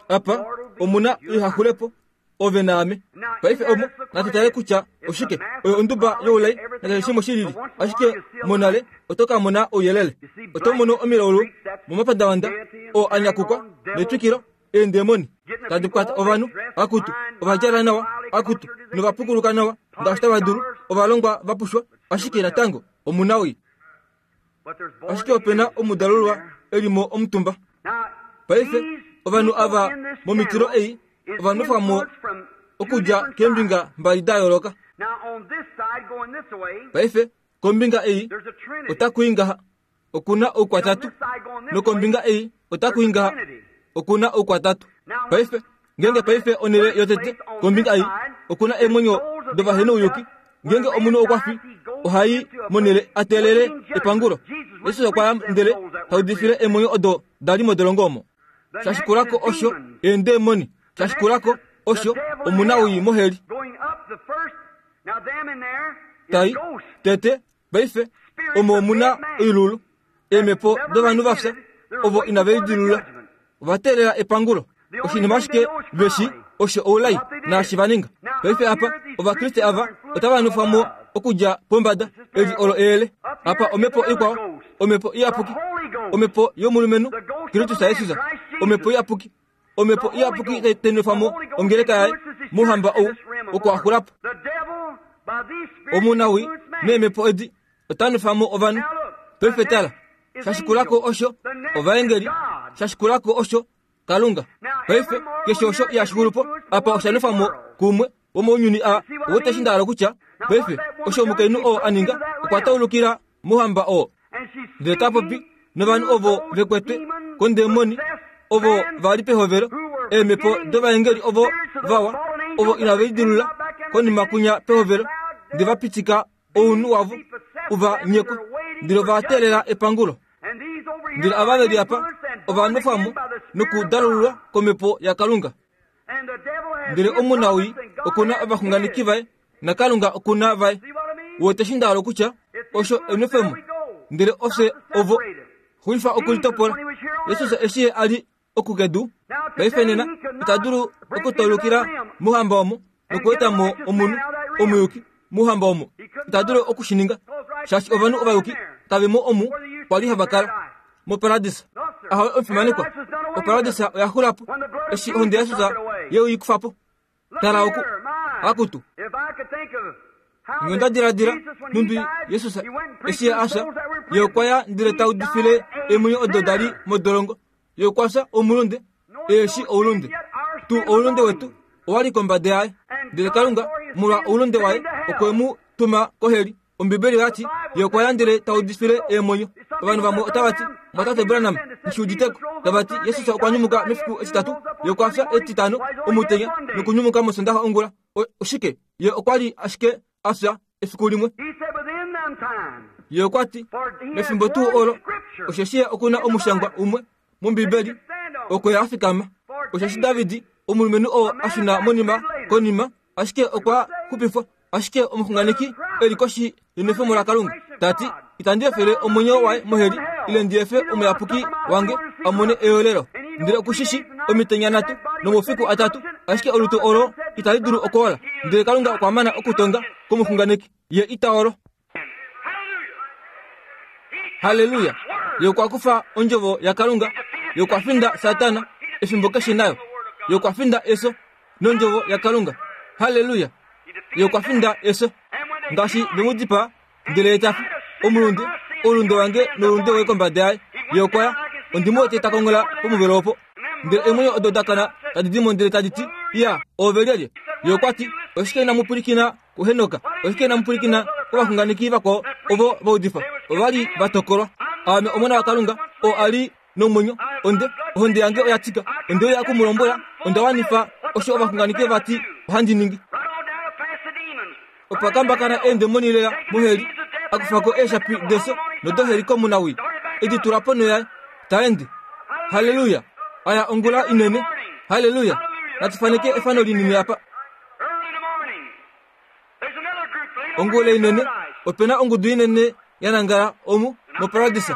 apa, omu na oihaxulepo, ove naame. Paife omo, natu tale kutya oshike. Oyo onduba youlai nakeshe shimwe shi lili. Ashike monale, oto ka mona ouyelele. Oto mono omilaulu momapandavanda oo a nyakukwa netwikilo, eendemoni tadi kwata ovanhu, akutu, ova djala nawa, akutu, nova pukuluka nawa ngaashi tava dulu, ovalongwa va pushwa, ashike natango omunawii. Ashike ope na omudalulwa e li mo omutumba. Paife, ovanhu ava momitilo ei ova nwefwa mo okudja keembinga mbali da yooloka. Paife, kombinga ei otaku i ngaha, oku na oukwatatu, nokombinga ei otaku i ngaha, oku na oukwatatu. Paife, Ngeenge paife onhele yotete kombinga ei oku na eemwenyo dovahenouyuki, ngeenge omunhu okwa fi, oha i monhele a teelele epangulo. Jesus okwa ya ndele ta udifile eemwenyo odo da li modolongo omo. Sha shikula ko osho eendemoni, sha shikula ko osho omunawii moheli. Tai, tete, paife, omo omu na oilulu. Eemhepo dovanhu va fya ovo inave lidilulula ova teelela epangulo. Oshinima ashike ve shi osho oulai naashi va ninga. Paife apa Ovakriste ava otava nufwa mo okudja pombada. Eli olo eyele. Apa omhepo ikwao, omhepo iyapuki, omhepo yomulumenhu Kristus Jesus, omhepo iyapuki, omhepo iyapuki tai nwefa mo ongeleka yaye mouhamba ou wokuhaxula po. Omunawii neemhepo edi ota nwefa mo ovanhu. Paife tala, sha shikula ko osho ovaengeli, sha shikula ko osho Kalunga. Paife keshe osho ihashi xulu po apa osha nwefa mo kumwe womounyuni a wote eshi nda hala okutya. Paife osho omukainhu oo a ninga okwa taulukila mouhamba oo ndele ta popi novanhu ovo ve kwetwe kondemoni ovo va li pehovelo eemhepo dovaengeli ovo vawa ovo inave lidilula konima kunya pehovelo nde va pitika ounhu wavo u va nyekwe ndele ova teelela epangulo. Ndele ava ve li apa ova nwefwa mo nokudalululwa komhepo yaKalunga. Ndele omunawii oku na ovaxunganeki vaye naKalunga oku na vaye. Wete eshi nda hala okutya? Osho enwefemo. Ndele ofye ovo. Xulifa okulitopola. Jesus eshi ye a li oku kedu paife nena ita dulu okutaulukila mouhamba omo nokueta mo omunhu omuyuki mouhamba omo ita dulu oku shi ninga shaashi ovanhu ovayuki kave mo omu kwa li hava kala moparadisa ahowe omufimanekwa oparadisa oya xula po eshi ohonde yaJesus ye i kufa po Tala oku, akutu! Nge onda diladila nhumbi Jesus eshi a fya, ye okwa ya ndele ta udifile eemwenyo odo da li modolongo. Ye okwa fya omulunde, e shi oulunde. Tuu oulunde wetu owa li kombada yaye. Ndele Kalunga, molwa oulunde waye, okwe mu tuma koheli. Ombibeli oya ti, Ye okwa ya ndele ta udifile eemwenyo. Ovanhu vamwe otava ti, Mwatate Branham, nghi udite ko. Tava ti, Jesus okwa nyumuka mefiku etitatu, Ye okwa fya etitano omutenya nokunyumuka mOsondaxa ongula. O, oshike? Ye okwa li ashike a fya efiku limwe. Ye okwa ti, Mefimbo tuu olo, osheshi Ye oku na omushangwa umwe mOmbibeli, oko Ye a fikama. Osheshi David, omulumenhu oo a shuna monima konima, ashike okwa xupifwa. Ashike omuxunganeki e li koshi yenwefemo laKalunga ta ti, Itandi efele omwenyo waye moheli, ile ndi efe omuyapuki wange a mone eyoolelo. Ndele oku shi shi omitenya nhatu nomaufiku atatu, ashike olutu olo itali dulu okwoola. Ndele Kalunga okwa mana okutonga komuxunganeki, ye ita olo. Halleluya! Ye okwa kufa ondjovo yaKalunga, ye okwa finda Satana efimbo keshe nayo. Ye okwa finda efyo nondjovo yaKalunga. Halleluya! Ye okwa finda efyo. Ngaashi ve mu dipaa, ndele ye ta fi, omulunde, oulunde wange noulunde woye kombada yaye. Ye okwa ya. Ondi mu wete ta konghola pomuvelo opo. Ndele eemwenyo odo da kana tadi di mo ndele tadi ti, Iya, oove lyelye? Ye okwa ti, Oshike inamu pwilikina kuHenok, oshike inamu pwilikina kovaxunganeki vakwao ovo va udifa? Ova li va tokolwa. Aame Omona waKalunga, oo a li nomwenyo. Onde, ohonde yange oya tika. Onde uya oku mu lombwela, onda wanifa osho ovaxunganeki va ti ohandi ningi. Opa kambakana eendemoni lela moheli, a kufa ko eeshapi defyo nodoheli komunawii, e di tula ponho yaye, ta ende. Halleluya! Aya ongula inene. Halleluya! Natu faneke efano linini apa. Ongula inene, ope na ongudu inene ya nangala omu moparadisa.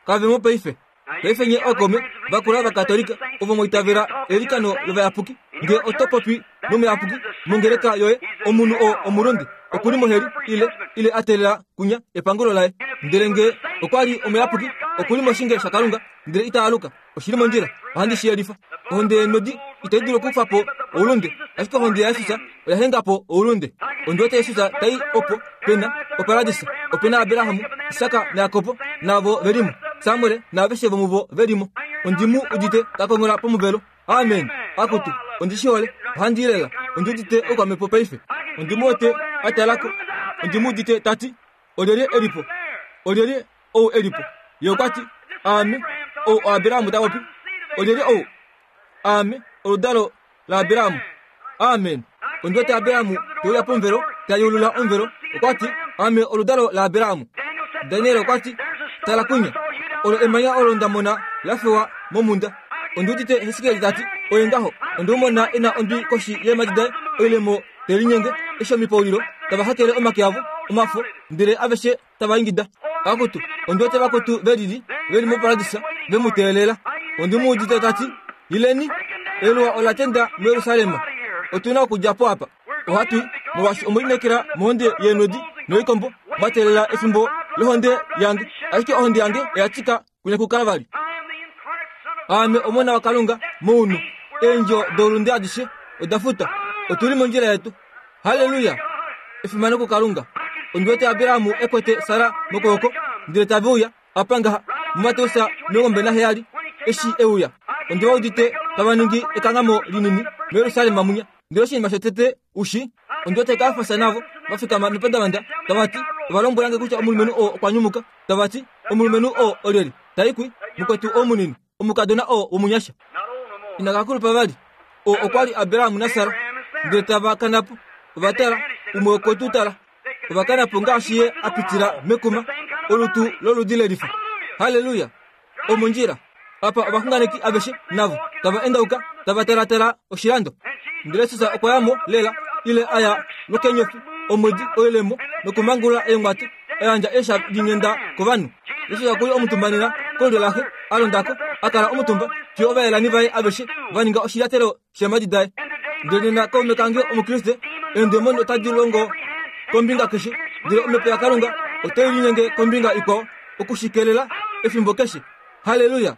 Kave mo paife. Paife nye ookaume vakula vaKatolika ovo mwa itavela eilikano lovayapuki, nge oto popi nomuyapuki mongeleka yoye, omunhu oo omulunde oku li moheli ile, ile a teelela kunya epangulo laye. Ndele nge okwa li omuyapuki, oku li moshinge shaKalunga, ndele ita aluka. Oshi li mondjila. Ohandi shi yelifa. Ohonde yeenodi itai dulu okukufa po oulunde, ashike ohonde yaJesus oya henga po oulunde. Ondi wete Jesus ta i opo pe na oparadisa, ope na Abraham, Isak naJakob naavo ve li mo, Samuel naaveshe vomuvo ve li mo. Ondi mu udite ta konghola pomuvelo. Amen! Akutu, ondi shi hole. Ohandi i lela. Ondi udite oukwamhepo paife. Ondi mu wete a tala ko. Ondi mu udite ta ti, Olyelye e li po? Olyelye ou e li po? Ye okwa ti, Aame ou oAbraham ta popi. Olyelye ou? Aame oludalo laAbraham. Amen. Ondi wete Abraham te uya pomuvelo, ta yeulula omuvelo. Okwa ti, Aame oludalo laAbraham. Daniel okwa ti, Tala kunya, olo emanya olo nda mona la fewa momhunda. Ondi udite Hesekiel ta ti, Oye ngaho, onde mu mona e na ondwi koshi yeemhadi daye, oilemo te linyenge, eshi omipaulilo tava hakele omake avo omafo, ndele aveshe tava ingida. Akutu, ondi wete vakwetu ve lili, ve li moparadisa, ve mu teelela. Ondi mu udite ta ti, Ileni, eluwa ola tenda muJerusalem. Otu na okudja po apa. Ohatu i, molwaashi omwe lineekela mohonde yeenodi noikombo, mwa teelela efimbo lohonde yange. Ashike ohonde yange oya tika kunya kuKalvari. Aame Omona waKalunga mounhu. Eendjo doulunde adishe oda futa. Otu li mondjila yetu. Halleluya! Efimano kuKalunga! Ondi wete Abraham e kwete Sara mokwooko, ndele tave uya apa ngaha muMateus 17, eshi e uya. Ondi va udite tava ningi ekanghamo linini muJerusalem munya. Ndele oshinima shotete u shi, ondi wete Kajafas navo va fikama mepandavanda tava ti, Ova lombwela nge kutya omulumenhu oo okwa nyumuka. Tava ti, Omulumenhu oo olyelye? Tai kwi, mukwetu oo munini, omukadona oo womunyasha. Ina ka kulupa vali. Oo okwa li Abraham naSara. Ndele tava kana po. Ova tala, umwe okwe tu tala. Ova kana po ngaashi ye a pitila mekuma, olutu loludi lelifa. Halleluya! Omondjila. Apa ovaxunganeki aveshe navo tava endauka tava talatala oshilando. Ndele Jesus okwa ya mo lela ile a ya lwokenyofi omwedi oilemo nokumangulula eenghwate a yandja eesha dinghenda kovanhu. Jesus okwa li omutumba nena kolulyo laxe a londa ko a kala omutumba fiyo ovayelani vaye aveshe va ninga oshilyatelo sheemhadi daye. Ndele nena kaume kange Omukriste, eendemoni otadi longo kombinga keshe, ndele omhepo yaKalunga otai linyenge kombinga ikwao oku shi kelela efimbo keshe. Halleluya!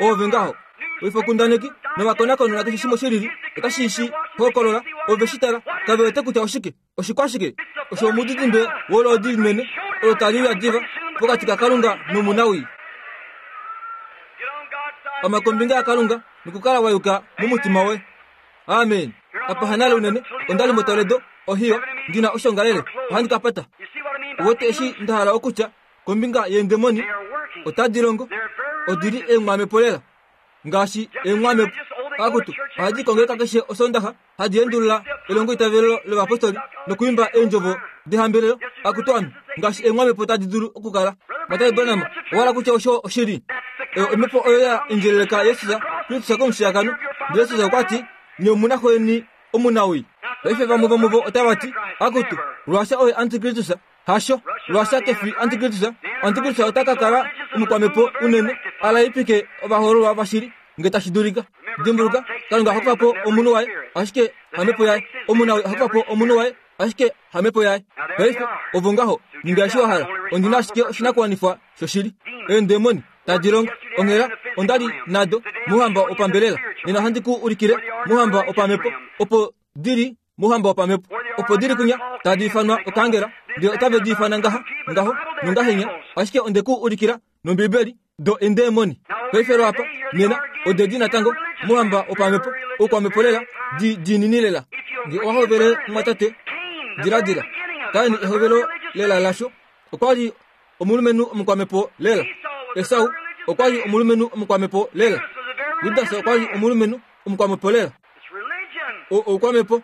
Oove ngaho. Oifokundaneki novakonakoni nakeshe shimwe shilili otashi shi hokolola. Ove shi tala, kave wete kutya oshike. Oshikwashike? Osho omudidimbe woloodi linene olo tali uya diva pokati kaKalunga nomunawii. Ama kombinga yaKalunga nokukala wa yuka momutima woye. Amen. Apa hanale unene, onda li moToledo, Ohio, ndi na oshongalele. Ohandi ka pata. Uwete eshi nda hala okutya kombinga yeendemoni? Otadi longo. Odi li eenghamepo lela. Ngaashi eenghamepo. Akutu, ohadi kongeleka keshe Osondaxa. hadi endulula elongoitavelo lovapostoli nokuimba eendjovo dehambelelo akutu ame ngaashi eenghamepo tadi dulu okukala. Mwatate Branham owa hala kutya osho oshili? Oyo omhepo oyo ya endjeleleka Jesus Kristus komushiyakano. Ndele Jesus okwa ti, Nye omu na xweni omunawii. Paife vamwe vomuvo otava ti, Akutu, Ruasha oye antikristus. Hasho, Ruasha ke fi antikristus. Antikristus ota ka kala omukwamhepo unene a laipike ovahoololwa vashili nge tashi dulika. Dimbuluka, Kalunga oha kufa po omunhu waye, ashike hamhepo yaye. Omunawii oha kufa po omunhu waye, ashike hamhepo yaye. Paife, ovo ngaho, ninga eshi wa hala. Ondi na ashike oshinakuwanifwa shoshili. Eendemoni tadi longo. Onghela, onda li nado mouhamba wopambelela. Nena ohandi ku ulikile mouhamba wopamhepo, opo di li mouhamba wopamhepo, opo di li kunya tadi ifanwa okaangela, ndele otave di ifana ngaha, ngaho, nongahenya. Ashike onde ku ulikila nOmbibeli, do endeemoni. Paife lwaapa, nena, ode di natango mouhamba wopamhepo, oukwamhepo lela, di diinini lela. Nge owa hovele, mumwatate, diladila. Kain ehovelo lela lasho, okwa li omulumenhu omukwamhepo lela. Esau okwa li omulumenhu omukwamhepo lela. Judas okwa li omulumenhu omukwamhepo lela. Oukwamhepo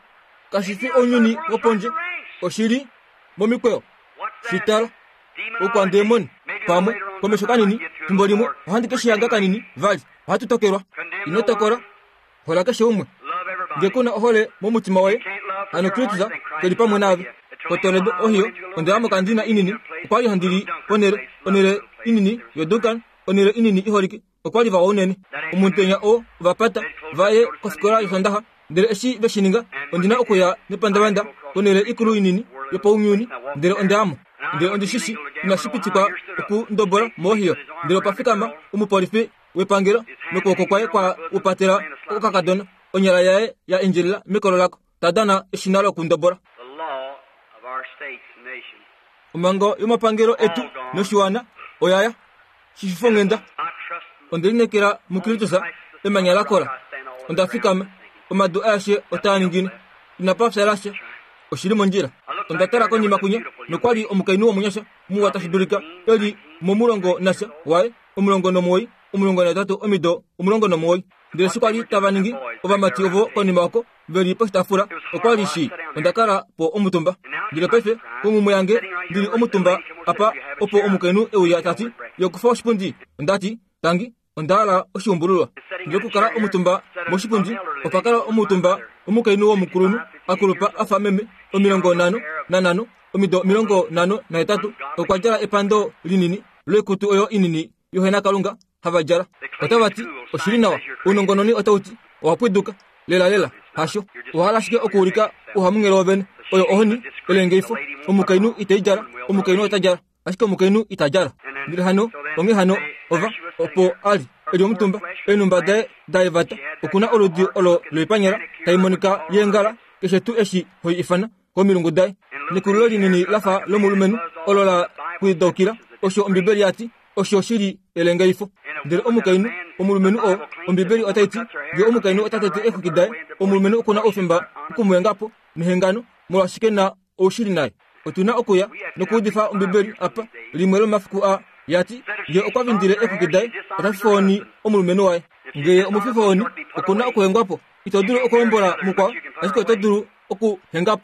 kashi fi ounyuni wopondje, oshi li momikweyo. Shi tala. Oukwandemoni pamwe komesho kanini, fimbo limwe ohandi ke shi hanga kanini vali. Ohatu tokelwa. Ino tokola, hola keshe umwe. Nge ku na ohole momutima woye, hano Kristus ke li pamwe naave. KoToledo, Ohio, onda ya mokandina inini. Okwa li handi li ponhele, onhele inini yoDuncan, onhele inini iholike. Okwa li vawa unene. Omutenya oo ova pata va ye kofikola yOsondaxa, ndele eshi ve shi ninga, ondi na okuya nepandavanda konhele ikulu inini yopaunyuni, ndele onda ya mo. Ndele ondi shi shi inashi pitikwa okundobola moOhio. Ndele opa fikama omupolifi wepangelo nokwooko kwaye kwa upatela okakadona, onyala yaye ya endjelela mekolo lako, ta dana eshina lokundobola. Omhango yomapangelo etu noshiwana oya ya. Shififonghenda, onde lineekela muKristus, emanya la kola. Onda fikama, omadu aeshe otaa ningine. Inapa fya lasha, oshi li mondjila. Onda tala konima kwinya, nokwa li omukainhu womunyasha muwa tashi dulika e li momulongo nasha waye, 19, 18, omido 19. Ndele eshi kwa li tava ningi ovamati ovo konima oko, ve li poshitaafula, okwa li shi onda kala po omutumba. Ndele paife, konghumwe yange, ndi li omutumba apa, opo omukainhu e uya ta ti, Yo kufa oshipundi. Onda ti, Tangi, onda hala oshiumbululwa. Ndele okukala omutumba moshipundi, opa kala omutumba omukainhu womukulunhu. a kulupa a fa meme, 55, omido 58, okwa djala epando linini loikutu oyo inini yohenakalunga hava djala. Otava ti, Oshi li nawa. Ounongononi otau ti, Owa pwiduka. Lelalela, hasho. Owa hala ashike okuulika ouhamunghele wovene. Oyo ohoni, elengeifo. Omukainhu ite i djala, omukainhu ota djala. Ashike omukainhu ita djala. Ndele hano, onghee hano, ova, opo a li, e li omutumba, eenhumba daye da evata, oku na oludi olo loipanyala tai monika yeengala, keshe tuu eshi ho i ifana, komilungu daye. Nekulilo linini la fa lomulumenhu olo la pwidaukila, osho Ombibeli ya ti, osho shi li elengaifo. Ndele omukainhu, omulumenhu oo, Ombibeli otai ti, nge omukainhu ota tete eexwiki daye, omulumenhu oku na oufemba oku mu henga po nehengano, molwaashi ke na oushili naye. Otu na okuya nokuudifa Ombibeli apa, limwe lomomafiku aa, ya ti, Nge okwa vindile eexwiki daye, ota fifohoni omulumenhu waye. Nge ye omufifohoni, oku na okuhengwa po. Ito dulu okuhombola mukwao, ashike oto dulu okuhenga po.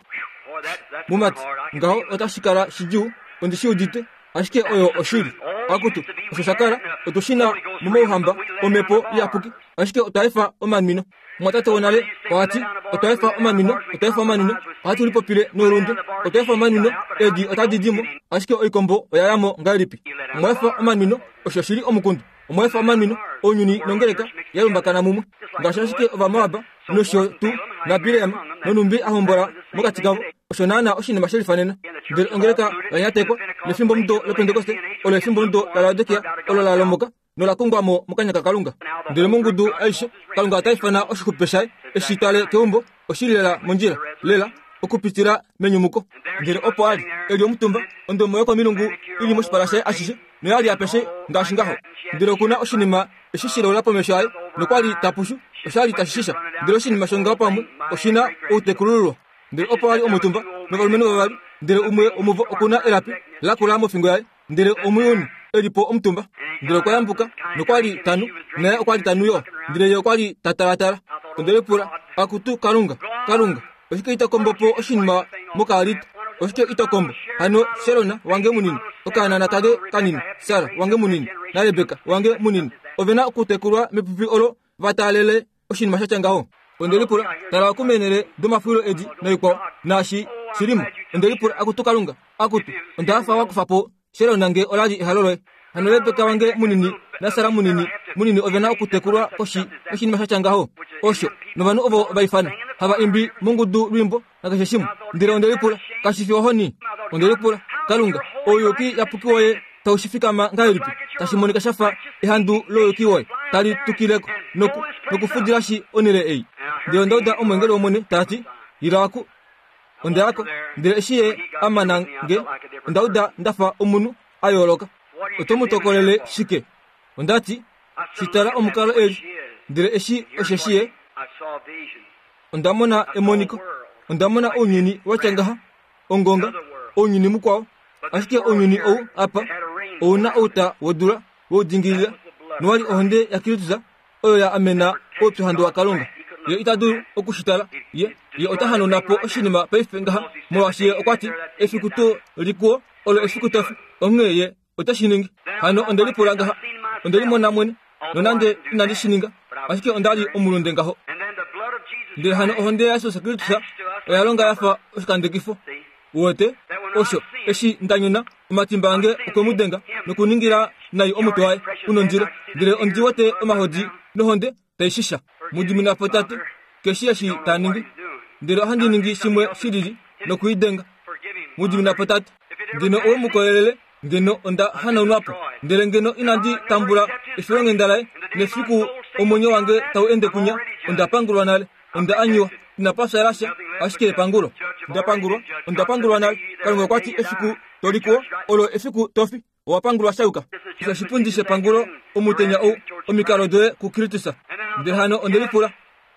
Mumati, ngaho otashi kala shidjuu, ondi shi udite, ashike oyo oshili. Akutu, osho sha kala, otu shi na momauhamba omhepo iyapuki, ashike otwa efa omanwino. Mwatate wonale oha ti, Otwa efa omanwino, otwa efa omanwino, ohatu lipopile noulunde. Otwa efa omanwino, eedi otadi di mo, ashike oikombo oya ya mo ngahelipi? Omwa efa omanwino, osho shi li omukundu. Omwa efa omanwino, ounyuni nongeleka ya lumbakana mumwe, ngaashi ashike Ovamoab nosho tuu naBileam nonhumbi a hombola mokati kavo. Osho naanaa oshinima she lifanena. Ndele ongeleka oya nyatekwa, nefimbomudo lOpentekoste olo efimbomudo laLaodikia olo la lomoka nola kungwa mo mokanya kaKalunga. Ndele mongudu aishe, Kalunga ota ifana oshixupe shaye e shi twale keumbo, oshi li lela mondjila, lela, okupitila menyumuko. Ndele opo a li, e li omutumba, ondomo yokomilungu i li moshipala shaye ashishe, noya li apeshe ngaashi ngaho. Ndele oku na oshinima eshi shilaula pomesho aye, nokwa li ta pushu, osha li tashi shisha. Ndele oshinima shongaho pamwe oshi na outekulululwa. Ndele opo a li omutumba novalumenhu vavali, ndele umwe womuvo oku na elapi lakula mofingo yaye, Ndele omuyuni e li po omutumba, ndele okwa yambuka, nokwa li ta nu, naye okwa li ta nu yo. Ndele ye okwa li ta talatala. Onde lipula, Akutu Kalunga, Kalunga, oshike ito kombo po oshinima mokaalita? Oshike ito kombo hano Sherona wange munini, okaanana kange kanini, Sara wange munini, naRebeka wange munini? Ove na okutekulwa mepupi olo va taalele oshinima sha tya ngaho. Onde lipula, Tala oku meenhele domafulilo edi noikwao, naashi shi li mo. Onde lipula, Akutu Kalunga, akutu, onda hafa wa kufa po Shelona nge ola li ehalo loye. Hano Rebeka wange munini naSara munini, munini ove na okutekulwa koshi yoshinima sha tya ngaho. Osho, novanhu ovo va ifana, hava imbi mongudu lwiimbo nakeshe shimwe. Ndele onde lipula, Kashi fi ohoni? Onde lipula, Kalunga, ouyuki yapuki woye tau shi fikama ngahelipi? Tashi monika sha fa ehandu louyuki woye tali tukile ko noku, nokufudila shi onhele ei. Ndele onda uda omweengeli wOmwene ta ti, Ila oku. Onda ya ko, ndele eshi ye a mana nge, onda uda nda fa omunhu a yooloka. Oto mu tokolele shike? Onda ti, Shi tala omukalo eli, ndele eshi osheshi ye. Onda mona emoniko. Onda mona ounyuni wa tya ngaha, ongonga, ounyuni mukwao. Ashike ounyuni ou apa ou na outa wodula we u dingilila, nowa li ohonde yaKristus oyo ya amena oupyuhandu waKalunga. Ye ita dulu oku shi tala. Ye, ye ota hanauna po oshinima paife ngaha, molwaashi ye okwa ti, Efiku tuu likuwo olo efiku tofi. Onghee ye ote shi ningi. Hano onde lipula ngaha, onde limona mwene, nonande inandi shi ninga, ashike onda li omulunde ngaho. Ndele hano ohonde yaJesus Kristus oya longa ya fa oshikandekifo. Uwete? Osho, eshi nda nyona, omatimba ange okwe mu denga nokuningila nai omutwe waye u nondilo, ndele ondi wete omahodi nohonde tai shisha. Mu dimina po, Tate, keshi eshi ta ningi. Ndele ohandi ningi shimwe shi lili noku i denga. Mu dimina po, Tate. Ngeno owe mu kolelele, ngeno onda hanaunwa po. Ndele ngeno inandi tambula efilonghenda laye, nefiku omwenyo wange tau ende kunya, onda pangulwa nale. Onda anyiwa. Inapa fya sha, ashike epangulo. Nda pangulwa. Onda pangulwa nale. Kalunga okwa ti, Efiku to li kuo, olo efiku to fi. Owa pangulwa sha yuka. Osho oshipundi shepangulo omutenya ou, omikalo doye kuKristus. Ndele hano onde lipula,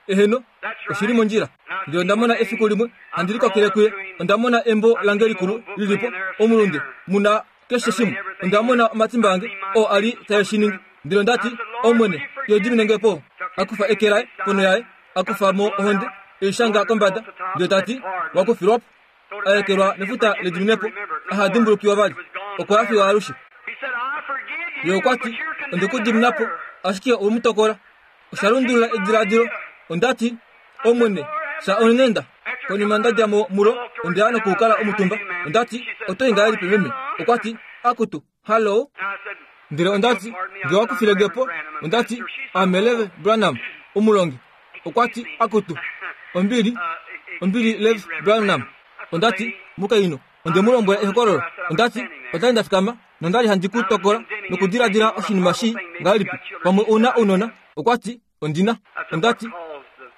Eheno, oshi li mondjila. Ndele onda mona efiku limwe, handi likokele kuye, onda mona embo lange likulu li li po, omulunde, mu na keshe shimwe. Onda mona omatimba ange, oo a li tae shi ningi. Ndele onda ti, Omwene, yo dimine nge po. A kufa eke laye ponho yaye, a kufa mo ohonde, e i shanga kombada, ndele ta ti, Wa kufilwa po. A ekelwa mefuta lediminepo, aha dimbulukiwa vali. Okwa ya fiyo alushe. Ye okwa ti, Onde ku dimina po, ashike owe mu tokola. Osha lundulula ediladilo. Onda ti, Omwene, fya onghenda. Konima nda dja mo mulo, onda ya nokukala omutumba. Onda ti, Oto i ngahelipi, meme? Okwa ti, Akutu, hallo. Ndele onda ti, Nge wa kufile nge po, onda ti, Ame Lev Branham, omulongi. Okwa ti, Akutu, ombili, ombili Lev Branham. Onda ti, Mukainhu, onde mu lombwela ehokololo. Onda ti, Onda li nda fikama, nonda li handi ku tokola nokudiladila oshinima shii ngahelipi. Pamwe ou na ounona? Okwa ti, Ondi na. Onda ti,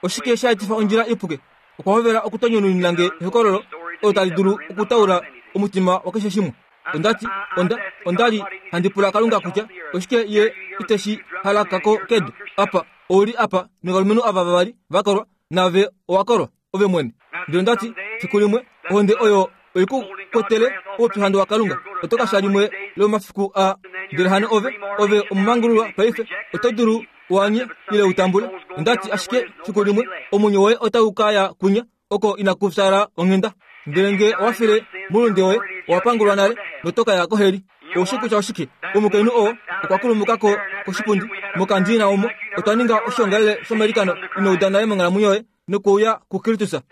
Oshike sha etifa ondjila ipuke? Okwa hovela okutonyununina nge ehokololo olo tali dulu okutaula omutima wakeshe shimwe. Onda ti, Onda, onda li handi pula Kalunga kutya oshike Ye ite shi halaka ko kedu. Apa, ou li apa novalumenhu ava vavali va kolwa, naave owa kolwa, ove mwene. Ndele onda ti, Fiku limwe, ohonde oyo oi ku kwetele oupyuhandu waKalunga. Oto ka fya limwe lomomafiku aa. Ndele hano ove, ove omumangululwa paife, oto dulu u anye ile u tambule. Onda ti, Ashike fiku limwe omwenyo woye otau ka ya kwinya oko inaku fyaala onghenda. Ndele nge owa file moulunde woye, owa pangulwa nale noto ka ya koheli. Ou shii kutya oshike? Omukainhu oo okwa kulumuka ko koshipundi mokandiina omo. Otwa ninga oshoongalele shomailikano ino uda nale monghalamwenyo yoye nokuuya kuKristus.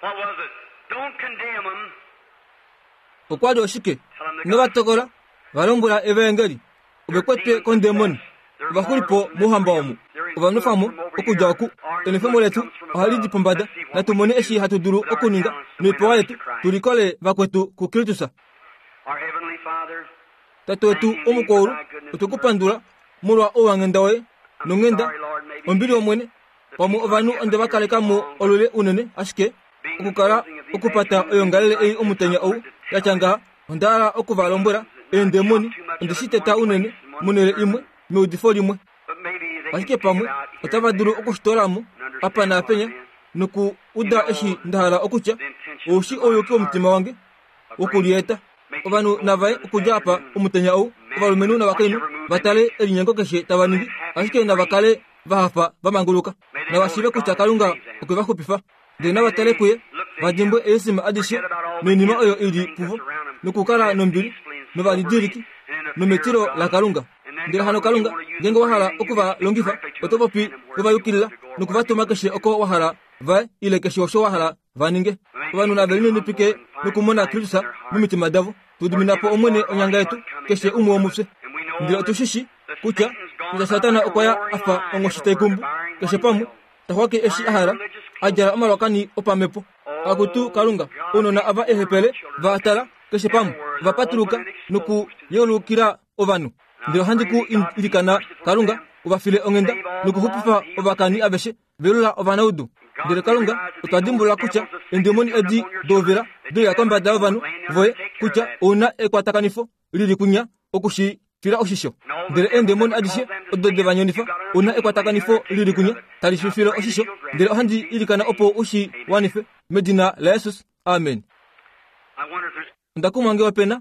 Okwa li oshike? Ino va tokola, va lombwela evaengeli. Ove kwetwe kondemoni. Ova xuli po mouhamba omu. Ova nwefa mo okudja oku. Enwefemo letu ohali di pombada. Natu mone eshi hatu dulu okuninga noipewa yetu tu likole vakwetu kuKristus. Tate wetu womukwaulu, otwe ku pandula molwa ouwanghenda woye nonghenda, ombili yOmwene. Pamwe ovanhu onde va kaleka mo olule unene, ashike okukala okupata oyoongalele ei omutenya ou ya tya ngaha, onda hala oku va lombwela, eendemoni onde shi teta unene monhele imwe meudifo limwe. Ashike pamwe otava dulu oku shi toola mo apa naapenya noku uda eshi nda hala okutya, ou shi ouyuki womutima wange wokulieta. Ovanhu nava ye okudja apa omutenya ou, ovalumenhu novakainhu, va tale elinyengo keshe tava ningi, ashike nava kale va hafa va manguluka. Nava shiive kutya Kalunga okwe va xupifa. Ndele nava tale kuye, va dimbwe eesima adishe noinima oyo i li puvo, nokukala nombili novalidiliki nometilo laKalunga. Ndele hano Kalunga, ngeenge wa hala oku va longifa, oto popi we va yukilila noku va tuma keshe oko wa hala va ye, ile keshe osho wa hala va ninge. Ovanhu nave lininipike nokumona Kristus momitima davo. Tu dimina po Omwene onyanga yetu, keshe umwe womufye. Ndele otu shi shii kutya kutya Satana okwa ya a fa onghoshi tai kumbu keshe pamwe, ta xwake eshi a hala, a djala omalwakani opamhepo. Akutu Kalunga, ounona ava eehepele va tala keshe pamwe, va patuluka nokuyeulukila ovanhu. Ndele ohandi ku ilikana Kalunga, u va file onghenda nokuxupifa ovakani aveshe velula ovanaudu. Ndele Kalunga, otwa dimbulula kutya eendemoni edi douvila doya kombada yovanhu voye, kutya ou na ekwatakanifo li li kunya oku shi fila oshisho. Ndele eendemoni adishe odo de va nyonifa, ou na ekwatakanifo li li kunya tali shi file oshisho. Ndele ohandi ilikana opo u shi wanife, medina laJesus. Amen. Onda kumwa nge ope na.